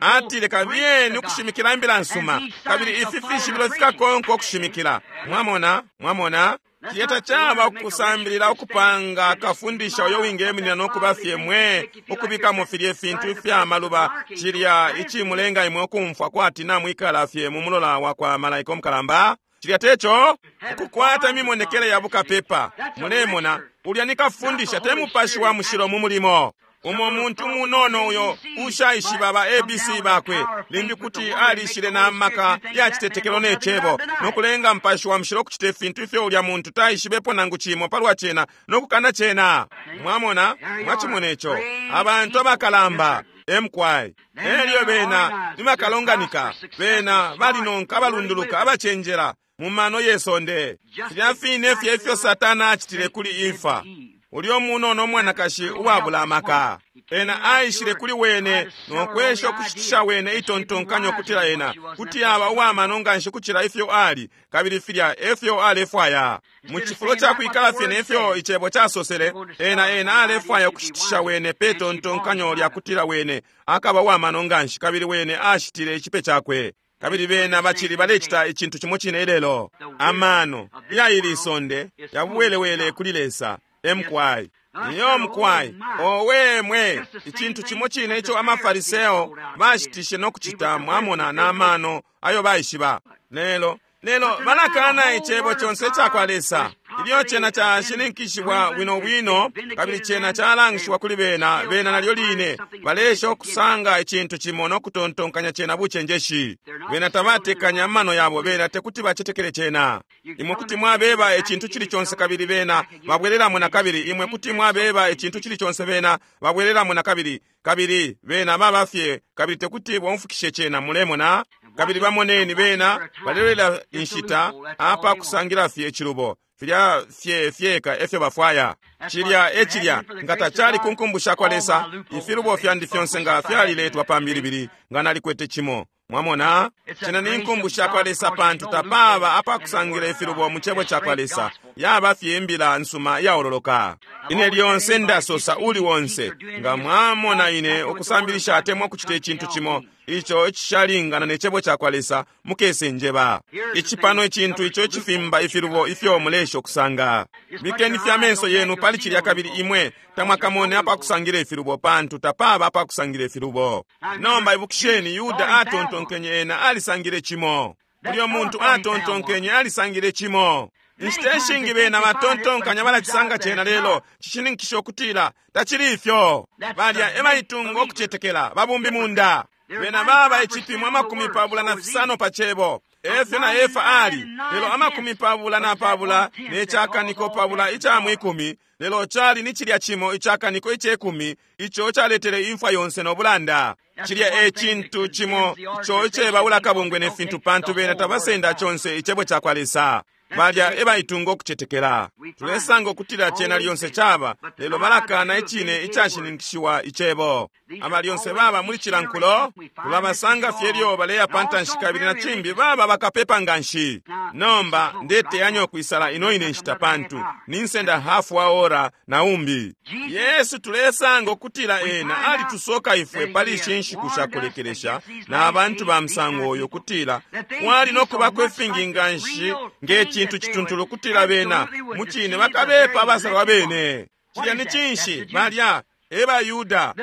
Atile kabiyeni ukushimikila imbila nsuma, kabili ifi fishibilo fikakonka okushimikila. Mwamona, mwamona? Cilya caba ukusambilila ukupanga kafundisha uyo wingeminina nokuba fye mwe ukubikamo filye fintu ifya maluba cilya icimulenga imwe ukumfwa kwati namwikala fye mu mulola wa kwa malaika omukalamba. Cilya teco ukukwata imimonekele ya bukapepa. Mulemona, ulya ni kafundisha te mupashi wa mushilo mu mulimo. Umo muntu munono uyo ushaishiba ba ABC bakwe limbi kuti alishile na maka ya citetekelo ne cebo nokulenga mpashi wa mushilo kucita ifintu ifyo ulya muntu taishibepo nangu cimo palwa cena nokukana cena. Mwamona, mwacimona ico abantu abakalamba emkwai elyo bena nibakalonganika bena balinonka abalunduluka abacenjela mu mano yesonde. Filya fine fye ifyo Satana acitile kuli Efa, ulyo munono umwanakashi uwabula amaka. Ena aishile kuli wene nokwesha ukushitisha wene itontonkanyo kutila ena kuti aba uwamano nganshi kucila ifyo ali, kabili filya efyo alefwaya. Mu cifulo ca kwikala fye nefyo icebo casosele, ena alefwaya ukushitisha wene pe tontonkanyo lya kutila wene akaba uwamano nganshi, kabili wene ashitile icipe cakwe. Kabili bena bacili balecita icintu cimo cine ilelo. Amano ya ili isonde yabuwelewele kuli Lesa. Emkwai iyo mkwai owe mwe icintu cimo cine ico amafariseo bashitishe nokucita. Mwamona n'amano ayo baishiba lelo lelo balakana icebo conse icakwa Lesa. Ilyo cena cashininkishiwa bwino bwino kabili cena calangishiwa kuli bena, bena nalyo line balesha ukusanga icintu cimo nokutontonkanya cena bucenjeshi. Bena tabatekanya amano yabo, bena tekuti bacetekele cena. Imwe kuti mwabeba icintu cili conse kabili bena babwelelamo na kabili. Imwe kuti mwabeba icintu cili conse bena babwelelamo na kabili, kabili bena baba fye kabili tekuti bomfukishe cena. Mulemona? Kabili bamoneni bena balelela inshita apa kusangila fye icilubo filya fye fyeka efyo bafwaya. Cilya ecilya nga tacali kunkumbusha kwa Lesa, ifilubo fyandi fyonse nga fyaliletwa pambilibili nga nalikwete cimo. Mwamona, cena ni nkumbusha kwa Lesa pantu tapaba apakusangila ifilubo mu cebo ca kwa Lesa. Yaba fye imbila nsuma iyaololoka. Ine lyonse ndasosa uli wonse nga mwamona ine ukusambilisha atemwa ukucita icintu cimo ico icishalingana ne cebo ca kwa Lesa, mukese njeba. Ici pano icintu ico icifimba ifilubo ifyo mulesha ukusanga. Bikeni fye amenso yenu pali cilya kabili imwe tamwakamone apakusangila ifilubo pantu tapaba apakusangila ifilubo. Nomba ibukisheni, Yuda atontonkenye ena alisangile cimo. Ulyo muntu atontonkenye alisangile cimo. Inshita ishingi bena batontonkanya balacisanga cena, lelo cishininkisha ukutila tacili ifyo. Balya ebaitunga ukucetekela babumbi munda. Bena baba icipimo 25 pa cebo efyo na Efa ali, lelo 24 ne cakaniko 20 ica mwikumi, lelo cali ni cilya cimo icakaniko icekumi ico caletele imfwa yonse no bulanda. Cilya e cintu cimo ico icebaula kabungwe ne fintu pantu bena tabasenda conse icebo ca kwa Lesa. Balya ebaitunga ukucetekela. Tulesanga ukutila cena lyonse caba, lelo balakana icine icashininkishiwa Icebo. Aba lyonse baba muli cila nkulo, tulabasanga fye ilyo baleya pa ntanshi kabili na cimbi baba bakapepa nganshi. Nomba ndeteyanya ukwisala ino ine nshita pantu ninsenda hafu wa ora na umbi. Yesu tulesanga ukutila ena alitusoka ifwe pali ishi nshiku shakulekelesha na abantu ba musango uyo kutila kwali no kubako ifingi nganshi nge cintu cituntulu kutila bena mucine bakabepa abasalwa bene. Cilya ni cinshi? Balya eba Yuda,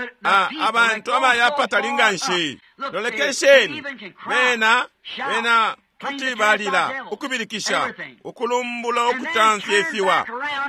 abantu abayapatali nganshi. Lolekesheni, bena bena kuti balila, ukubilikisha, ukulumbula, ukutamfya ifiwa,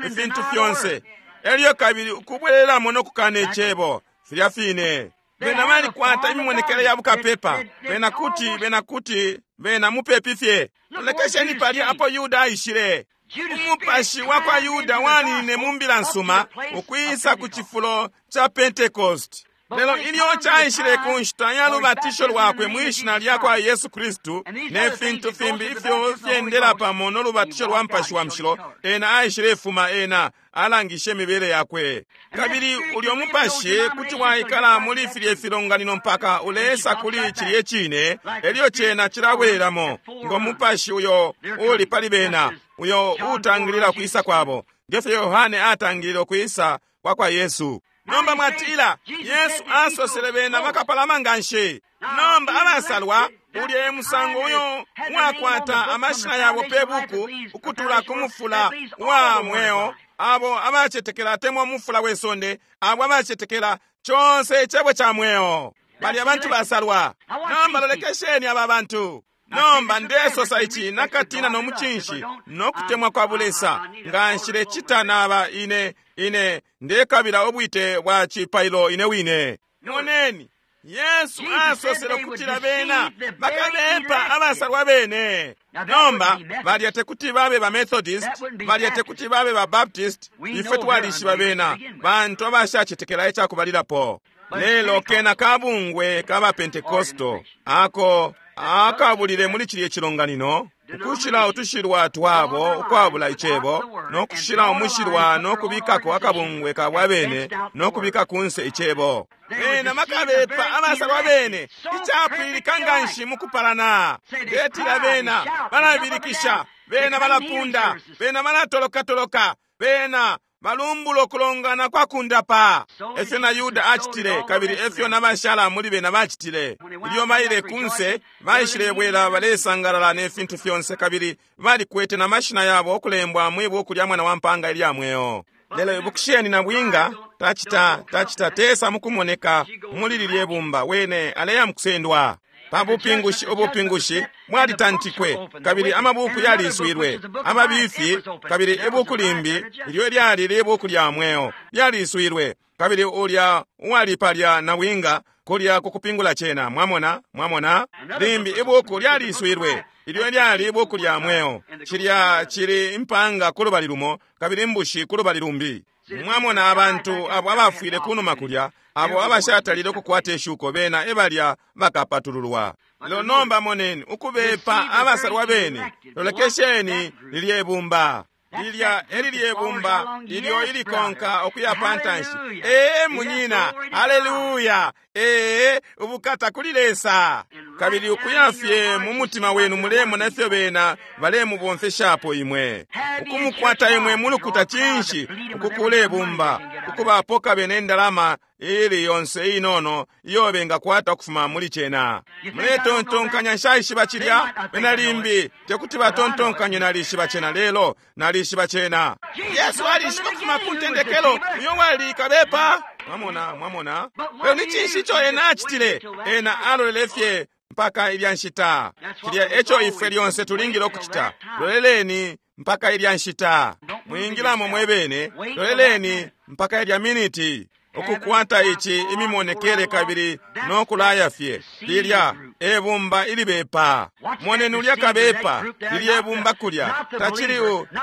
ifintu fyonse, elyo kabili ukubwelelamo no kukana icebo. Filya fine bena balikwata imimonekele ya bukapepa, bena kuti bena kuti bena mupepi fye. Lolekesheni palya apo Yuda aishile. Umupashi wa kwa Yuda waninine mu mbila nsuma ukwisa ku cifulo ca Pentecost. Lelo ilyo caishile ku nshita ya lubatisho lwakwe mwi shina lya kwa Yesu Kristu ne fintu fimbi ifyo fyendela pamo no lubatisho lwa Mupashi wa Mushilo, ena aishilefuma, ena alangishe imibele yakwe. Kabili ulyo mupashi kuti waikala muli filye filonganino mpaka ulesa kuli cilye cine, elyo cena cilabwelamo ngo mupashi uyo uli pali bena, uyo utangilila kwisa kwabo, ngefyo Yohane atangilile ukwisa kwa kwa Yesu. Nomba mwatila, Yesu asosele bena bakapalama nganshi. Nomba abasalwa, ulye musango uyo wakwata amashina yabo pe buku ukutula ku mufula wa mweo, abo abacetekela atemwa mufula we sonde, abo abacetekela conse icebo ca mweo, bali abantu basalwa. Nomba lolekesheni aba bantu. Nomba ndesosa ici nakatina no mucinshi no kutemwa kwa bulesa, nga nshilecita naba ine ine ndekabila ubwite bwa cipailo ine wine. Moneni, Yesu asosele ukutila bena bakabepa abasalwa bene. Nomba balya tekuti babe ba Methodist, balya tekuti babe ba Baptist, ifwe twalishiba bena bantu abashacetekela icakubalilapo. Lelo kena kabungwe kaba Pentecostal ako akabulile muli cilye cilonganino ukushila utushilwa twabo ukwabula icebo, no kushila umushilwa no kubikako akabungwe kabwa bene no kubika kunse icebo. Bena bakabepa abasalwa bene icapwilika nganshi mukupalana. Betila bena balabilikisha, bena balapunda, bena balatolokatoloka, bena balumbula ukulongana kwa kundapa. Efyo na Yuda acitile, kabili efyo na bashala muli bena bacitile. Ilyo baile kunse, baishilebwela balesangalala ne fintu fyonse, kabili balikwete na mashina yabo okulembwa mwi buku lya mwana wa mpanga ilya mweo. Lelo ibukisheni na bwinga tacita tacita tesa mukumoneka muli lilye bumba, wene aleya mukusendwa. Pa bupingushi ubupingushi bwalitantikwe, kabili amabuku yaliswilwe amabifi, kabili ibuku limbi ilyo lyali libuku lya mweo lyaliswilwe, kabili ulya uwali palya na winga kulya kukupingula cena. Mwamona, mwamona, limbi ibuku lyaliswilwe ilyo lyali ibuku lya mweo. Cilya cili impanga kulubali lumo kabili imbushi kulubali lumbi. Mwamona abantu abo abafwile kunuma kulya, abo abashatalile ukukwata ishuko, bena ebalya bakapatululwa. Lelo nomba moneni ukubepa abasalwa bene. Lolekesheni lilye bumba lilya elilye bumba ilyo ilikonka ukuya pantanshi. Ee munyina, haleluya! Ee, ubukata kuli Lesa. Kabili ukuya fye mu mutima wenu mulemona ifyo bena balemubomfeshapo imwe, ukumukwata imwe mulukuta cinshi, ukukule bumba, ukubapoka bene indalama ili yonse inono iyo bengakwata ukufuma muli cena. Muletontonkanya nshaishiba cilya, bena limbi tekuti batontonkanye nalishiba cena, lelo nalishiba cena. Yesu alishiba ukufuma ku ntendekelo uyo wali kabepa. Mwamona, mwamona. Lelo ni cinshi ico ena acitile? Ena alolele fye mpaka ilya nshita. Cilya eco ifwe lyonse tulingile ukucita. Loleleni mpaka ilya nshita. Mwingilamo mwebene, loleleni mpaka ilya miniti. Ukukwata ici imimonekele kabili no kulaya fye. Lilya ebumba ilibepa. Moneni ulya kabepa, lilye bumba kulya. Tacili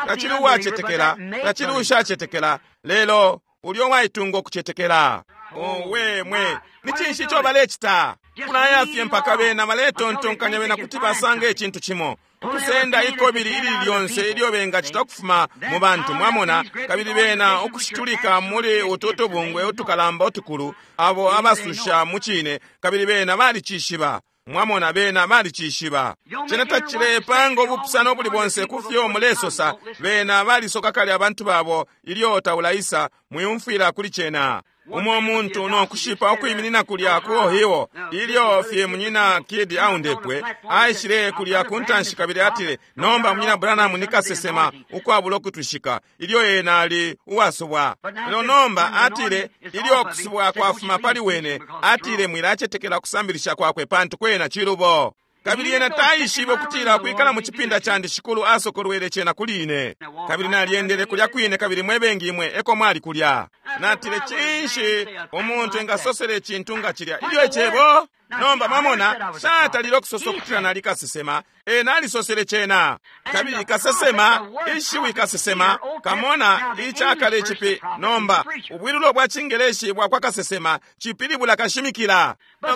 tacili uwacetekela, tacili ushacetekela, lelo ulyo waitunga ukucetekela. Owe mwe, ni cinshi ico balecita? Kulaya fye mpaka bena baletontonkanya bena kuti basanga icintu cimo, ukusenda ikobili ili lyonse ilyo bengacita ukufuma mu bantu, mwamona, kabili bena ukushitulika muli utu tubungwe utukalamba utukulu, abo abasusha mucine, kabili bena balicishiba. Mwamona, bena balicishiba. Cena tacilepanga ubupusano ubuli bonse kufyo mulesosa. Bena balisoka kale abantu babo ilyo taulaisa. Mwiumfwila kuli cena. Umo muntu no kushipa ukwiminina kulya ku Ohio, ilyo fye munyina Kidd aundepwe, aishile kulya ku ntanshi kabili atile, nomba munyina Branham ni kasesema ukwabula ukutwishika, ilyo ena ali uwasubwa. Lelo nomba atile, ilyo kusubwa kwafuma pali wene, atile mwilacetekela kusambilisha kwakwe pantu kwena cilubo. Kabili ena taishibe ukutila kwikala mu cipinda candi Shikulu asokolwele cena kuli ine. Kabili nalyendele kulya kwine, kabili mwebengi imwe eko mwali kulya. Natile, cinshi umuntu engasosele icintu nga cilya ilyo icebo? Nomba mwamona, satalile okusosa ukutila nali kasesema, ena alisosele cena. Kabili kasesema, ishiwi kasesema, kamona icakale cipi. Nomba ubwilulo bwa Cingeleshi bwa kwa kasesema cipilibula kashimikila.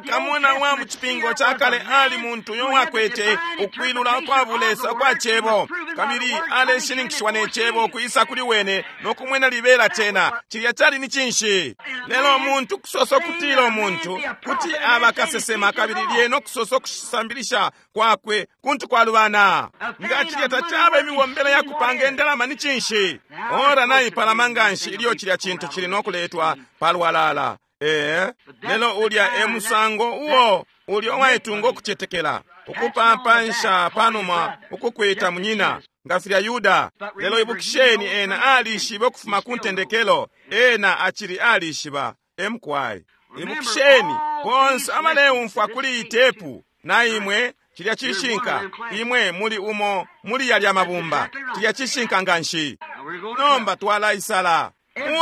Kamona wa mu cipingo cakale ali muntu uyo wakwete ukwilula kwa bulesa kwa cebo, kabili aleshininkishiwa ne cebo kwisa kuli wene no kumwena libela cena. Cilya cali ni cinshi? Lelo umuntu kusosa kutila umuntu kuti aba kasesema, kabili lyena okusosa okusambilisha kwakwe kuntu kwalubana. Nga cilya tacaba imibombele ya kupanga indalama ni cinshi? Ora naipalama nganshi ilyo cilya cintu cili no kuletwa palwalala. Lelo ulya e musango uo ulya uwaitunga ukucetekela, ukupampansha panuma ukukwita munyina nga filya Yuda. Lelo ibukisheni, ena alishibe ukufuma ku ntendekelo, ena acili alishiba. Emkwai. Ibukisheni bonse abaleumfwa kuli itepu na imwe, cilya cishinka, imwe muli umo muli yalya mabumba, cilya cishinka nganshi. Nomba twalaisala.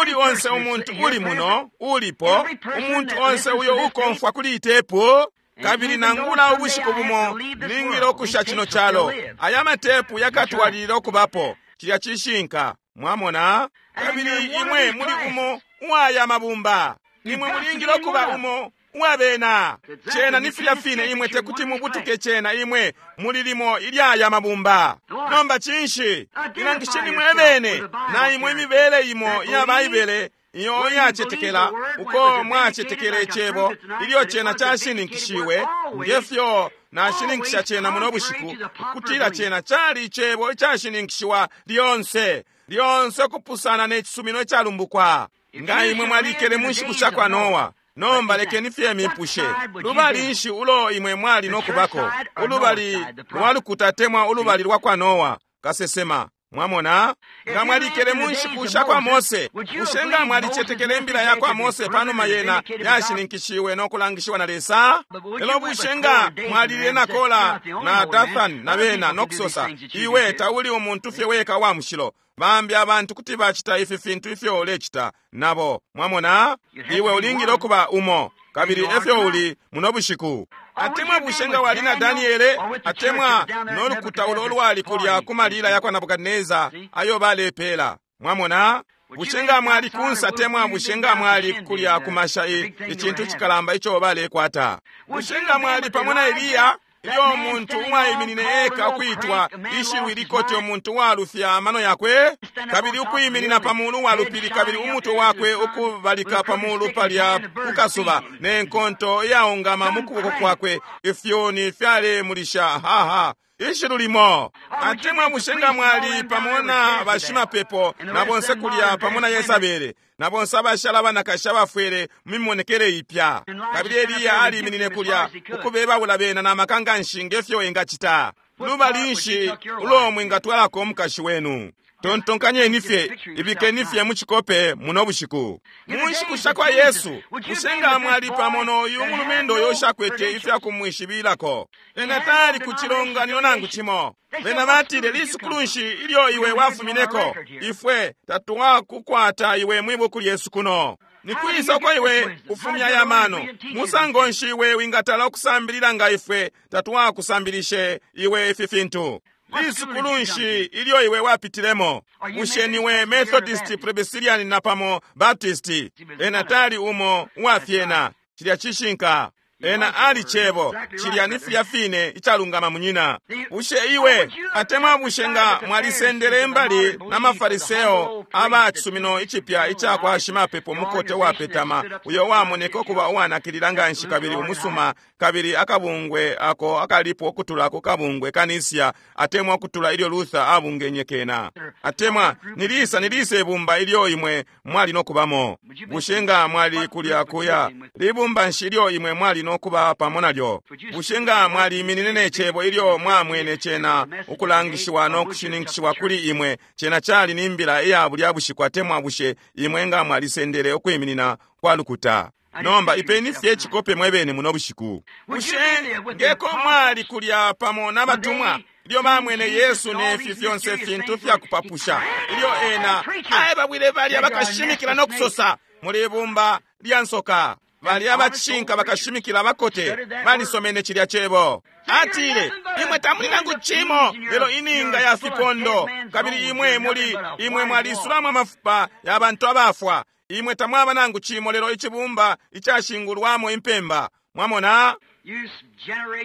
Uli onse umuntu uli muno, ulipo, umuntu onse uyo ukomfwa kuli itepu, kabili nangula ubushiku bumo ningile ukusha cino calo, aya matepu yakatwalilila ukubapo. Cilya cishinka, mwamona. Kabili imwe muli umo uwaya mabumba, imwe mulingile ukuba umo uwabena. Cena ni filya fine, imwe tekuti mubutuke cena, imwe muli limo ilyaya mabumba. Nomba cinshi? Ilangisheni mwebene na imwe imibele imo iya Baibele iyo yacetekela uko mwacetekela icebo ilyo cena cashininkishiwe, ngefyo nashininkisha cena muno bushiku, ukutila cena cali icebo icashininkishiwa lyonse lyonse ukupusana ne cisumino icalumbukwa. Nga imwe mwalikele mu nshiku sha kwa Noa, nomba lekeni fye mipushe, lubali nshi ulo imwe mwali no kubako? Ulubali lwa lukuta temwa ulubali lwa kwa Noa kasesema? Mwamona, nga mwalikele mu nshiku sha kwa Mose, bushe nga mwalicetekele imbila ya kwa Mose panuma yena yashininkishiwe no kulangishiwa na Lesa? Lelo bushe nga mwalile na Kola na Dathan na bena no kusosa, iwe tauli umuntu fye weka wa mushilo, bambi abantu kuti bacita ifi fintu ifyo ulecita nabo. Mwamona, iwe ulingile ukuba umo, kabili efyo uli muno bushiku. Atemwa bushe nga wali na Daniele, atemwa no lukuta ulo lwali kulya ku malila ya kwa Nebukadneza ayo balepela. Mwamona, bushe nga mwali kunsa, temwa bushe nga mwali kulya kumasha icintu cikalamba ico balekwata. Bushe nga mwali pamo na Eliya, ilyo umuntu uwaiminine eka ukwitwa ishiwi likoti umuntu walufya amano yakwe, kabili ukwiminina pa mulu wa lupili, kabili umutwe wakwe ukubalika pa mulu palya kukasuba, ne nkonto iyaungama mu kuboko kwakwe, ifyoni fyalemulisha haha ishilu limo. Atemwa bushe nga mwali pamo na bashimapepo na bonse kulya pamo na Yesabele na bonse abashala abanakashi abafwele mu mimonekele ipya, kabili Eliya aliminine kulya ukubebawula bena na maka nganshi ngefyo engacita. Lubali nshi ulo mwingatwalako umukashi wenu? Tontonkanyeni fye, ibikeni fye mu cikope muno bushiku. Mu nshiku sha kwa Yesu, bushe nga mwali pamo noyu mulumendo uyo ushakwete ifya kumwishibilako? Ena tali ku cilonganino nangu cimo. Bena batile, lisukulu nshi ilyo iwe wafumineko? Ifwe tatwakukwata iwe mwi buku lyesu kuno. Nikwisa uko iwe ufumya ya mano? Musango nshi iwe wingatala ukusambilila nga ifwe tatwakusambilishe iwe ifi fintu? Lisukulu nshi ilyo iwe wapitilemo? Bushe niwe Methodist, Presbyterian napamo Baptist? Ena tali umo uwafyena. Cilya cishinka. Ena ali Cebo. Cilya ni filya fine icalungama, munyina. Bushe iwe atemwa bushe nga mwalisendele imbali na mafariseo aba cisumino icipya ica kwa shimapepo mukote wapetama, uyo wamoneka ukuba uwanakilila nganshi kabili umusuma, kabili akabungwe ako akalipo ukutula ku kabungwe kanisia, atemwa ukutula ilyo Luther abungenye kena, atemwa nilisa nilisa ibumba ilyo imwe mwali no kubamo? Bushe nga mwali kulya kuya libumba nshi ilyo imwe mwali no kuba pamo nalyo? Bushe nga mwaliminine ne Cebo ilyo mwamwene cena ukulangishiwa no kushininkishiwa kuli imwe, cena cali ni mbila iya bulya bushiku, atemwa bushe imwe nga mwalisendele ukwiminina kwa lukuta? Nomba ipeni fye icikope mwebene muno bushiku. Bushe ngeko mwali kulya pamo n'abatumwa ilyo bamwene Yesu nefi fyonse fintu fyakupapusha, ilyo ena aebabwile balya bakashimikila no kusosa muli bumba lya nsoka, balya bacishinka bakashimikila bakote balisomene cilya Cebo. Atile, imwe tamuli nangu cimo lelo ininga ya fipondo, kabili imwe muli imwe mwalisulamo amafupa ya bantu abafwa. Imwe tamwaba nangu cimo lelo icibumba icashingulwamo impemba. Mwamona,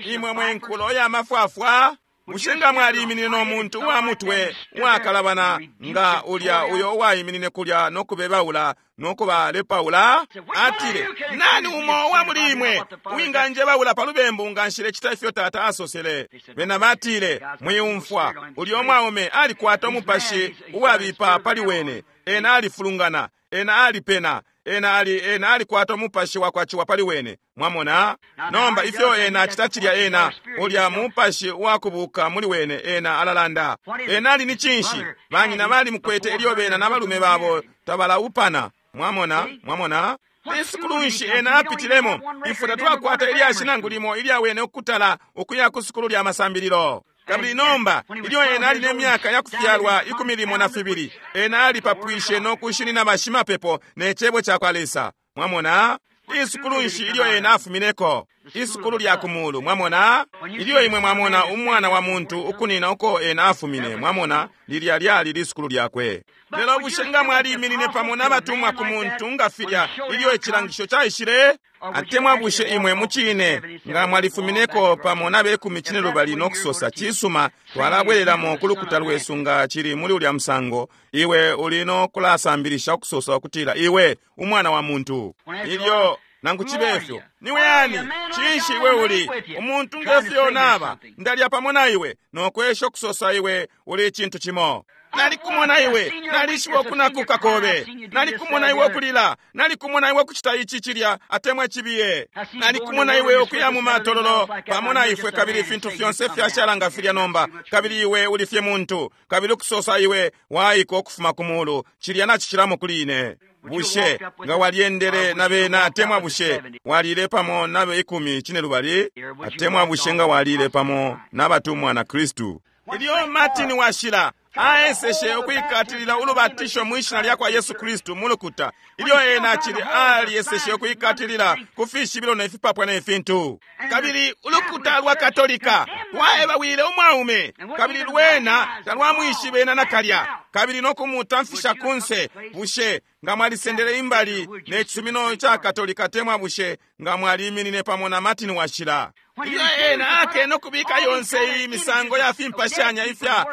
imwe mwe nkulo ya mafwafwa. Bushe nga mwaliminine no muntu uwa mutwe uwakalabana nga ulya uyo uwaiminine kulya no kubebaula no kubalepaula? Atile, nani umo uwa muli imwe uwinganjebaula pa lubembu nga nshilecita ifyo Tata asosele? Bena batile, mwiumfwa, ulya umwaume alikwata umupashi uwabipa pali wene. Ena alifulungana, ena alipena, ena ali ena alikwata umupashi wakwaciwa pali wene. Mwamona? Nomba ifyo ena acita cilya, ena ulya mupashi wakubuka muli wene, ena alalanda. Ena ali ni cinshi? Banyina bali mukwete ilyo bena na balume babo tabalaupana. Mwamona? Mwamona? Isukulu nshi ena apitilemo? Ifwe tatwakwata ilyashi nangu limo ilya wene ukutala ukuya ku sukulu lya masambililo. Kabili nomba ilyo ena ali ne myaka ya kufyalwa 12, ena alipapwishe no kushinina bashimapepo ne Cebo ca kwa Lesa. Mwamona? Isukulu nshi ilyo ena afumineko? Isukulu lya kumulu. Mwamona? Ilyo imwe mwamona umwana wa muntu ukunina uko ena afumine, mwamona, lilya lyali lisukulu lyakwe. Lelo bushe nga mwaliminine pamo n'abatumwa ku muntu nga filya ilyo icilangisho caishile? Atemwa bushe imwe mucine nga mwalifumineko pamo n'abekumi cine lubali no kusosa, cisuma, twalabwelelamo ku lukuta lwesu nga cili muli ulya musango, iwe uli no kulasambilisha ukusosa ukutila iwe umwana wa muntu. Ilyo nangu cibe ifyo, niwe ani? Cinshi iwe uli umuntu ngefyo naba ndalya pamo na iwe nokwesha ukusosa iwe uli icintu cimo. Nalikumona iwe, nalishiba ukunakuka kobe, nalikumona iwe ukulila, nalikumona iwe ukucita ici cilya atemwa icibiye, nalikumona iwe ukuya mu matololo pamo na ifwe, kabili ifintu fyonse fyashala nga filya nomba, kabili iwe uli fye muntu, kabili ukusosa iwe waiko ukufuma ku mulu, cilya nacicilamo kuli ine. Bushe nga walyendele na bena atemwa bushe walile pamo nabe 12, atemwa bushe nga walile pamo n'abatumwa na Kristu? Ilyo Martin washila aeseshe ukuikatilila ulubatisho mwishina lya kwa Yesu Kristu mulukuta, ilyo ena acili alieseshe ukuikatilila ku fishibilo ne fipapwa ne fintu, kabili ulukuta lwa Katolika lwaebawile umwaume, kabili lwena talwamwishibe ena nakalya, kabili no kumutamfisha kunse. Bushe nga mwalisendele imbali ne cisumino ca Katolika, temwa bushe nga mwaliminine pamo na Martin washila? Ilyo ena akene ukubika yonse iyi misango ya fimpashanya ifya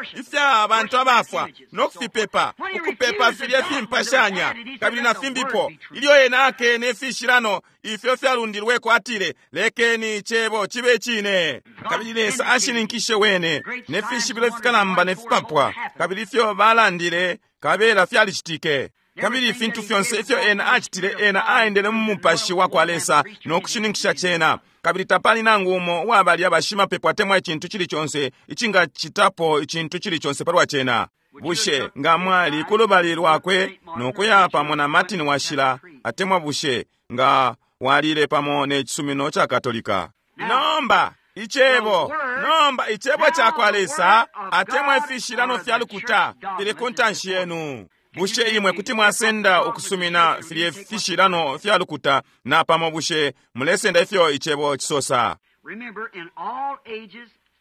abantu abafwa no kufipepa, ukupepa filye fimpashanya kabili na fimbipo, ilyo ena akene ifishilano ifyo fyalundilweko, atile, lekeni icebo cibe cine. Kabili Lesa ashininkishe wene ne fishibilo ifikalamba ne fipapwa, kabili ifyo balandile kabela fyalicitike. Kabili ifintu fyonse ifyo ena acitile, ena aendele mu mupashi wa kwa Lesa no kushininkisha cena. Kabili tapali nangu umo uwabalya bashimapepo atemwa icintu cili conse icingacitapo icintu cili conse palwa cena. Bushe nga mwali ku lubali lwakwe no kuya pamo na Martin washila, atemwa bushe nga walile pamo ne cisumino ca Katolika? Nomba icebo, nomba icebo ca kwa Lesa atemwa ifishilano fya lukuta fili ku ntanshi yenu. Bushe imwe kuti mwasenda ukusumina filye fishilano fya lukuta, na pamo bushe mulesenda ifyo icebo cisosa?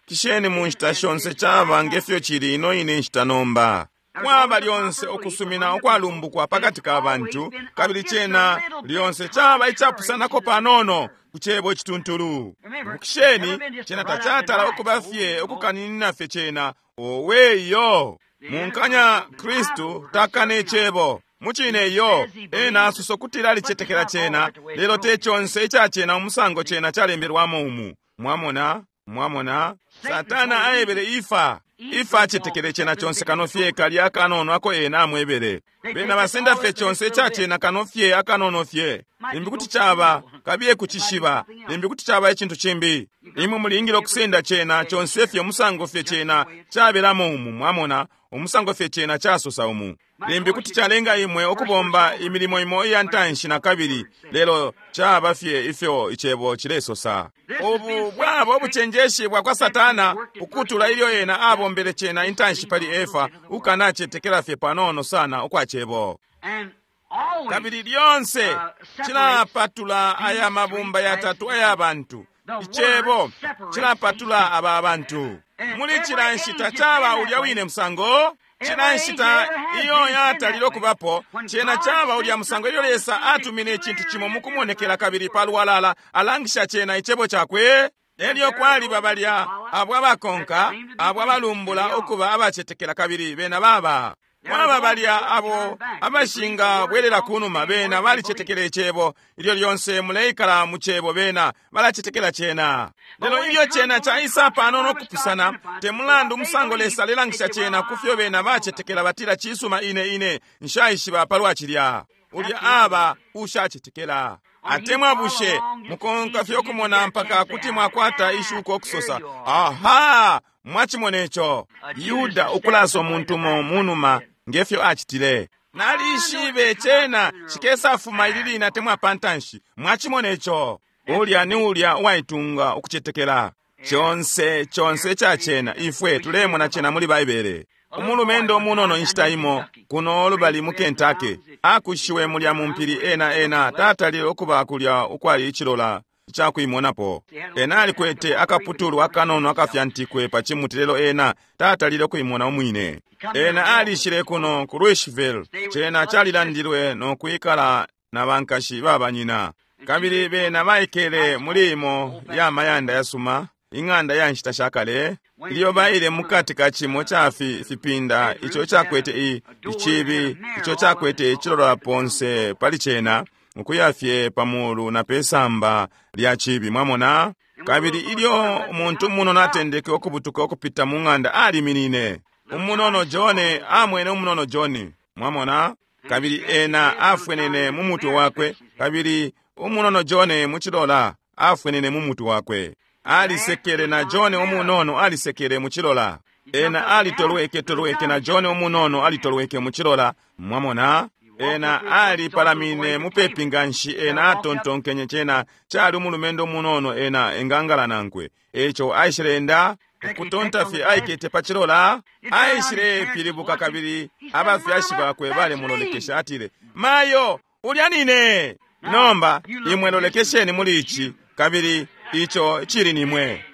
Kisheni mu nshita shonse caba nge fyo cili ino ine nshita nomba. Kwaba lyonse ukusumina ukwalumbukwa pakati ka bantu, kabili cena lyonse caba icapusanako panono ku cebo icituntulu. Ibukisheni, cena tacatala ukuba fye ukukaninina fye cena, owe iyo. Munkanya Kristu takane icebo. Mucine iyo, ena asosa ukutila alicetekela cena, lelo te conse ica cena umusango cena calembelwamo umu. Mwamona? Mwamona? Satana aebele Ifa. Ifa acetekele cena conse kano fye kalya akanono ako ena amwebele. Bena basenda fye conse ica cena kano fye akanono fye. Limbi kuti caba kabiye kucishiba, limbi kuti caba icintu cimbi. Imwe mulingile ukusenda cena conse fye umusango fye cena cabelamo umu, mwamona, umusango fye cena casosa umu. Limbi kuti calenga imwe ukubomba imilimo imo iya ntanshi na kabili, lelo caba fye ifyo icebo cilesosa. Ubu bwaba ubucenjeshi bwa kwa Satana ukutula ilyo ena abombele cena intanshi pali Efa, ukanacetekela fye panono sana ukwa cebo. Kabili lyonse cilapatula aya mabumba yatatu aya bantu. Icebo cilapatula aba bantu. Muli cila nshita caba ulya wine musango. Cila nshita iyo yatalile ukubapo, cena caba ulya musango ilyo Lesa atumine icintu cimo mukumonekela kabili palwalala alangisha cena icebo cakwe. Elyo kwaliba balya abo abakonka, abo abalumbula ukuba abacetekela kabili bena baba. Kwaba balya abo abashinga bwelela kunuma, bena balicetekela icebo. Ilyo lyonse muleikala mu cebo, bena balacetekela cena. Lelo ilyo cena caisa panono kupusana, te mulandu umusango Lesa alelangisha cena ku fyo bena bacetekela, batila cisuma ine ine nshaishiba palwa cilya. Ulya aba ushacetekela. Atemwa bushe mukonka fye ukumona mpaka kuti mwakwata ishuko ukusosa, aha, mwachimona ico. Yuda ukulasa umuntu mo munuma ngefyo acitile. Nalishibe cena cikesafuma ili line atemwa pantanshi. Mwachimona ico. Ulya ni ulya uwaitunga ukucetekela. Conse, conse ca cena, ifwe tulemona cena muli Baibele. Umulumendo umunono inshita imo kuno lubali mu Kentucky akushiwe mulya mu mpili ena ena tatalile ukuba kulya ukwali icilola icakuimonapo. Ena alikwete akaputulu akanono akafyantikwe pa cimuti, lelo ena tatalile ukuimona umwine. Ena alishile kuno ku Louisville, cena calilandilwe no kwikala na bankashi babanyina. Kabili bena baikele muli imo ya mayanda yasuma, ing'anda ya nshita shakale. Ilyo baile mukati ka cimo ca fipinda ico cakwete icibi ico cakwete icilola ponse pali cena, ukuya fye pamulu na pesamba lya cibi, mwamona. Kabili ilyo umuntu umunono atendeke ukubutuka ukupita mu ng'anda, aliminine. Umunono John amwene umunono John, mwamona. Kabili ena afwenene mu mutwe wakwe, kabili umunono John mu cilola afwenene mu mutwe wakwe. Alisekele na John umunono alisekele mu cilola. Ena alitolweke tolweke na John umunono alitolweke mu cilola, mwamona. Ena alipalamine mupepi nganshi, ena atontonkenye cena cali umulumendo umunono ena engangala nankwe. Eco aishile enda ukutonta fye aikete pa cilola, aishile pilibuka kabili abafyashi bakwe balemulolekesha, atile, mayo, ulya nine. Nomba imwe lolekesheni muli ici, kabili ico cili nimwe.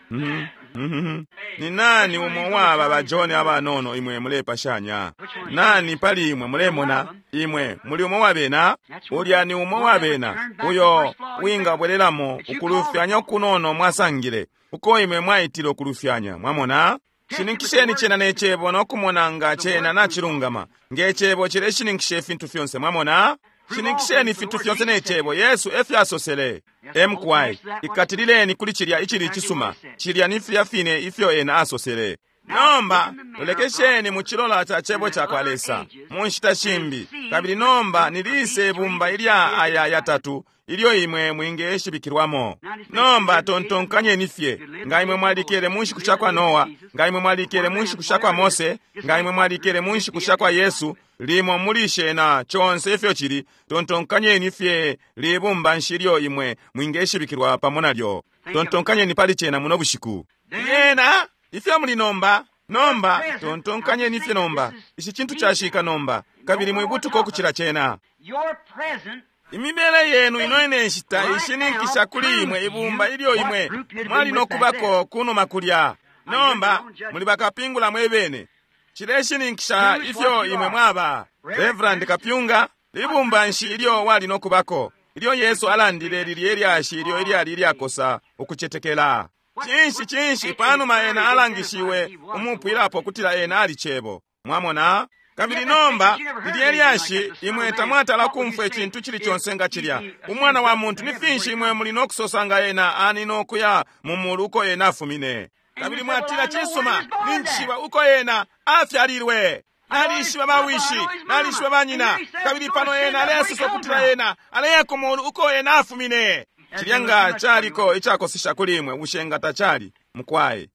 Ni nani umo waba ba John abanono imwe mulepashanya? Nani pali imwe mulemona? Imwe muli umo wabena? Ulya ni umo wabena uyo wingabwelelamo ukulufyanya ukunono mwasangile uko imwe mwaitile ukulufyanya, mwamona. Shininkisheni cena ne cebo no kumona nga cena nacilungama. Nge cebo cileshininkisha ifintu fyonse, mwamona. Shininkisheni ifintu fyonse ne cebo. Yesu efyo asosele. Mqy ikatilileni kuli cilya icili cisuma. Cilya ni filya fine ifyo ena asosele. Nomba lolekesheni mu cilola ca cebo ca kwa Lesa mu nshita shimbi. Kabili nomba nilise ibumba ilya aya yatatu ilyo imwe mwingeshibikilwamo. Nomba tontonkanyeni fye, nga imwe mwalikele mu nshiku sha kwa Noa, nga imwe mwalikele mu nshiku sha kwa Mose, nga imwe mwalikele mu nshiku sha kwa Yesu, limo muli shena conse ifyo cili, tontonkanyeni fye libumba nshi ilyo imwe mwingeshibikilwa pamo nalyo. Tontonkanyeni pali cena muno bushiku. Yena ifyo muli nomba, nomba tontonkanyeni fye nomba. Ici cintu cashika nomba, kabili mwibutuka ukucila cena. Imibele yenu ino ine nshita ishininkisha kuli imwe ibumba ilyo imwe mwali nokubako kunuma kulya. Nomba muli bakapingula mwebene. Cileshininkisha ifyo imwe mwaba. Reverend Kapyunga, libumba nshi ilyo wali nokubako ilyo Yesu alandile lilye lyashi ilyo ilyali ilyakosa ukucetekela? Cinshi, cinshi panuma ena alangishiwe umupwilapo kutila ena ali Cebo? Mwamona? Kabili nomba lilye lyashi, imwe tamwatala kumfwa icintu cili conse nga cilya. Umwana wa muntu, ni finshi imwe muli nokusosa nga ena ani nokuya mu mulu uko ena afumine? Kabili mwatila, cisuma, ninjishiba uko ena afyalilwe. Nalishiba bawishi, nalishiba banyina. Kabili pano ena alesosa ukutila ena aleya ku mulu uko ena afumine. Cilya nga caliko icakosesha kuli imwe, bushe nga tacali? Mukwai.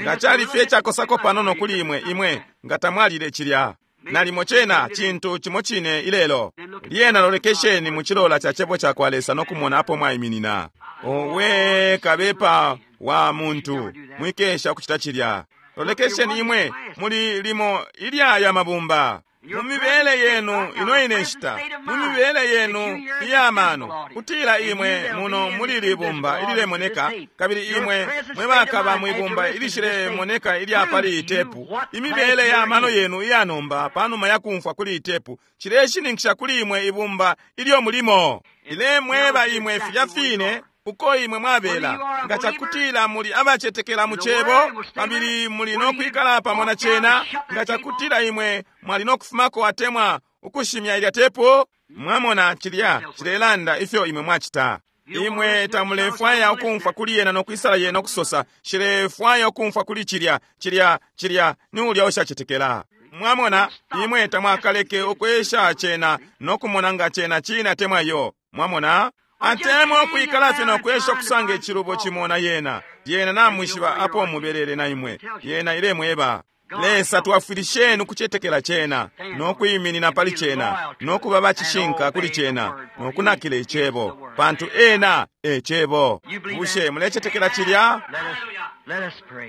Nga cali fye icakosako panono kuli imwe, imwe nga tamwalile cilya. Nalimo cena cintu cimo cine ilelo. Lyena lolekesheni mu cilola ca Cebo cakwa Lesa no kumona apo mwaiminina. Owe, kabepa wa muntu, mwikesha ukucita cilya. Lolekesheni imwe muli limo ilya ya mabumba. Mu mibele yenu ino ine nshita, mu mibele yenu iya mano, kutila imwe muno muli libumba ililemoneka, kabili imwe mwe bakaba mwibumba ilishilemoneka ilya pali itepu, imibele ya mano yenu iya nomba panuma ya kumfwa kuli itepu, cileshininkisha kuli imwe ibumba ilyo mulimo. Ilemweba imwe filya fine uko imwe mwabela. Nga cakutila muli abacetekela mu Cebo, kabili muli no kwikala pamo na cena, nga cakutila imwe mwali no kufumako atemwa ukushimya ilya tepu, mwamona cilya cilelanda ifyo imwe mwacita. Imwe tamulefwaya ukumfwa kuli yena no kwisala yena ukusosa, shilefwaya ukumfwa kuli cilya, cilya, cilya, ni ulya ushacetekela. Mwamona, imwe tamwakaleke ukwesha cena no kumona nga cena cine atemwa yo. Mwamona? Atemwa ukwikala fye no kwesha kusanga icilubo cimo na yena. Yena namwishiba apo mubelele na imwe. Yena ilemweba. Lesa twafwilisheni ukucetekela cena, no kwiminina pali cena, no kuba bacishinka kuli cena, no kunakila icebo, pantu ena e Cebo. Bushe mulecetekela cilya?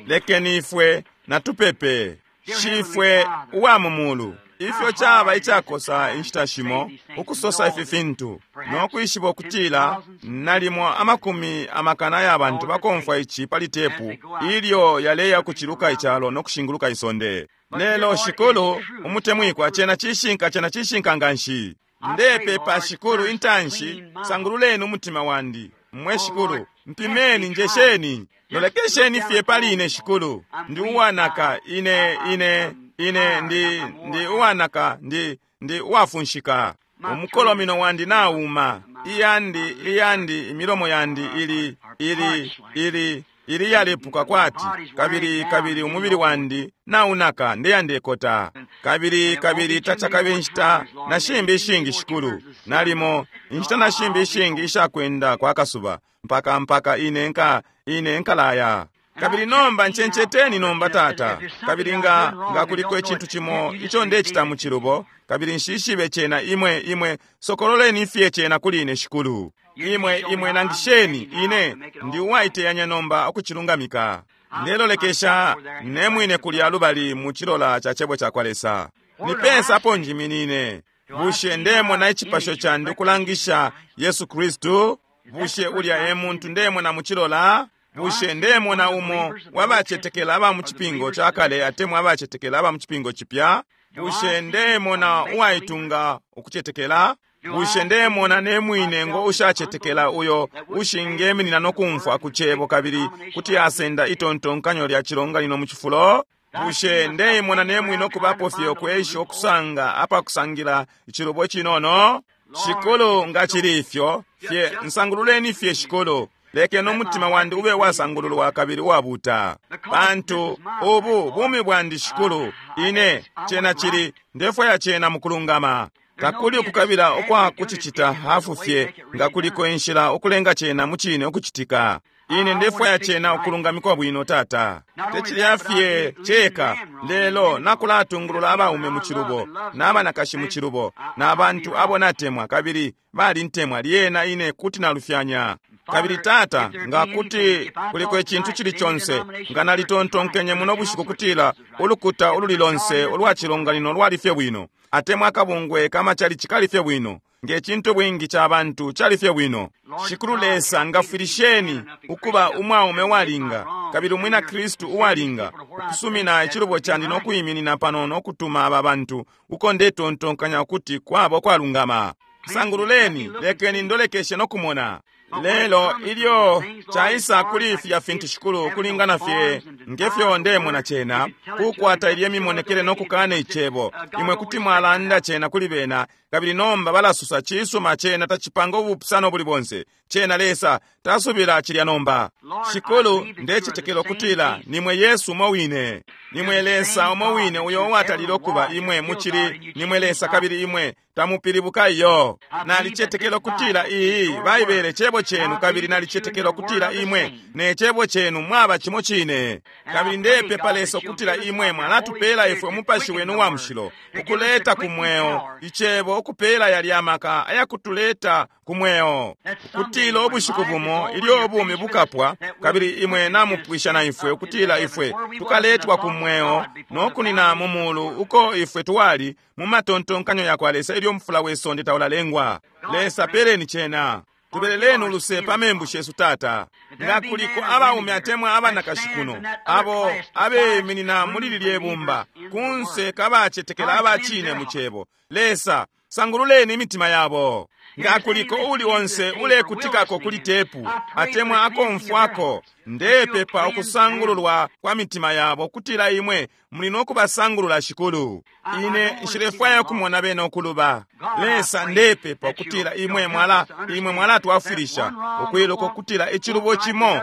Lekeni ifwe natupepe. Shifwe uwa mu mulu, ifyo caba icakosa inshita shimo ukusosa ifi fintu no kwishiba ukutila nalimo amakumi amakana ya bantu bakomfwa ici pali tepu ilyo yaleya kuciluka icalo no kushinguluka isonde. Lelo Shikulu umutemwikwa, cena cishinka, cena cishinka nganshi. Ndepepa Shikulu intanshi, sangululeni umutima wandi. Mwe Shikulu, mpimeni, njesheni, lolekesheni fye pali ine Shikulu. Ndi uwanaka, ine ine ine ndi ndi uwanaka, ndi ndi uwafunshika. Umukolomino wandi nauma, iyandi iyandi imilomo yandi ili ili ili ili yalepuka kwati, kabili kabili umubili wandi naunaka, ndeyandekota. Kabili kabili tacakabe inshita na shimbi ishingi Shikulu, nalimo inshita na shimbi ishingi ishakwenda kwa kasuba, mpaka mpaka ine nka ine nkalaya. Kabili nomba ncenceteni nomba Tata, kabili nga nga kuliko icintu cimo ico ndecita mu cilubo, kabili nshishibe cena, imwe imwe sokololeni fye cena kuli ine Shikulu. Imwe imwe nangisheni ine ndi uwaiteyanya nomba ukucilungamika. Ndelolekesha nemwine kulya lubali mu cilola ca Cebo cakwa Lesa. Nipesa apo njiminine? Bushe ndemona icipasho candi ukulangisha Yesu Kristu? Bushe ulya e muntu ndemona mu cilola? Bushe ndemona umo wabacetekela aba mu cipingo ca kale atemwa abacetekela aba mu cipingo cipya? Bushe ndemona uwaitunga ukucetekela? Bushe ndemona nemwine ngo ushacetekela uyo ushingeminina no kumfwa ku Cebo kabili kuti asenda itontonkanyo lya cilonganino mu cifulo? Bushe ndeimona nemwine okubapo fye ukwesha ukusanga apakusangila icilubo cinono? Shikulu, nga cili ifyo fye, nsangululeni fye Shikulu. Lekeni umutima wandi ube wasangululwa kabili uwabuta, pantu ubu bumi bwandi Shikulu. Ine cena cili, ndefwaya cena mukulungama. Takuli ukukabila ukwa kucicita hafu fye, nga kuliko inshila ukulenga cena mucine ukucitika. Ine ndefwaya cena ukulungamikwa bwino Tata. Tecilya fye ceka, lelo nakulatungulula abaume mu cilubo, n'abanakashi mu cilubo, n'abantu abo natemwa kabili balintemwa, lyena ine kuti nalufyanya. Kabili Tata, nga kuti kuliko icintu cili conse, nga nalitontonkenye muno bushiku kutila ulukuta ululi lonse ulwa cilonganino lwali fye bwino, atemwa akabungwe kamachalichi kali fye bwino, Nge cintu bwingi ca bantu cali fye bwino. Shikulu Lesa, ngafwilisheni ukuba umwaume uwalinga kabili umwina Kristu uwalinga ukusumina icilubo candi no kwiminina pano no kutuma aba bantu uko ndetontonkanya ukuti kwaba ukwalungama. Sangululeni, lekeni ndolekeshe no kumona. Lelo ilyo caisa kuli ifya fintu, Shikulu, kulingana fye ngefyo ndemona cena kukwata ilye mimonekele no kukana icebo, imwe kuti mwalanda cena kuli bena, kabili nomba balasusa cisuma cena tacipanga ubupusano buli bonse. Cena Lesa tasubila cilya nomba. Shikulu, ndecetekela ukutila nimwe Yesu umo wine, nimwe Lesa umo wine uyo uwatalile ukuba. Imwe mucili nimwe Lesa, kabili imwe tamupilibuka iyo. Nalicetekela ukutila iyi Baibele cebo cenu, kabili nalicetekela ukutila imwe ne cebo cenu mwaba cimo cine. Kabili ndepepa, Lesa, ukutila imwe mwalatupela ifwe umupashi wenu wa mushilo ukuleta ku mweo icebo, ukupela yalya maka ayakutuleta ku mweo, ukutila ubushiku bumo ilyo ubumi bukapwa kabili imwe namupwisha na ifwe, ukutila ifwe tukaletwa ku mweo no kunina mu mulu uko ifwe twali mu matontonkanyo ya kwa Lesa ilyo mufula we sonde taulalengwa. Lesa, peleni cena. Tubeleleni uluse pa membu shesu, Tata. Nga kuliko abaume atemwa abanakashi kuno abo abeminina muli lilye bumba kunse kabacetekela abacine mu cebo, Lesa, sangululeni imitima yabo. Nga kuliko uli onse ulekutikako kuli tepu atemwa akomfwako, ndepepa ukusangululwa kwa mitima yabo, kutila imwe muli no kubasangulula, Shikulu. Ine nshilefwaya kumona bena ukuluba. Lesa, ndepepa ukutila imwe mwala imwe mwalatwafwilisha ukwiluka ukutila icilubo cimo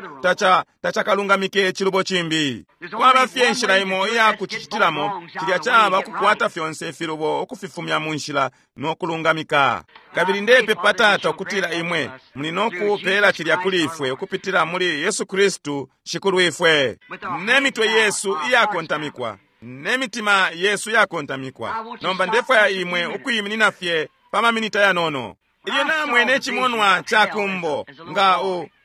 tacakalungamike icilubo cimbi. Kwaba fye inshila imo iya kucicitilamo, cilya caba kukwata fyonse ifilubo ukufifumya mu nshila no kulungamika. Kabili ndepepa, Tata, ukutila imwe muli no kupela cilya kuli ifwe ukupitila muli Yesu Kristu Shikulu ifwe. Ne mitwe yesu iyakontamikwa, ne mitima yesu yakontamikwa, nomba ndefwaya imwe ukwiminina fye pa maminita yanono. Ilyo namwene icimonwa ca kumbo nga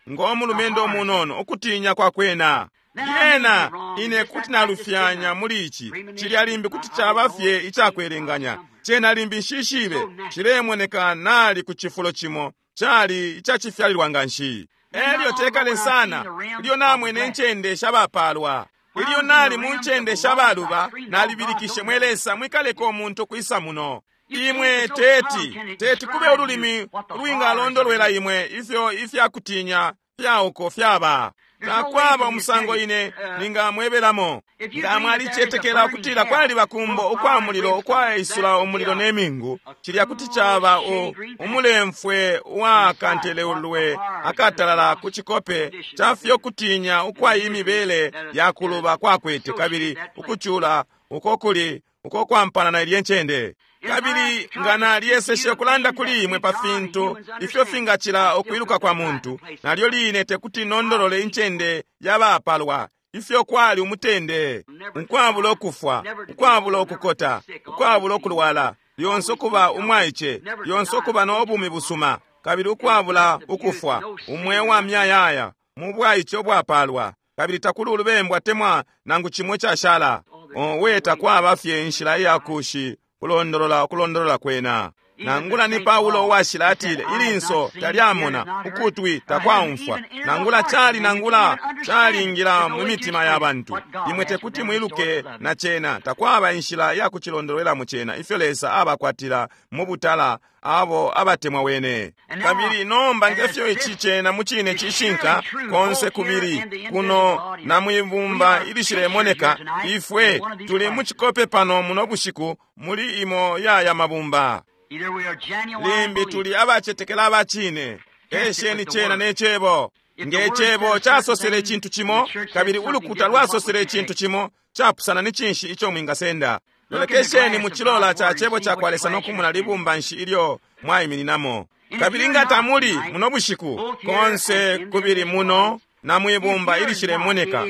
ng'omulumendo umunono, ukutinya kwakwena lyena ine kuti nalufyanya muli ici, cilya limbi kuti caba fye icakwelenganya. Cena limbi nshishibe, cilemoneka nali ku cifulo cimo cali icacifyalilwa nga nshi. Elyo tekale sana ilyo namwene incende shabapalwa, ilyo nali mu ncende shabaluba, nalibilikishe, mwe Lesa, mwikaleka umuntu kwisa muno. Imwe teti kube ululimi ulwingalondolwela imwe ifyo ifyakutinya fyauko fyaba. Takwaba umusango ine ningamwebelamo. Nga mwalicetekela ukutila kwaliba kumbo ukwa mulilo ukwaisula umulilo ne mingu, cilya kuti caba umulemfwe uwakantelelwe akatalala ku cikope ca fyo kutinya ukwa imibele ya kuluba kwakwete, kabili ukucula uko kuli uko kwampana na ilye ncende. Kabili nga nalyeseshe ukulanda kuli imwe pa fintu ifyo fingacila ukwiluka kwa muntu, nalyo line tekuti nondolole incende yabapalwa, ifyo kwali umutende, ukwabula ukufwa, ukwabula ukukota, ukwabula ukulwala, lyonse ukuba umwaice, lyonse ukuba no bumi busuma, kabili ukwabula ukufwa, umweo wa myayaya mu bwaice ubwapalwa, kabili takuli ulubembu atemwa nangu cimwe cashala. Owe, takwaba fye inshila iyakushi kulondolola ukulondolola kwena. Nangula ni Paulo uwashila atile, ilinso talyamona, ukutwi takwaumfwa, nangula cali nangula calingila mu mitima ya bantu. Imwe tekuti mwiluke na cena, takwaba inshila ya kucilondolwelamo cena, ifyo Lesa abakwatila mu butala abo abatemwa wene. Kabili nomba ngefyo ici cena mu cine cishinka konse kubili kuno na mwibumba ilishilemoneka, ifwe tuli mu cikope pano muno bushiku muli imo yaya mabumba. Limbi tuli abacetekela abacine. Esheni cena ne cebo. Nge cebo casosele icintu cimo, kabili ulukuta lwasosele icintu cimo capusana, ni cinshi ico mwingasenda? Lolekesheni mu cilola ca cebo ca kwa Lesa no kumona libumba nshi ilyo mwaimininamo. Kabili nga tamuli muno bushiku, konse kubili muno na mwibumba ilishilemoneka,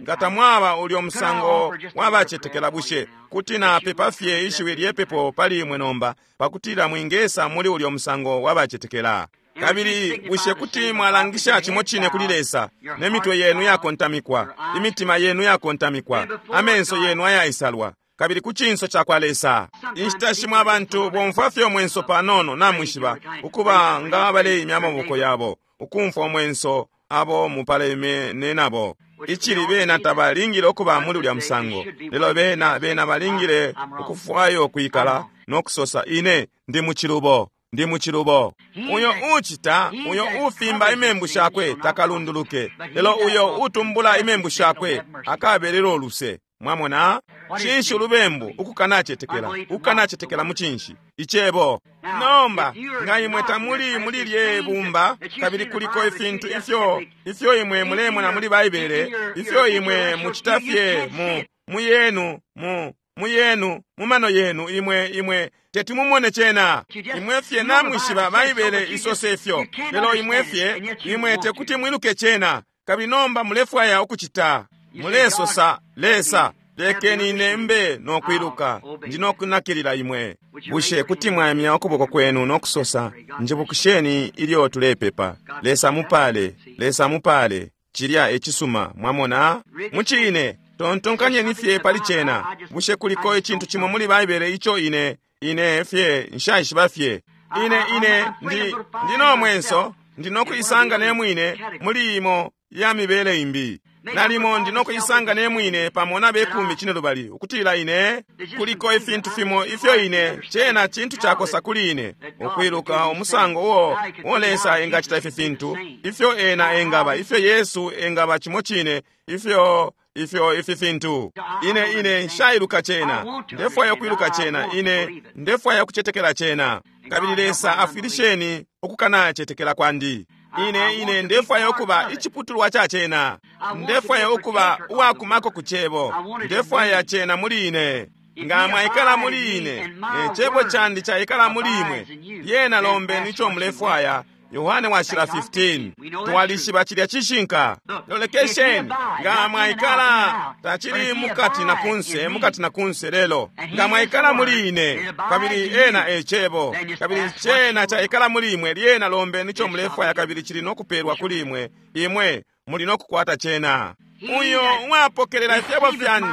nga tamwaba ulyo musango wabacetekela, bushe kuti napepa fye ishiwi lyepepo pali imwe nomba, pakutila mwingesa muli ulyo musango wabacetekela? Kabili bushe kuti mwalangisha cimo cine kuli Lesa, ne mitwe yenu yakontamikwa, imitima yenu yakontamikwa, amenso yenu ayaisalwa? kabili ku cinso cakwa Lesa. Inshita shimo abantu bomfwa fye umwenso panono, namwishiba, ukuba nga baleimya amaboko yabo, ukumfwa umwenso abo mupalemene nabo. Icili bena tabalingile ukuba muli ulya musango, lelo bena, bena balingile ukufwayo kwikala no kusosa, Ine ndi mucilubo, ndi mucilubo. Uyo ucita, uyo ufimba imembu shakwe takalunduluke, lelo uyo utumbula imembu shakwe akabelelo luse. Mwamona? Cinshi ulubembu? Ukukanacetekela. Ukukanacetekela mu cinshi? Icebo. Nomba, nga imwe tamuli muli lye bumba, kabili kuliko ifintu ifyo, ifyo imwe mulemona muli Baibele, ifyo imwe mucita fye mu, mu yenu, mu, mu yenu, mu mano yenu, imwe, imwe teti mumone cena. Imwe fye namwishiba Baibele isose fyo, lelo imwe fye, imwe tekuti mwiluke cena, kabili nomba mulefwaya ukucita. Mulesosa, Lesa, lekeni ine mbe no kwiluka, ndi no kunakilila imwe. Bushe kuti mwaimya ukuboko kwenu no kusosa, Njibukisheni ilyo tulepepa. Lesa mupale, Lesa mupale. Cilya e cisuma, mwamona? Mucine, tontonkanyeni fye pali cena. Bushe kuliko icintu cimo muli Baibele ico ine, ine fye nshaishiba fye? Ine, ine, ndi, ndi no mwenso, ndi no kuisanga ne mwine muli imo ya mibele imbi. Nalimo ndi no kuisanga ne mwine pamo na bekumi cine lubali, ukutila ine kuliko ifintu fimo ifyo ine cena cintu cakosa kuli ine ukwiluka umusango uo uo Lesa engacita ifi fintu, ifyo ena engaba, ifyo Yesu engaba cimo cine, ifyo ifyo ifi fintu. Ine ine nshailuka cena, ndefwaya ukwiluka cena, ine ndefwaya ukucetekela cena, kabili Lesa afwilisheni ukukanacetekela kwandi. Ine ine ndefwaya ukuba iciputulwa ca cena, ndefwaya ukuba uwakumako ku cebo, ndefwaya cena muli ine. Nga mwaikala muli ine, ne cebo candi caikala muli imwe, lyena lombeni ico mulefwaya. Yohane washila 15. Twalishiba cilya cishinka. Lolekesheni, nga mwaikala tacili mukati na kunse, mukati na kunse lelo. Nga mwaikala muli ine, kabili ena e cebo, kabili cena caikala muli imwe, lyena lombeni ico mulefwaya kabili cili no kupelwa kuli imwe. Imwe muli no kukwata cena. Uyo uwapokelela ifyebo fyandi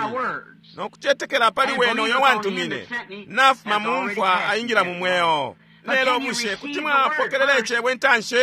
no kucetekela pali wene uyo wantumine, nafuma mu mfwa aingila mu mweo. Lelo bushe kuti mwapokelela icebo intanshi?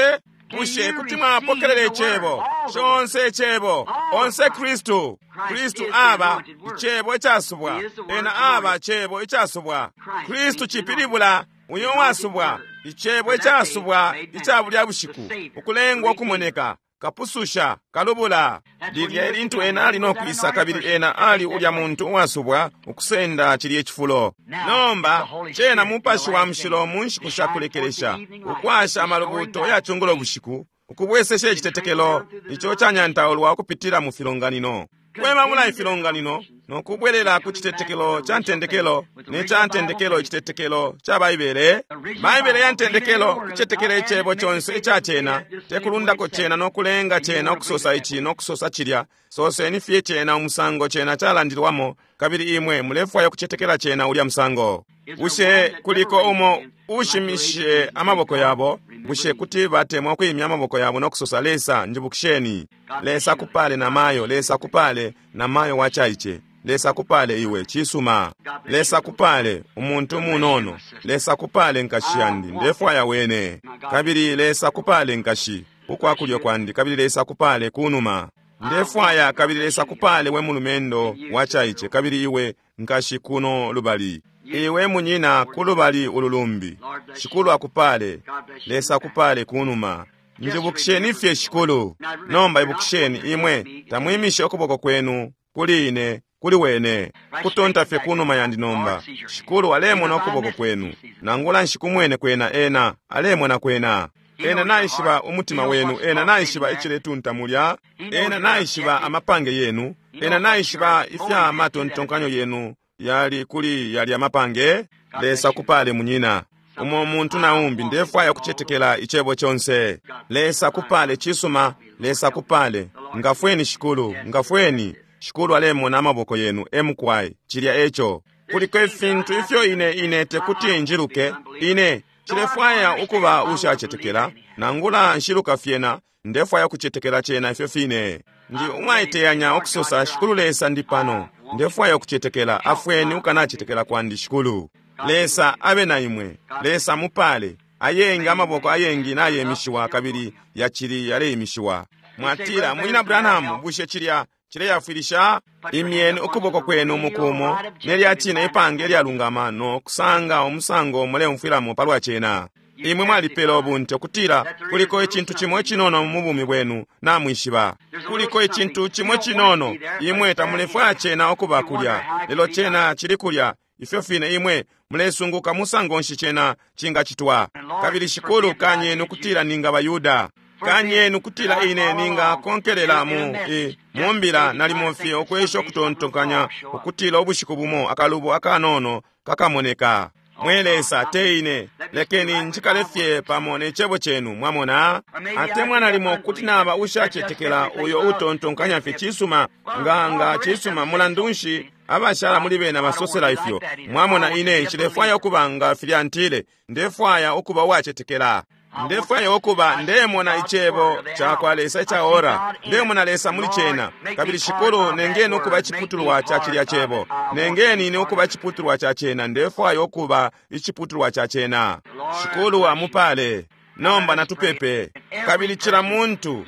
Bushe kuti mwapokelela icebo conse? Icebo onse Kristu. Kristu aba icebo icasubwa, ena aba cebo icasubwa. Kristu cipilibula uyo wasubwa, icebo icasubwa ica bulya bushiku, ukulengwa ukumoneka, kapususha, kalubula. Lilya elintu ena ali no kwisa, kabili ena ali ulya muntu uwasubwa ukusenda cilye cifulo. Nomba cena Mupashi wa Mushilo mu nshiku sha kulekelesha, ukwasha amalubuto ya cungulo bushiku, ukubwesesha icitetekelo ico canyantaulwa ukupitila mu filonganino. Kwemabula ifilonganino no kubwelela ku citetekelo ca ntendekelo, ne ca ntendekelo icitetekelo ca Baibele. Baibele ya ntendekelo, kucetekela icebo conse ica cena, te kulundako cena no kulenga cena ukusosa ici no kusosa cilya. Soseni fye cena umusango cena calandilwamo, kabili imwe mulefwaya ukucetekela cena ulya musango. Bushe kuliko umo ushimishe amaboko yabo? Bushe kuti batemwa ukwimya amaboko yabo no kusosa, Lesa, njibukisheni. Lesa kupale na mayo, Lesa kupale na mayo wacaice. Lesa kupale iwe, cisuma. Lesa kupale umuntu munono. Lesa kupale nkashi yandi, ndefwaya wene. Kabili Lesa kupale nkashi ukwa kulyo kwandi, kabili Lesa kupale kunuma. Ndefwaya, kabili Lesa kupale we mulumendo wacaice, kabili iwe nkashi kuno lubali. Iwe munyina kulubali ululumbi. Shikulu akupale. Lesa akupale kunuma. Njibukisheni fye Shikulu. Nomba ibukisheni imwe tamwimishe ukuboko kwenu kuli ine, kuli wene. Kutonta fye kunuma yandi nomba. Shikulu alemona ukuboko kwenu. Nangula nshikumwene kwena ena, alemona kwena. Ena naishiba umutima wenu, ena naishiba iciletunta mulya, ena naishiba amapange yenu, ena naishiba ifya matontonkanyo yenu yali kuli yali amapange. Lesa kupale munyina. Umo muntu na umbi, ndefwaya kucetekela icebo conse. Lesa kupale cisuma, Lesa kupale. Ngafweni Shikulu, ngafweni. Shikulu alemona amaboko yenu, emukwai, cilya eco. Kuliko ifintu ifyo ine ine tekuti njiluke, ine cilefwaya ukuba ushacetekela, nangula nshiluka fyena, ndefwaya kucetekela cena ifyo fine. Ndi umwaiteyanya ukusosa, Shikulu Lesa ndi pano. Ndefwaya ukucetekela. Afweni ukanacetekela kwandi, Shikulu. Lesa abe na imwe. Lesa mupale. Ayengi amaboko ayengi nayemishiwa kabili yacili yaleimishiwa. Mwatila, Munyina Branham, bushe cilya cileyafwilisha? Imyeni ukuboko kwenu mukumo nelya cine ipange lyalungama no kusanga umusango muleumfwilamo palwa cena. Imwe mwalipela ubunte ukutila kuliko icintu cimo icinono mu bumi bwenu namwishiba. Kuliko icintu cimo cinono, imwe tamulefwaya cena ukuba kulya, lelo cena cili kulya. Ifyo fine imwe mulesunguka musango nshi cena cingacitwa. Kabili Shikulu, kanyeni ukutila ninga baYuda. Kanyeni ukutila ine ningakonkelela mu mumbila nalimo fye ukwesha ukutontonkanya ukutila ubushiku bumo akalubo akanono kakamoneka. Mwe Lesa, te ine, lekeni njikale fye pamo ne cebo cenu, mwamona. Atemwa nalimo kuti naba ushacetekela uyo utontonkanya fye cisuma, nga cisuma, mulandu nshi abashala muli bena basosela ifyo. Mwamona, ine nshilefwaya ukuba nga filya ntile, ndefwaya ukuba uwacetekela. Ndefwaya ukuba ndemona icebo cakwa Lesa ica ora, ndemona Lesa muli cena. Kabili Shikulu, nengeni ukuba iciputulwa ca cilya cebo, nengeni ine ukuba iciputulwa ca cena. Ndefwaya ukuba iciputulwa ca cena. Shikulu amupale. Nomba natupepe. Kabili cila muntu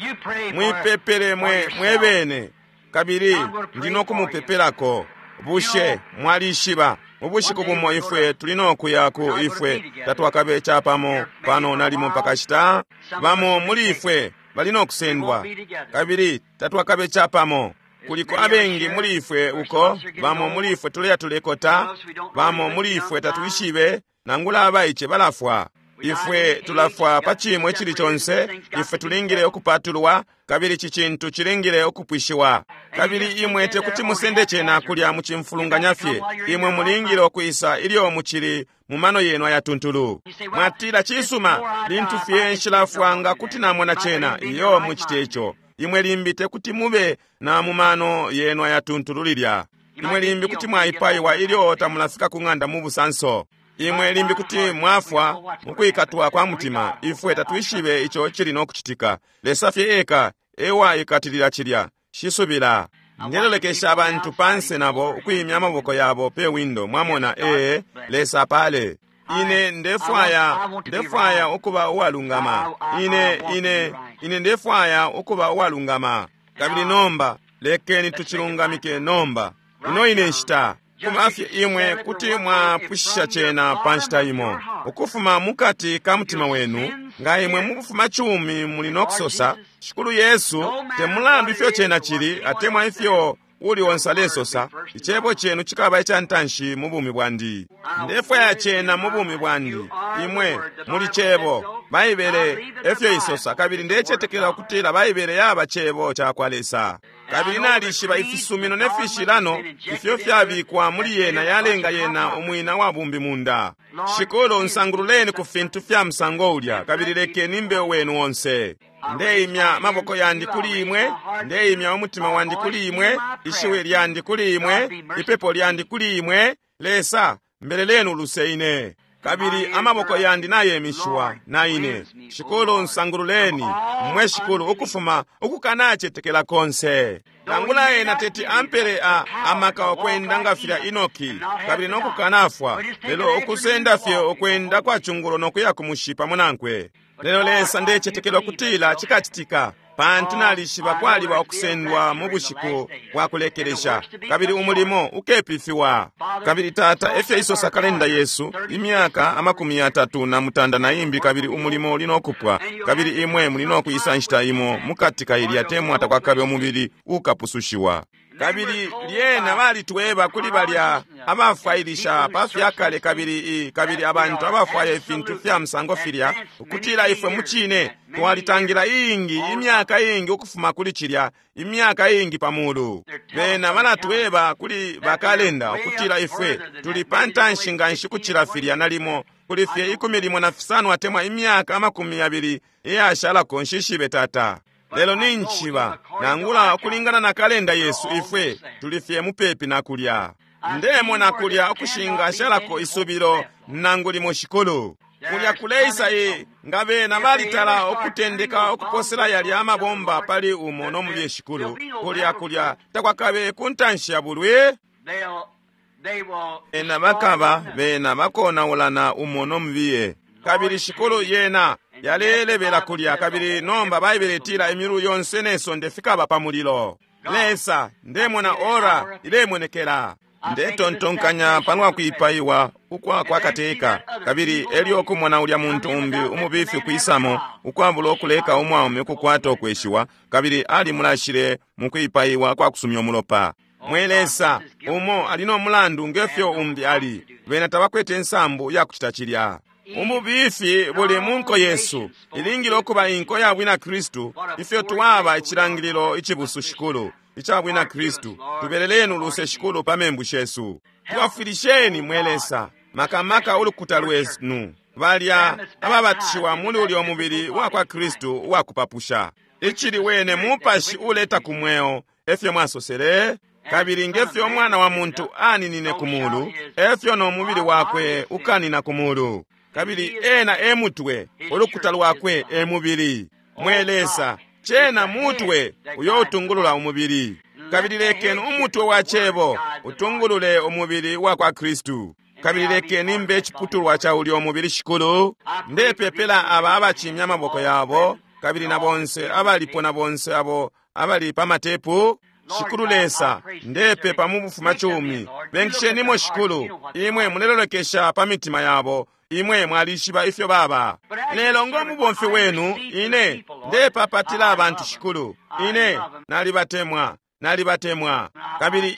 mwipepele mwe bene, kabili ndi no kumupepelako. Bushe mwalishiba ubushiku bumo ifwe tuli no kuya ku ifwe tatwakabe capamo pano nalimo pakashita? Bamo muli ifwe bali no kusendwa, kabili tatwakabe capamo. Kuliko abengi muli ifwe uko, bamo muli ifwe tuleya tulekota, bamo muli ifwe tatwishibe, nangula abaice balafwa. Ifwe tulafwa pa cimo icili conse. Ifwe tulingile ukupatulwa, kabili ici cintu cilingile ukupwishiwa. Kabili imwe tekuti musende cena kulya mucimfulunganya fye. Imwe mulingile ukwisa ilyo mucili mu mano yenu ayatuntulu. Mwatila, cisuma, lintu fye nshilafwa nga kuti namona cena. Iyo, mucite ico. Imwe limbi tekuti mube na mu mano yenu ayatuntulu lilya. Imwe limbi kuti mwaipaiwa ilyo tamulafika ku ng'anda mu busanso. Imwe limbi kuti mwafwa mukwikatwa kwa mutima. Ifwe tatwishibe ico cili no kucitika. Lesa fye eka ewaikatilila cilya. Shisubila. Ndelolekesha abantu panse nabo ukwimya amaboko yabo pe windo. Mwamona, ee, Lesa apale. Ine ndefwaya ukuba uwalungama. Ine ndefwaya ukuba uwalungama. Kabili nomba lekeni tucilungamike nomba. Ino ine nshita. Kumafye imwe kuti mwapwishisha cena pa nshita imo, ukufuma mukati ka mutima wenu. Nga imwe mukufuma cumi muli no kusosa, Shikulu Yesu, te mulandu ifyo cena cili atemwa ifyo uli onse alesosa, icebo cenu cikaba ica ntanshi mu bumi bwandi. Ndefwaya cena mu bumi bwandi. Imwe muli cebo, Baibele efyo isosa, kabili ndecetekela ukutila Baibele yaba cebo cakwa Lesa. Kabili nalishiba ifisumino ne fishilano ifyo fyabikwa muli yena yalenga yena umwina wa bumbi munda. Shikulu, nsangululeni ku fintu fya musango ulya, kabili lekeni mbe wenu onse. Ndeimya maboko yandi kuli imwe, ndeimya umutima wandi kuli imwe, ishiwi lyandi kuli imwe, ipepo lyandi kuli imwe. Lesa, mbeleleni uluse ine. Kabili amaboko yandi nayemishiwa na ine. Shikulu, nsangululeni mwe Shikulu, ukufuma ukukanacetekela konse. Nangula ena teti ampere amaka okwenda nga filya Enoki, kabili no kukanafwa, lelo ukusenda fye okwenda kwa chungulo no kuya kumushi pamo nankwe. Lelo Lesa, ndecetekela ukutila cikacitika, pantu nalishiba kwaliba okusendwa mu bushiku bwa kulekelesha, kabili umulimo ukepifiwa. Kabili Tata, efyo isosa kalenda yesu, imyaka 39 na imbi, kabili umulimo uli no kupwa, kabili imwe muli no kuisa nshita imo mukati ka ilya temwa takwakabe umubili ukapusushiwa. Kabili lyena balitweba kuli balya abafwailisha pa fyakale kabili kabili abantu abafwaya ifintu fya musango filya, ukutila ifwe mucine twalitangira iingi imyaka iingi ukufuma kuli cilya, imyaka iingi pamulu. Bena balatweba kuli bakalenda ukutila ifwe tuli pantanshi nganshi kucila filya, nalimo kuli fye 15 atemwa imyaka 20 iyashalako. Nshishibe Tata, lelo ninchiba nangula ukulingana na kalenda yesu ifwe tuli fye mupepi na kulya. Ndemona kulya ukushinga shalako isubilo nangu limo Shikulu. Kulya kuleisa nga bena balitala ukutendeka ukuposela yalya amabomba pali umo no mulye Shikulu. Kulya kulya takwakabe kuntanshi ya bulwi. Bena bakaba, bena bakonaulana umo no mubiye. Kabili Shikulu yena yalelebela kulya, kabili nomba Baibele itila imyulu yonse ne sonde fikaba pa mulilo. Lesa, ndemona ora ilemonekela. Ndetontonkanya palwa kwipaiwa ukwa kwa kateka, kabili elyo kumona ulya muntu umbi umubifi kwisamo ukwabula ukuleka umwaume ukukwata ukweshiwa, kabili alimulashile mu kwipaiwa kwa kusumya umulopa. Mwe Lesa, umo ali no mulandu ngefyo umbi ali. Bena tabakwete nsambu ya kucita cilya. Umubifi buli mu nko yesu ilingile ukuba inko ya bwina Kristu, ifyo twaba icilangililo icibusu Shikulu ica bwina Kristu. Tubeleleni uluse Shikulu pa membu shesu. Twafwilisheni mwe Lesa, makamaka ulukuta lwenu, balya ababatishiwa muli ulyo mubili wa kwa Kristu uwakupapusha. Icili wene mupashi uleta ku mweo, efyo mwasosele. Kabili ngefyo umwana wa muntu aninine ku mulu, efyo no mubili wakwe ukanina ku mulu. Kabili ena e mutwe, ulukuta lwakwe e mubili. Mwe Lesa, cena mutwe uyo utungulula umubili. Kabili lekeni umutwe wa cebo utungulule umubili wa kwa Kristu. Kabili lekeni mbe iciputulwa ca ulyo mubili Shikulu. Ndepepela aba abacimya amaboko yabo, kabili na bonse abalipo na bonse abo abali pa matepu. Shikulu Lesa, ndepepa mu bufumacumi. Benkishenimo Shikulu, imwe mulelolekesha pa mitima yabo, imwe mwalishiba ifyo baba. Lelo ngo mubomfi wenu, ine ndepapatila abantu Shikulu, ine nalibatemwa, nalibatemwa. Kabili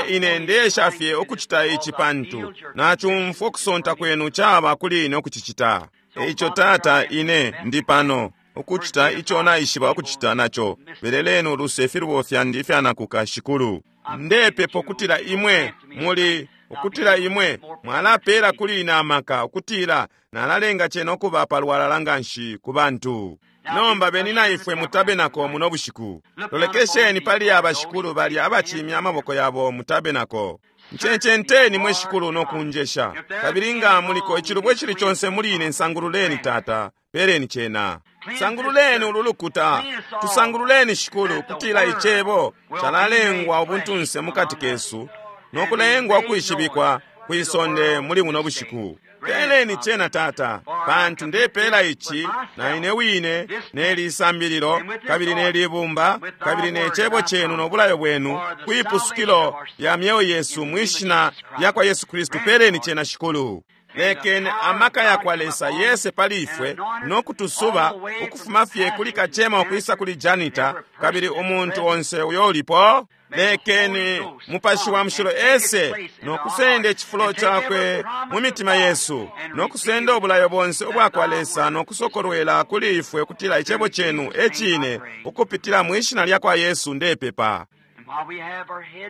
ine ndesha fye ukucita ici pantu nacumfwa ukusonta kwenu caba kuli ine ukucicita. Eico Tata, ine ndi pano ukucita ico naishiba ukucita naco. Beleleni uluse ifilubo fyandi ifyanakuka Shikulu. Ndepepa ukutila imwe muli ukutila imwe mwalapela kuli ine amaka ukutila nalalenga cena ukuba palwalala nganshi ku bantu. Nomba beni na ifwe mutabenako muno bushiku. Lolekesheni pali aba Shikulu balya abacimya amaboko yabo mutabenako. Ncencenteni mwe Shikulu no kunjesha. Kabili nga muliko icilubo icili conse muli ine, nsangululeni Tata, peleni cena. Sangululeni ulu lukuta, tusangululeni Shikulu, kutila icebo calalengwa ubuntunse mukati kesu no kulengwa ukwishibikwa kwisonde muli buno bushiku. Peleni cena Tata, pantu ndepela ici na ine wine neli isambililo, kabili neli ibumba, kabili ne cebo cenu no bulayo bwenu kwipusukilo lya myeo yesu mwishina lya kwa Yesu Kristu. Peleni cena Shikulu. Lekeni amaka ya kwa Lesa yese pali ifwe no kutusuba ukufuma fye kuli kacema ukwisa kuli janita, kabili umuntu onse uyo ulipo. Lekeni mupashi wa mushilo ese no kusenda icifulo cakwe mu mitima yesu, no kusenda ubulayo bonse ubwa kwa Lesa no kusokolwela kuli ifwe kutila icebo cenu ecine, ukupitila mwishina lya kwa Yesu ndepepa.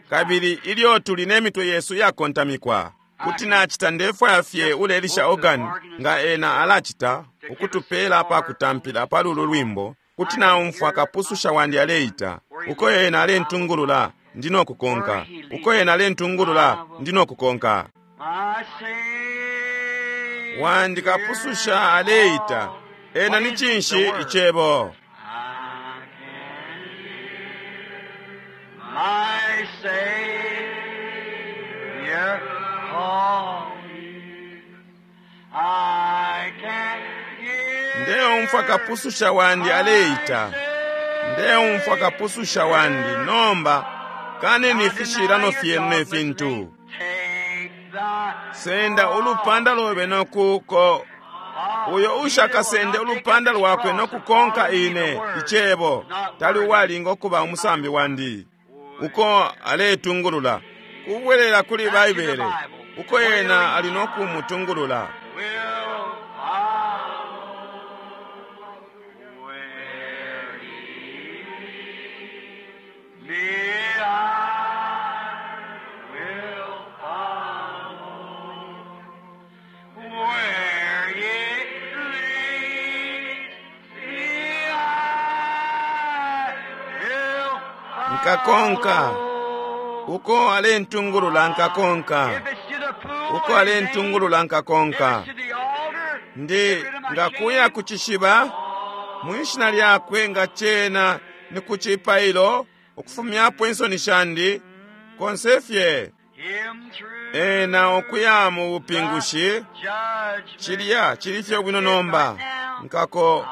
Kabili ilyo tuli ne mitwe yesu yakontamikwa, kuti nacita ndefwaya fye ulelisha organ nga ena alacita ukutupela pa kutampila pa lulu lwimbo. Kuti naumfwa kapususha wandi aleita, uko ena alentungulula ndi no kukonka, uko ena alentungulula ndi no kukonka. Wandi kapususha aleita, ena ni cinshi icebo? My Savior calling, I can hear. Ndeumfwa kapususha wandi aleita, ndeumfwa kapususha wandi. Nomba kaneni ifishilano fyenu ne fintu. Take the Senda ulupanda lobe nokuko uyo ushakasende ulupanda lwakwe nokukonka ine icebo tali uwalinga ukuba umusambi wandi. Uko aletungulula kubwelela kuli Baibele, uko ena ali nokumutungulula. will follow where he leads me. I will follow where he leads me. I will Nkakonka. follow. Uko alentungulula nkakonka, If it's to the pool, uko alentungulula nkakonka. if it's to the altar, Ndi get rid of my ngakuya shame. ku cishiba mwishina lyakwe nga cena ni ku cipailo ukufumyapo insoni shandi konse fye. Here him through Ena ukuya mu bupingushi judgment. cilya cili fye bwino nomba nkako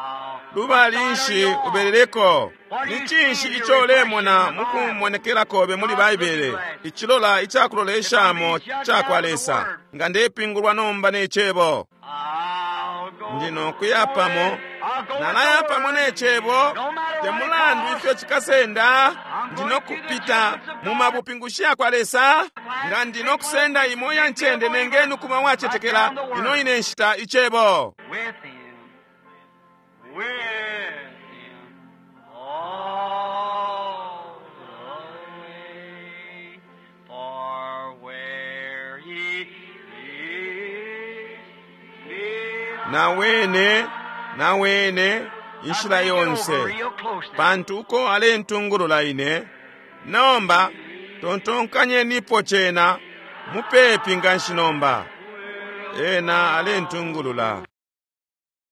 lubali nshi ubeleleko ni cinshi ico ulemona mukumonekela kobe muli Baibele icilola icakuloleshamo cakwa Lesa nga ndepingulwa nomba ne cebo I'll go. ndi nokuya pamo I'll go with nalaya the pamo word. ne cebo No matter te what it mulandu costs. ifyo cikasenda ndi nokupita mu mabupingushi yakwa Lesa nga ndi nokusenda imo ya ncende nengeni ukuba wacetekela ino ine nshita icebo With him. With him. All the way. For where he leads me. na wene na wene inshila I think it over yonse real close now. pantu uko alentungulula ine nomba tontonkanyenipo cena mupepi nganshi nomba ena alentungulula.